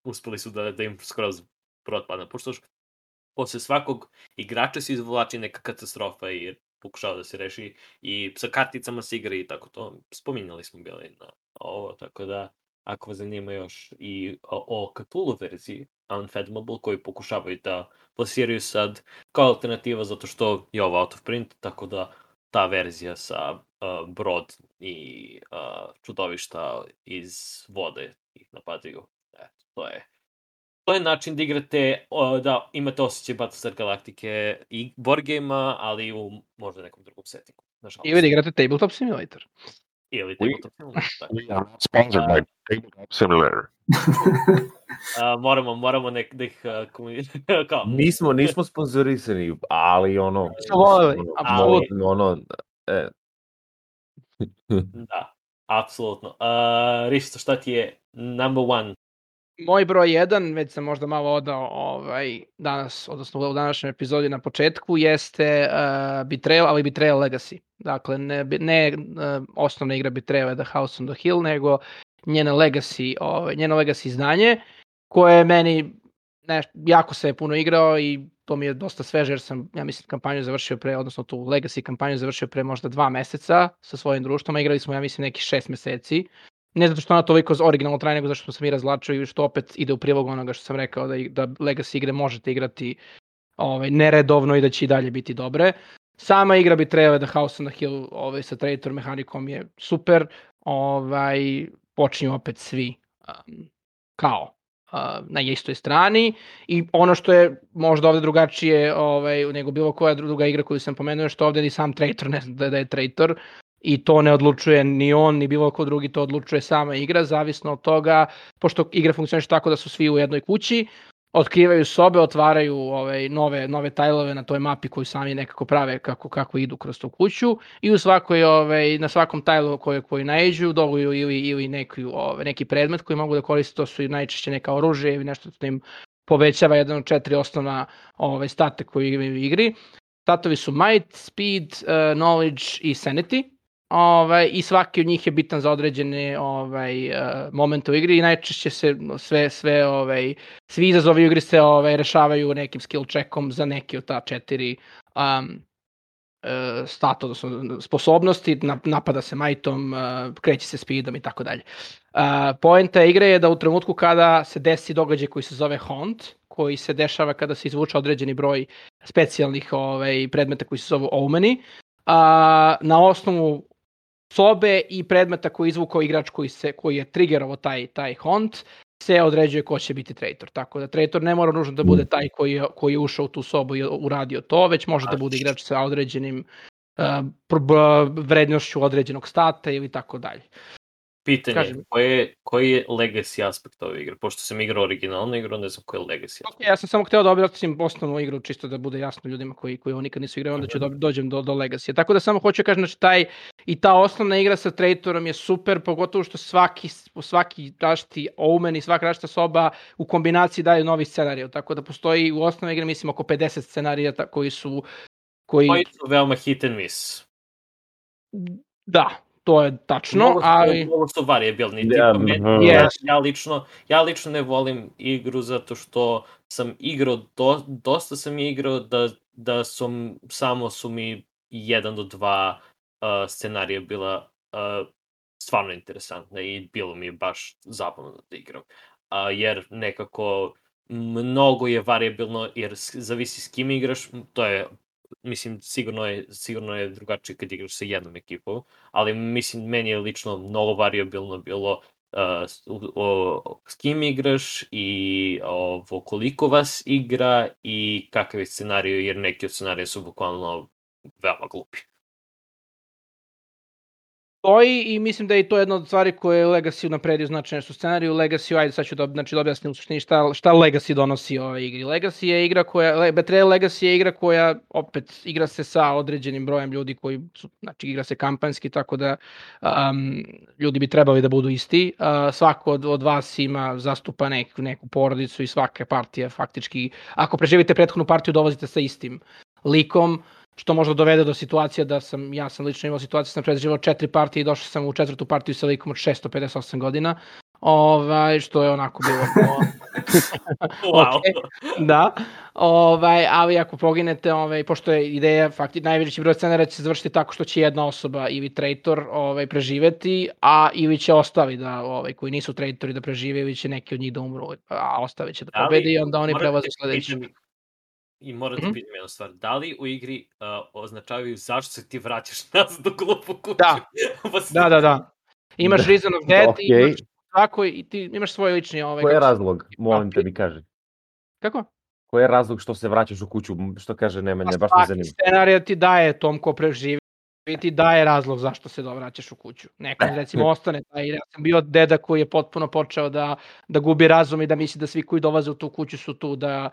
uspeli su da im skroz protpadne. Pošto posle svakog igrača se izvlači neka katastrofa i pokušao da se reši i sa karticama se igra i tako to. Spominjali smo bili na ovo, tako da ako vas zanima još i o Cthulhu verziji Unfathomable koji pokušavaju da plasiraju sad kao alternativa zato što je ovo out of print, tako da ta verzija sa brod i čudovišta iz vode ih napadaju. To je način da igrate, da imate osjećaj Battlestar Galactica i board game-a, ali u možda nekom drugom settingu. Ili da igrate Tabletop Simulator. Ili Tabletop Simulator. We are sponsored by Tabletop Simulator. Moramo da ih kao... Nismo sponzorisani, ali Da, apsolutno. Risto, šta ti je number one? Moj broj 1, već sam možda malo odao danas, odnosno u današnjoj epizodi na početku, jeste Betrayal, ali Betrayal Legacy. Dakle, ne osnovna igra Betrayal The House on the Hill, nego njeno Legacy izdanje, koje je meni jako se je puno igrao i to mi je dosta sveže, jer sam, ja mislim, kampanju završio odnosno tu Legacy kampanju završio pre možda 2 meseca sa svojim društvom, a igrali smo, ja mislim, nekih 6 meseci. Ne zato što ona toliko originalno traje, nego zato što sam i razvlačio i što opet ide u prilog onoga što sam rekao da Legacy igre možete igrati neredovno i da će i dalje biti dobre. Sama igra Betrayal The House on the Hill sa Traitor mehanikom je super. Počinju opet svi kao na istoj strani i ono što je možda ovde drugačije nego bilo koja druga igra koju sam pomenuo, što ovde ni sam Traitor ne zna da je Traitor. I to ne odlučuje ni on, ni bilo ko drugi, to odlučuje sama igra, zavisno od toga, pošto igra funkcioniše tako da su svi u jednoj kući, otkrivaju sobe, otvaraju nove tajlove na toj mapi koju sami nekako prave kako idu kroz tu kuću i u svakoj, na svakom tajlu koji naiđu dobuju ili neki predmet koji mogu da koriste, to su najčešće neka oružje ili nešto što im povećava jedan od 4 osnovna state koje imaju u igri. Statovi su Might, Speed, Knowledge i Sanity. I svaki od njih je bitan za određene momente u igri i najčešće se svi izazovi u igri se rešavaju nekim skill checkom za neki od ta 4 stat, odnosno sposobnosti, napada se Mightom, kreće se Speedom i tako dalje. Poenta igre je da u trenutku kada se desi događaj koji se zove Haunt, koji se dešava kada se izvuče određeni broj specijalnih predmeta koji se zovu Omeni, na osnovu sobe i predmeta koji je izvukao igrač koji je triggerovao taj Haunt, se određuje ko će biti Traitor. Tako da Traitor ne mora nužno da bude taj koji je ušao u tu sobu i uradio to, već može da bude igrač sa određenim vrednošću određenog stata ili tako dalje. Pitanje, Kaži mi. koji je legacy aspekt ove igre? Pošto sam igrao originalnu igru, ne znam koji je legacy aspekt. Ja sam samo hteo da objasnim osnovnu igru, čisto da bude jasno ljudima koji ovo nikad nisu igrali, onda ću dođem do Legacy. Tako da samo hoću kažem, znači ta osnovna igra sa Traitorom je super, pogotovo što svaki različiti omen i svaka različita soba u kombinaciji daje novi scenarij. Tako da postoji u osnovnoj igri, mislim, oko 50 scenarija koji su veoma hit and miss. Da, to je tačno, ali... Mnogo su variabilni. Ja lično ne volim igru zato što sam igrao, dosta sam igrao da samo su mi 1 do 2 scenarija bila stvarno interesantna i bilo mi je baš zabavno da igram. Jer nekako mnogo je variabilno, jer zavisi s kim igraš, to je, mislim, sigurno je drugačije kad igraš sa jednom ekipom, ali mislim, meni je lično mnogo variabilno bilo s kim igraš i koliko vas igra i kakav je scenarij, jer neki od scenarija su bukvalno veoma glupi. I mislim da je to jedna od stvari koje je Legacy napredio značajno su scenariju. Legacy, ajde sad ću da objasnim u suštini šta Legacy donosi ovoj igri. Legacy je igra Betrayal Legacy je igra koja opet igra se sa određenim brojem ljudi koji su, znači igra se kampanjski, tako da ljudi bi trebali da budu isti. Svako od vas zastupa neku porodicu i svaka partija faktički, ako preživite prethodnu partiju, dolazite sa istim likom, što možda dovede do situacije da ja sam lično imao situaciju, sam preživao 4 partije i došao sam u 4. partiju sa likom od 658 godina, što je onako bilo... Wow. Da, ali ako poginete, pošto je ideja, najveći broj scenara će se završiti tako što će jedna osoba ili traitor preživeti, ili će ostali koji nisu traitori da prežive, ili će neki od njih da umru, a ostali će da pobedi i onda oni prelaze sledeći. I moram da pitam jednu stvar, da li u igri označavaju zašto se ti vraćaš nazad u glupu kuću? Da. Imaš Reason of Death i ti imaš svoj lični... Koji je razlog? Molim te mi kaži. Kako? Koji je razlog što se vraćaš u kuću? Što kaže Nemanja, baš me zanima. Svaki scenarij ti daje tom ko preživi, ti daje razlog zašto se vraćaš u kuću. Nekom recimo ostane, ja sam bio deda koji je potpuno počeo da gubi razum i da misli da svi koji dolaze u tu kuću su tu da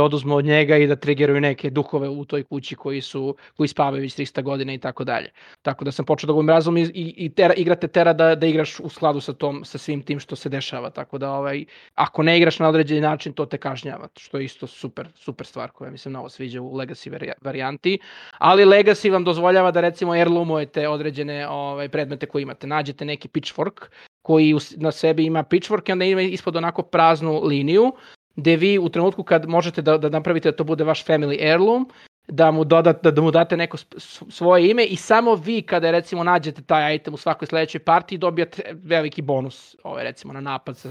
oduzmu od njega i da triggeruju neke duhove u toj kući koji spavaju već 300 godina i tako dalje. Tako da sam počeo da gubim razum i igra te tera da igraš u skladu sa svim tim što se dešava. Tako da ako ne igraš na određeni način, to te kažnjava, što je isto super stvar koja mi se mnogo sviđa u Legacy varijanti. Ali Legacy vam dozvoljava da recimo heirloomujete određene predmete koje imate. Nađete neki pitchfork koji na sebi ima pitchfork i onda ima ispod onako praznu liniju gde vi u trenutku kad možete da napravite da to bude vaš family heirloom, da mu date neko svoje ime i samo vi kada recimo nađete taj item u svakoj sledećoj partiji dobijate veliki bonus, recimo na napad sa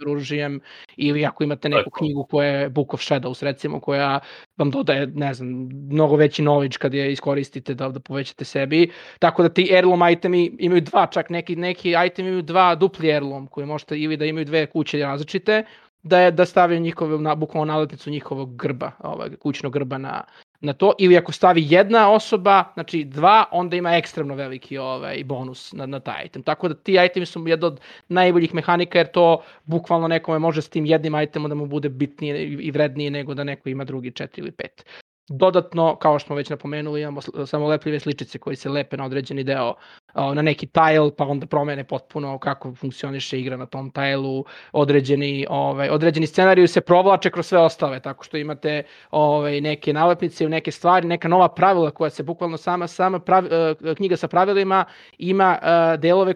oružjem ili ako imate neku knjigu koja je Book of Shadows recimo koja vam dodaje, ne znam, mnogo veći knowledge kad je iskoristite da povećate sebi, tako da ti heirloom itemi imaju dva, čak neki itemi imaju dva dupli heirloom koji možete ili da imaju dve kuće različite, da stavljaju njihove, bukvalno naletnicu njihovog grba, kućnog grba na to, ili ako stavi jedna osoba, znači 2, onda ima ekstremno veliki bonus na taj item. Tako da ti itemi su jedna od najboljih mehanika, jer to bukvalno nekome može s tim jednim itemom da mu bude bitnije i vrednije nego da neko ima drugi 4 ili 5. Dodatno, kao što smo već napomenuli, imamo samo lepljive sličice koji se lepe na određeni deo, na neki tile, pa onda promene potpuno kako funkcioniše igra na tom tileu, određeni scenariju se provlače kroz sve ostale, tako što imate neke nalepnice, neke stvari, neka nova pravila koja se bukvalno sama knjiga sa pravilima ima delove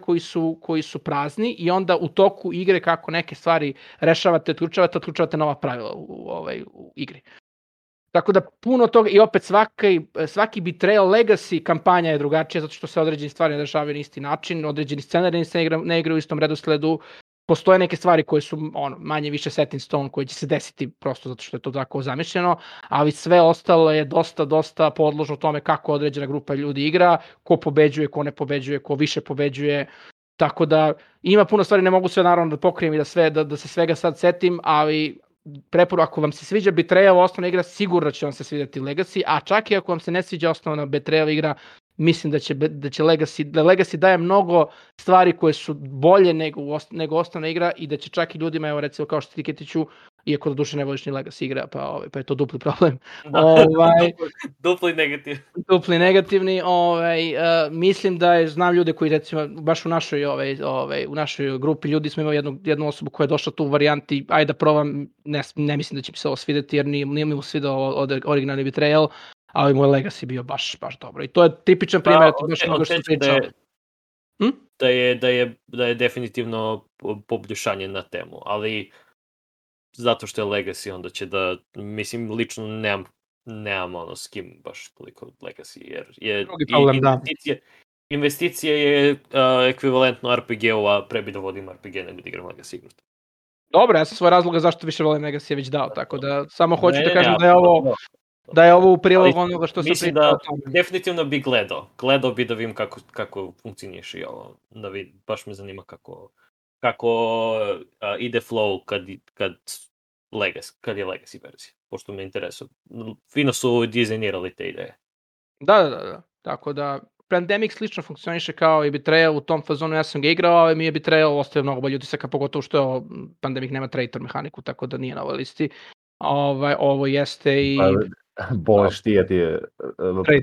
koji su prazni i onda u toku igre kako neke stvari rešavate, otključavate nova pravila u igri. Tako da puno toga i opet svaki Betrayal Legacy kampanja je drugačija zato što se određene stvari ne dešavaju na isti način, određeni scenariji se ne igraju u istom redosledu, postoje neke stvari koje su manje više set in stone koje će se desiti prosto zato što je to tako zamišljeno, ali sve ostalo je dosta podložno tome kako određena grupa ljudi igra, ko pobeđuje, ko ne pobeđuje, ko više pobeđuje, tako da ima puno stvari, ne mogu sve naravno da pokrijem i da se svega sad setim, ali preporuka, ako vam se sviđa Betrayal osnovna igra, sigurno će vam se svidjeti Legacy, a čak i ako vam se ne sviđa osnovna Betrayal igra, mislim da će Legacy daje mnogo stvari koje su bolje nego osnovna igra i da će čak i ljudima, evo recimo kao što ti Ketiću, iako duše ne voliš ni Legacy igra, pa je to dupli problem. Dupli negativni. Dupli negativni, mislim da znam ljude koji recimo baš u našoj grupi ljudi smo imali jednu osobu koja je došla tu u varijanti, ajde da probam, ne mislim da će mi se ovo svideti jer nije mi svidao originalni Betrayal, ali moj Legacy bio baš dobro. I to je tipičan primjer, baš mnogo što pričao. Da je definitivno poboljšanje na temu, ali zato što je Legacy, onda će da, mislim, lično nemam s kim baš toliko Legacy, jer investicija je ekvivalentno RPG-u, a pre bi da vodim RPG nego da igram Legacy igru. Dobro, ja sam svoj razloga zašto više volim Legacy već dao, tako da samo hoću da kažem da je ovo u prilog onoga što sam pričao. Mislim da definitivno bi gledao bi da vidim kako funkcioniš i ovo, da vidim, baš me zanima kako ide flow kad je Legacy verzija, pošto me interesuje. Fino su dizajnirali te ideje. Da. Tako da, Pandemic slično funkcioniše kao i Betrayal u tom fazonu, ja sam ga igrao, ali mi je Betrayal ostavio mnogo bolje utisaka, pogotovo što Pandemic nema traitor mehaniku, tako da nije na ovoj listi. Ovo jeste i... Boleš ti je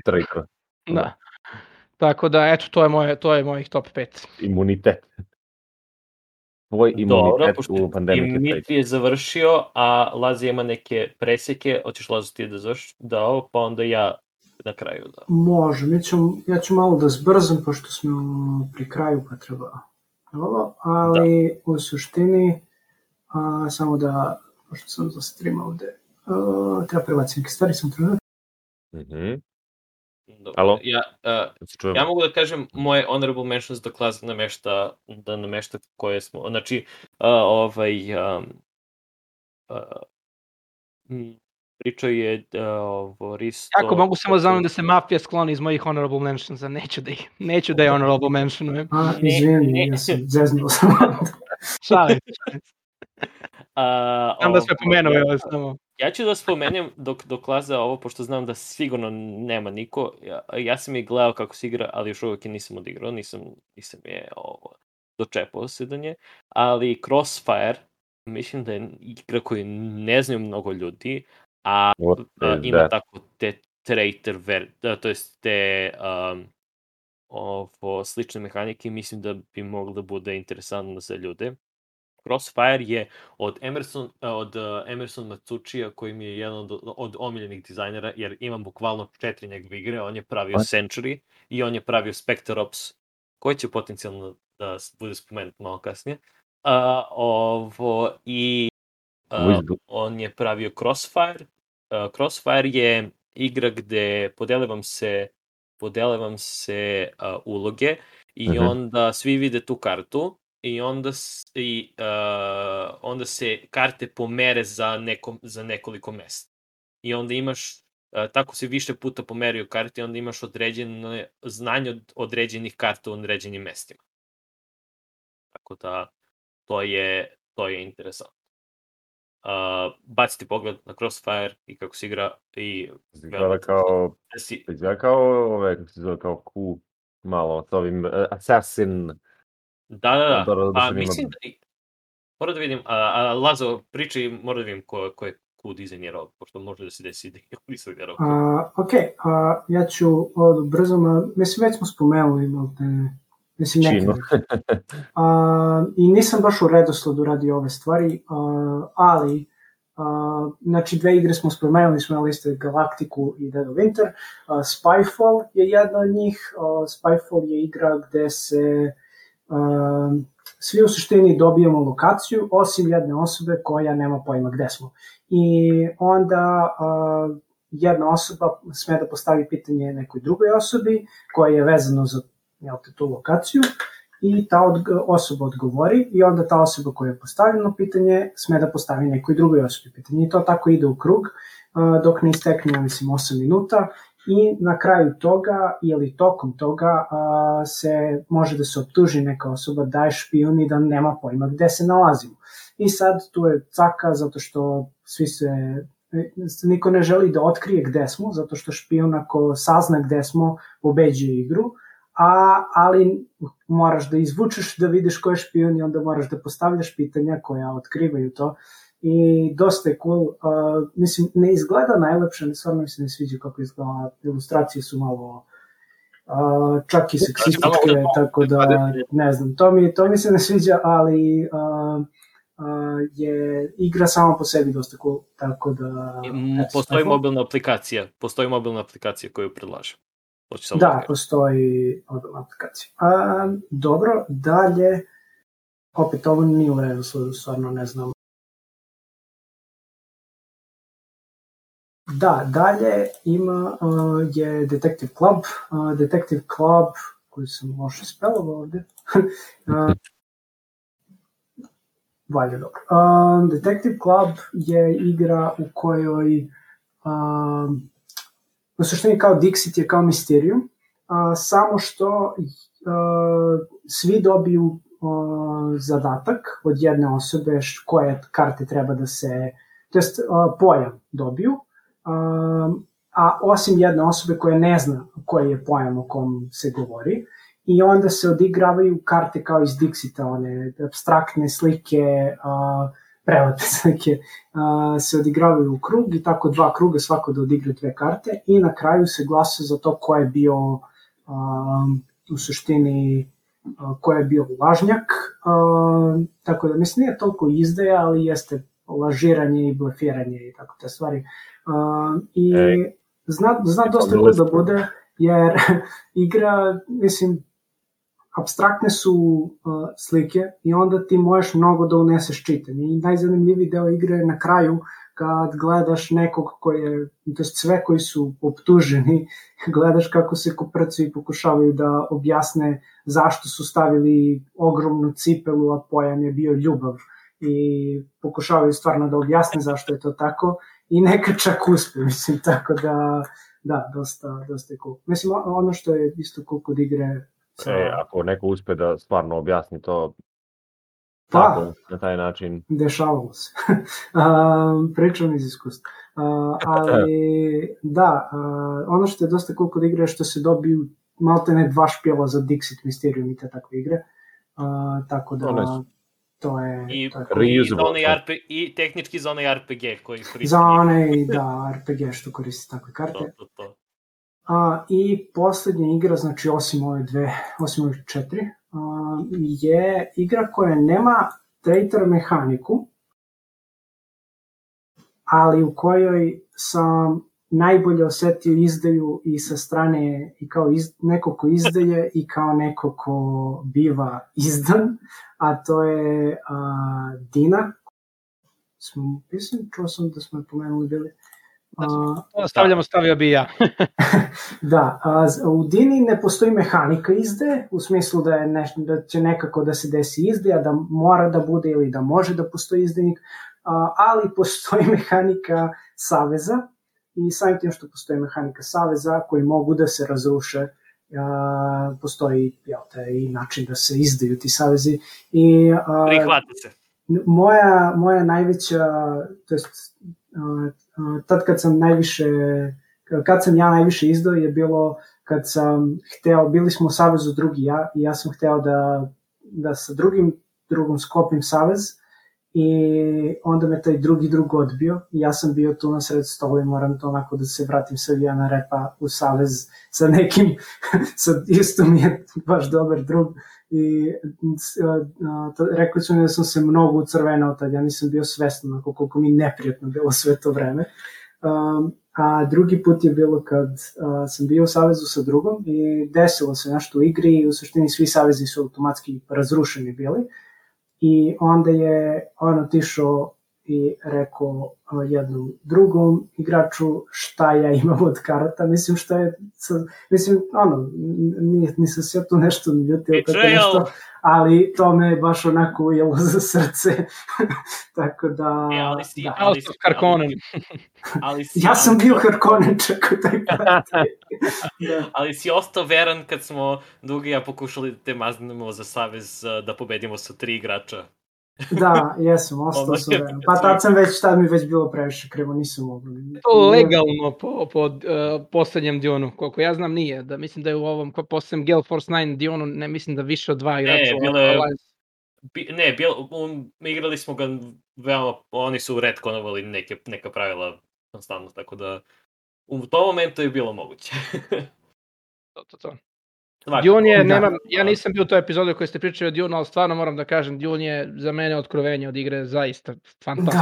traitor. Da. Tako da, eto, to je mojih top 5. Imunitet. Tvoj imunitet u Pandemic. Dimitri je završio, a Lazi ima neke presjeke. Hoćeš, Lazi, ti da završiš? Da, pa onda ja na kraju. Da. Može, ja ću malo da zbrzam, pošto smo pri kraju, pa treba ovo, ali u suštini, samo da, pošto sam za stream ovde, treba prebaciti neke stvari, sam trenutak. Alo? Ja mogu da kažem moje honorable mentions da Klaz namešta koje smo, znači pričao je Risto... Kako mogu samo zamolim da se mafija skloni iz mojih honorable mentionsa, neću da je honorable mentionujem. Izvini, ja sam zeznuo sam. Šalim. Znam da sve pomenuo, evo samo. Ja ću da spomenem dok Laza ovo, pošto znam da sigurno nema niko. Ja sam je gledao kako se igra, ali još uvijek je nisam odigrao, nisam je dočepao se do nje. Ali Crossfire, mislim da je igra koju ne znaju mnogo ljudi, a ima tako te traitor, to jest te slične mehanike, mislim da bi moglo da bude interesantno za ljude. Crossfire je od Emerson Matsuchija, koji mi je jedan od omiljenih dizajnera, jer imam bukvalno 4 njegove igre. On je pravio Century i on je pravio Spectre Ops, koji će potencijalno da bude spomenut malo kasnije. On je pravio Crossfire. Crossfire je igra gde podele vam se uloge i onda svi vide tu kartu. I onda se karte pomere za nekoliko mesta. I onda imaš, tako se više puta pomeraju karte, onda imaš određene znanje od određenih karta u određenim mestima. Tako da, to je interesantno. Baciti pogled na Crossfire i kako se igra. Izgleda kao Q malo s ovim Assassin. Da. Pa mislim da... Moram da vidim, Lazo, pričaj, moram da vidim ko je Q dizajnirao, pošto može da se desi da je dizajnirao. Ok, ja ću brzo, mislim već smo spomenuli, mislim nekada. I nisam baš u redosledu radi ove stvari, ali znači 2 igre smo spomenuli, smo na liste Galactiku i Dead of Winter. Spyfall je jedna od njih. Spyfall je igra gde se svi u suštini dobijemo lokaciju, osim jedne osobe koja nema pojma gde smo. I onda jedna osoba sme da postavi pitanje nekoj drugoj osobi koja je vezano za tu lokaciju i ta osoba odgovori i onda ta osoba koja je postavljeno pitanje sme da postavi nekoj drugoj osobi pitanje. I to tako ide u krug dok ne istekne, mislim, 8 minuta. I na kraju toga ili tokom toga se može da se optuži neka osoba da je špijun i da nema pojma gde se nalazimo. I sad tu je caka zato što svi se niko ne želi da otkrije gde smo, zato što špijun ako sazna gde smo, pobeđuje igru, ali moraš da izvučeš da vidiš ko je špijun i onda moraš da postavljaš pitanja koja otkrivaju to. I dosta je cool, mislim, ne izgleda najlepše, stvarno mi se ne sviđa kako izgleda, ilustracije su malo čak i seksističke, tako da ne znam, to mi se ne sviđa, ali je igra sama po sebi dosta cool, tako da... Postoji mobilna aplikacija koju predlažem. Da, postoji mobilna aplikacija. Dobro, dalje, opet ovo nije u redu, stvarno ne znam. Da, dalje je Detective Club. Detective Club, koji sam loše spelovao ovde. Valje dobro. Detective Club je igra u kojoj u suštini kao Dixit je kao Mysterium, samo što svi dobiju zadatak od jedne osobe koje karte treba da se, to jest pojam dobiju, a osim jedne osobe koja ne zna koji je pojam o kom se govori, i onda se odigravaju karte kao iz Dixita, one abstraktne slike, prelepe slike, se odigravaju u krug i tako 2 kruga, svako da odigra 2 karte i na kraju se glasa za to ko je bio u suštini ko je bio lažnjak, tako da mislim nije toliko izdaja, ali jeste lažiranje i blefiranje i tako te stvari. I zna dosta cool da bude, jer igra, mislim, apstraktne su slike i onda ti možeš mnogo da uneseš čitanje. I najzanimljiviji deo igre je na kraju kad gledaš nekog koji je, to je sve koji su optuženi, gledaš kako se koprcuju i pokušavaju da objasne zašto su stavili ogromnu cipelu, a pojam je bio ljubav. I pokušavaju stvarno da objasne zašto je to tako i neka čak uspe, mislim, tako da, dosta je cool. Mislim, ono što je isto cool kod igre... Ako neko uspe da stvarno objasni to tako, na taj način... Dešavalo se. Pričam iz iskustva. Ali, da, ono što je dosta cool kod igre je što se dobiju maltene 2 špijela za Dixit, Mysterium i te takve igre. Tako da... To je I tehnički za onaj RPG koji koristi. Za onaj, da, RPG što koristi takve karte. I poslednja igra, znači osim ove 4, je igra koja nema traitor mehaniku, ali u kojoj sam najbolje osetio izdaju i sa strane i kao neko ko izdaje i kao neko ko biva izdan, a to je Dina. Čuo sam da smo je pomenuli bili. Stavio bi ja. Da, u Dini ne postoji mehanika izdaje, u smislu da će nekako da se desi izdaja, da mora da bude ili da može da postoji izdajnik, ali postoji mehanika saveza, i samim tim što postoji mehanika saveza koji mogu da se razruše, postoji i način da se izdaju ti savezi. Prihvati se. Moja najveća, to jest tad kad sam ja najviše izdao je bilo kad sam hteo, bili smo u savezu drugi i ja sam hteo da sa drugom sklopim savez, i onda me taj drug odbio i ja sam bio tu na sred stola i moram to onako da se vratim sa Vijana Repa u savez sa nekim, isto mi je baš dobar drug, i rekli su mi da sam se mnogo ucrvenao tad, ja nisam bio svestan koliko mi neprijatno bilo sve to vreme. A drugi put je bilo kad sam bio u savezu sa drugom i desilo se nešto u igri i u suštini svi savezi su automatski razrušeni bili. I onda je on otišao i rekao jednom drugom igraču šta ja imam od karata, mislim nisam se tu nešto ljutio, ali to me baš onako ujelo za srce, tako da... Ja sam bio Harkonnen čak u taj parti. Ali si ostao veran kad smo Duga i ja pokušali te maznemo za savez da pobedimo sa 3 igrača. Da, jesam, ostao sam vremena. Pa tad mi već bilo previše krivo, nisam mogao. To legalno po poslednjem Dionu, koliko ja znam nije, da mislim da je u ovom poslednjem Gale Force 9 Dionu, ne mislim da više od 2 igrača. Igrali smo ga veoma, oni su retkonovali neka pravila konstantno, tako da u tom momentu je bilo moguće. To. Dune je, ja nisam bio u toj epizodi koji ste pričali o Dune, ali stvarno moram da kažem, Dune je za mene otkrovenje od igre zaista fantastično.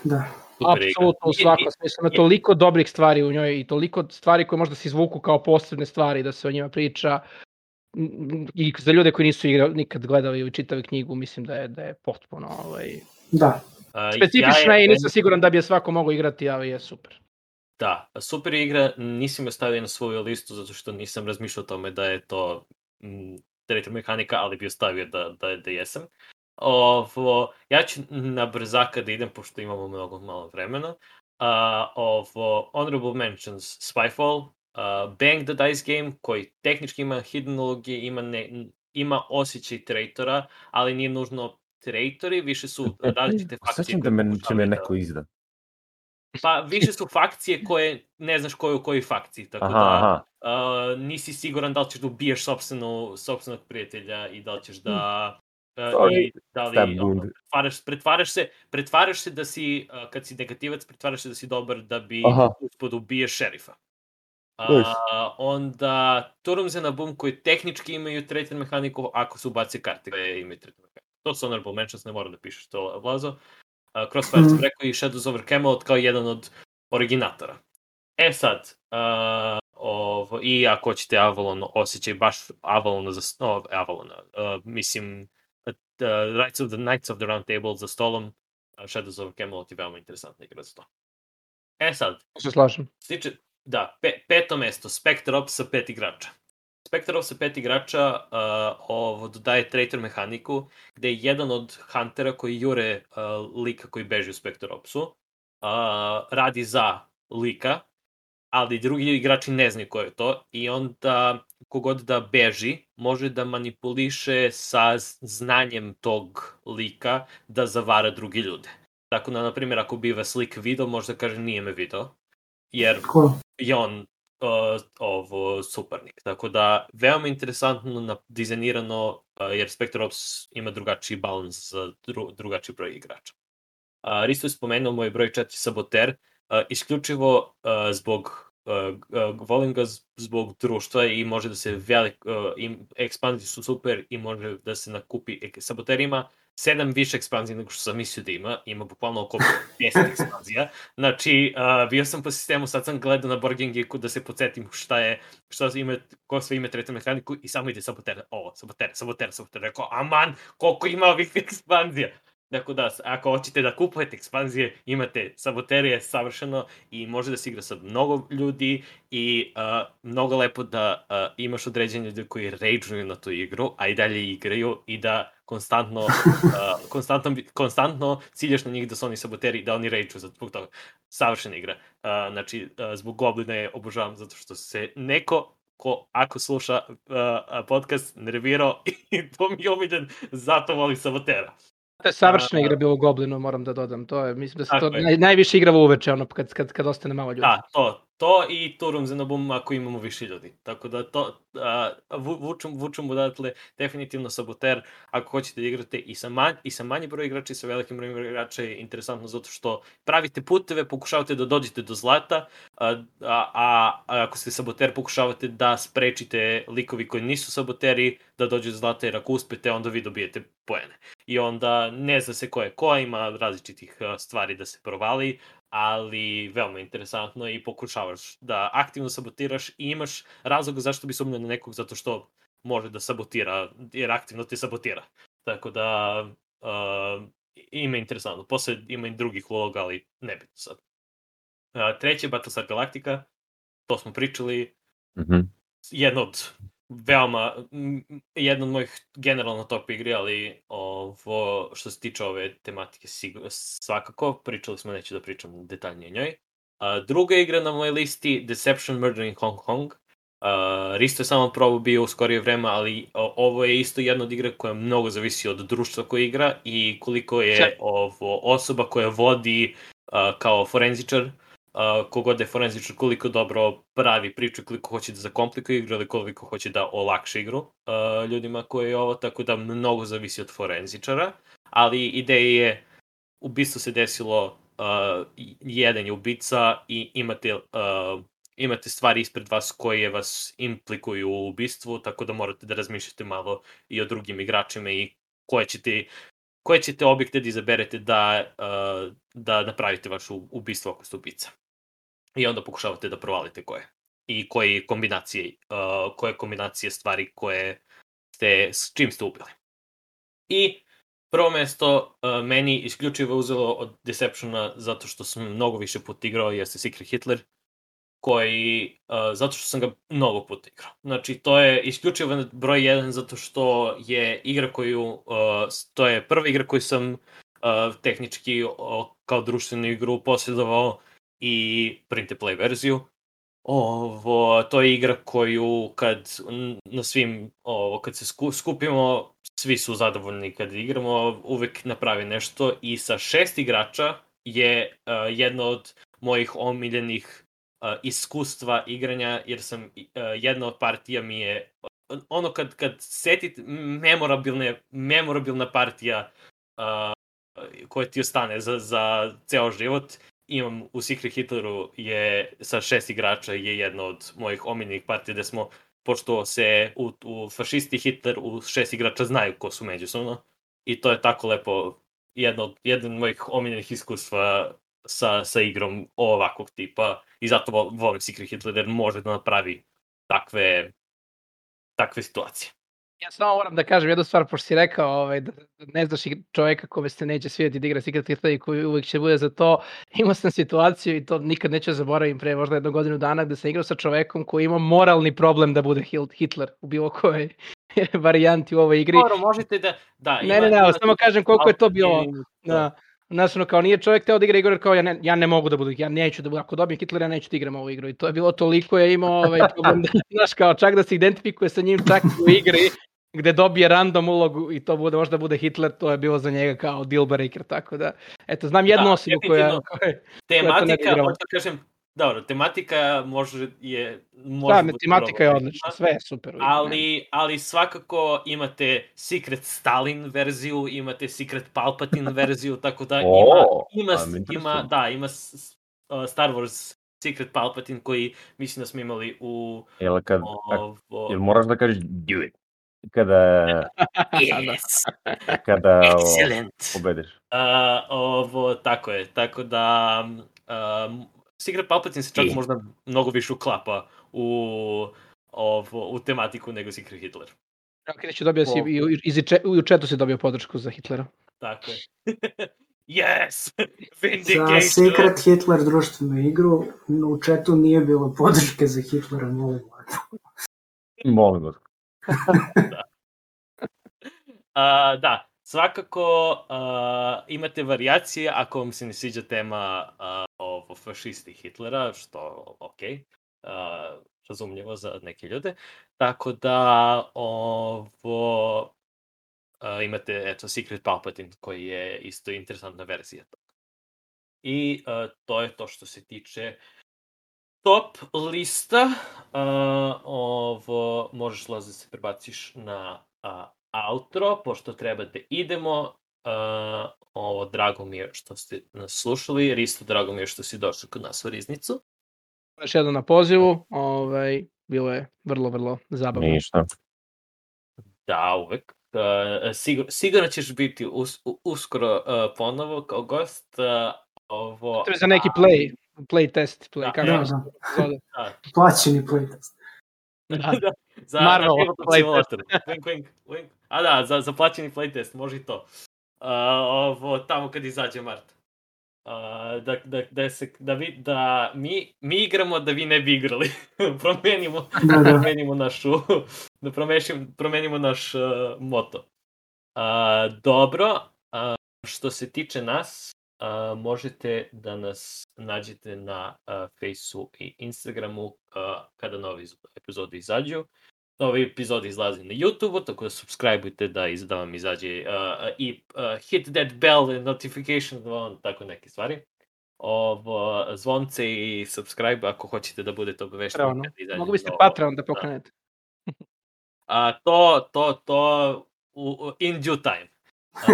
Da. Apsolutno u svakom smislu, ima toliko dobrih stvari u njoj i toliko stvari koje možda se izvuku kao posebne stvari da se o njima priča. I za ljude koji nisu nikad gledali ili čitali knjigu, mislim da je potpuno da. Specifična je i nisam siguran da bi je svako mogao igrati, ali je super. Da, super je igra, nisam je stavio na svoju listu zato što nisam razmišljao o tome da je to treća mehanika, ali bi ostavio da jesam. Ja ću na brzaka da idem, pošto imamo mnogo malo vremena. Honorable mentions, Spyfall, Bang the Dice Game, koji tehnički ima hidden ulogije, ima osjećaj traitora, ali nije nužno traitori, više su različite fakcije. Osjećam da će me neko izda. Pa više su fakcije koje ne znaš ko je u kojoj fakciji, tako da nisi siguran da li ćeš da ubiješ sopstvenog prijatelja i da li ćeš da pretvaraš se da si, kad si negativac, pretvaraš se da si dobar da bi uspod ubiješ šerifa. Onda Turums and Boom koji tehnički imaju tretir mehaniku ako se ubaci karte koje imaju tretir mehaniku. To su honorable mentions, ne mora da pišeš to, Vlazo. Crossfire sam rekao i Shadows over Camelot kao jedan od originatora. sad, i ako hoćete Avalon, osjećaj baš Avalona mislim Knights of the Round Table za stolom, Shadows over Camelot je veoma interesantna igra za to. Sad, se slažem. Da, peto mesto, Spectre Ops sa 5 igrača. Spectre Ops sa 5 igrača dodaje traitor mehaniku, gde je jedan od huntera koji jure lika koji beži u Spectre Opsu, radi za lika, ali drugi igrači ne znaju ko je to, i onda kogod da beži može da manipuliše sa znanjem tog lika da zavara drugi ljude. Tako da, na primjer, ako bi vas lik video, može da kaže nije me video, jer je on suparnik. Tako da, veoma interesantno dizajnirano, jer Spectre Ops ima drugačiji balans za drugačiji broj igrača. Risto je spomenuo moj broj 4 Saboter, isključivo volim ga zbog društva i može da se ekspanzije su super i može da se nakupi. Saboter ima 7 više ekspanzija nego što sam mislio da ima bukvalno oko 10 ekspanzija. Znači, bio sam po sistemu, sad sam gledao na Board Game Geeku da se podsjetim ko sve ima tretu mehaniku i samo ide Saboter, Saboter, rekao, aman, koliko ima ovih ekspanzija. Dakle da, ako hoćete da kupujete ekspanzije, imate Saboterije savršeno i može da se igra sa mnogo ljudi i mnogo lepo da imaš određene ljudi koji rage'uju na tu igru, a i dalje igraju i da konstantno ciljaš na njih da su oni saboteri, da oni rage'uju zbog toga. Savršena igra. Znači, zbog Goblina je obožavam zato što se neko ko ako sluša podcast nervirao i to mi je omiljen, zato volim Sabotera. To je savršena igra bilo u Goblinu, moram da dodam. To je, mislim da se to najviše igralo uveče, kad ostane malo ljudi. Da, to i Turums and Boom ako imamo više ljudi. Tako da to, vučem odatle definitivno Saboter, ako hoćete da igrate i sa manji broj igrača i sa velikim brojem igrača je interesantno zato što pravite puteve, pokušavate da dođete do zlata, a ako ste Saboter pokušavate da sprečite likovi koji nisu Saboteri da dođu do zlata, jer ako uspete onda vi dobijete poene. I onda ne zna se ko je ko, ima različitih stvari da se provali, ali veoma interesantno i pokušavaš da aktivno sabotiraš i imaš razlog zašto bi sumnjao na nekog, zato što može da sabotira, jer aktivno te sabotira. Tako da ima interesantno. Posle ima i drugih uloga, ali ne bitno sad. Treće, Battlestar Galactica, to smo pričali. Jedna od mojih generalno top igri, ali što se tiče ove tematike svakako, pričali smo, neću da pričam detaljnije o njoj. Druga igra na mojoj listi, Deception Murder in Hong Kong, Risto je samo probao bio u skorije vreme, ali ovo je isto jedna od igra koja mnogo zavisi od društva koje igra i koliko je ovo osoba koja vodi kao forenzičar, kogod je forenzičar, koliko dobro pravi priču, koliko hoće da zakomplikuje igru ili koliko hoće da olakša igru ljudima koji je ovo, tako da mnogo zavisi od forenzičara, ali ideja je, ubistvo se desilo, jedan je ubica i imate stvari ispred vas koje vas implikuju u ubistvu, tako da morate da razmišljate malo i o drugim igračima i koje ćete objekte da izaberete da napravite vaše ubistvo ako ste ubica. I onda pokušavate da provalite koje. I koje kombinacije stvari s čim ste ubili. I prvo mesto meni isključivo uzelo od Deceptiona zato što sam mnogo više puta igrao, jeste Secret Hitler, zato što sam ga mnogo puta igrao. Znači, to je isključivo broj 1 zato što je igra to je prva igra koju sam tehnički kao društvenu igru posjedovao i print and play verziju. To je igra koju kad se skupimo, svi su zadovoljni kad igramo, uvek napravi nešto i sa 6 igrača je jedno od mojih omiljenih iskustva igranja, jer sam jedna od partija mi je ono kad setite memorabilna partija koja ti ostane za ceo život. Imam u Secret Hitleru je sa 6 igrača je jedna od mojih omiljenih partija gde smo, pošto se u fašisti Hitler u 6 igrača znaju ko su međusobno i to je tako lepo jedno od mojih omiljenih iskustva sa igrom ovakvog tipa i zato volim Secret Hitler jer može da napravi takve situacije. Ja samo moram da kažem jednu stvar, pošto si rekao da ne znaš čoveka kome se neće svidjeti da igra Secret Hitler i koji uvijek će bude za to. Imao sam situaciju i to nikad neću zaboravim pre možda 1 godinu dana gde sam igrao sa čovekom koji ima moralni problem da bude Hitler u bilo kojoj varijanti u ovoj igri. Možete da... Ne, samo kažem koliko je to bilo... Znaš, kao nije čovjek teo da igra igru, kao ja ne mogu da budu, ja neću da budu, ako dobijem Hitlera, ja neću da igram ovu igru. I to je bilo toliko, je imao problem, znaš, kao čak da se identifikuje sa njim čak u igri, gde dobije random ulogu i to možda bude Hitler, to je bilo za njega kao deal breaker, tako da, eto, znam jednu osobu koja tematika, možda kažem, dobro, tematika može... tematika je odlična, sve je super. Ali svakako imate Secret Stalin verziju, imate Secret Palpatine verziju, tako da ima Star Wars Secret Palpatine koji mislim da smo imali u... Jel moraš da kažeš do it? Kada pobediš. Tako je, tako da Secret Palpatine se čak možda mnogo više uklapa u tematiku nego Secret Hitler. Kreću dobio si i u chatu si dobio podršku za Hitlera. Tako je. Yes! Vindication! Za Secret Hitler društvenu igru u chatu nije bilo podrške za Hitlera, molim vas. Da, svakako imate varijacije ako vam se ne sviđa tema o fašisti Hitlera, što razumljivo za neke ljude. Tako da imate Secret Palpatine koji je isto interesantna verzija toga. I to je to što se tiče top lista. Možeš da se prebaciš na outro, pošto treba da idemo. Drago mi je što ste nas slušali, Risto, drago mi je što si došao kod nas u Riznicu. Još jedno na pozivu, bilo je vrlo, vrlo zabavno. Ništa. Da, uvek. Sigurno ćeš biti uskoro ponovo kao gost. To je za neki play test. Plaćeni play test. Za Marvel simulator. Za plaćeni play test, može i to. Tamo kad izađe Mart. Da mi igramo da vi ne bi igrali. Promenimo naš moto. Dobro, što se tiče nas, možete da nas nađete na Faceu i Instagramu kada novi epizodi izađu. Novi epizod izlazi na YouTube-u, tako da subscribe-ujte da vam izađe i hit that bell notification, tako neke stvari. Zvonce i subscribe ako hoćete da budete obavešteni. Mogu biste Patreon da pokrenete. To in due time.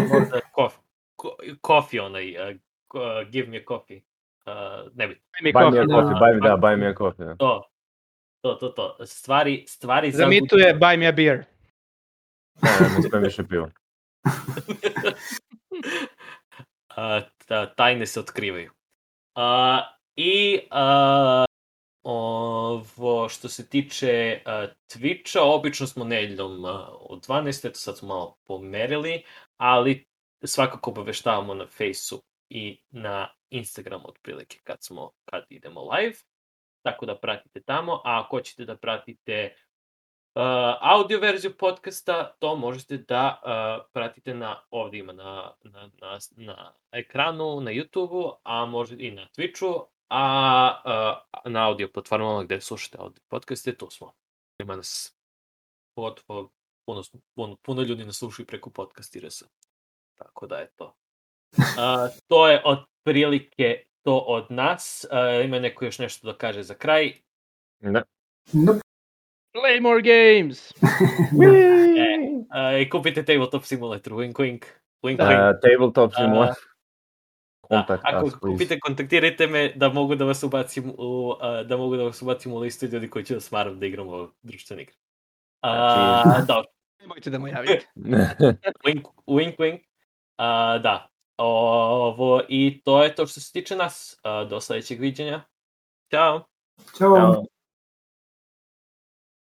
Možda coffee give me coffee. Ne bi. Buy me a coffee. To. Stvari Zamituje buy me a beer. Ne sprem više piva. Tajne se otkrivaju. Ovo što se tiče Twitcha, obično smo nedeljom od 12, eto sad smo malo pomerili, ali svakako obaveštavamo na Faceu i na Instagramu otprilike kad idemo live, tako da pratite tamo, a ako hoćete da pratite audio verziju podcasta, to možete da pratite ovdje ima na ekranu, na YouTube-u, a možete i na Twitchu, a na audio platformama gde slušate audio podcaste, tu smo. Ima nas puno ljudi nas slušaju preko podcastirasa. Tako da je to. To je otprilike to od nas. Ima neko još nešto da kaže za kraj? Ne. Play more games! I kupite Tabletop Simulator, wink wink. Tabletop Simulator. Ako kupite, kontaktirajte me da mogu da vas ubacim u listu ljudi koji će da smaram da igramo društvene igre. Dobro. Nemojte da mu javite. Wink wink. Da. I to je to što se tiče nas. Do sledećeg viđenja. Ćao. Ćao.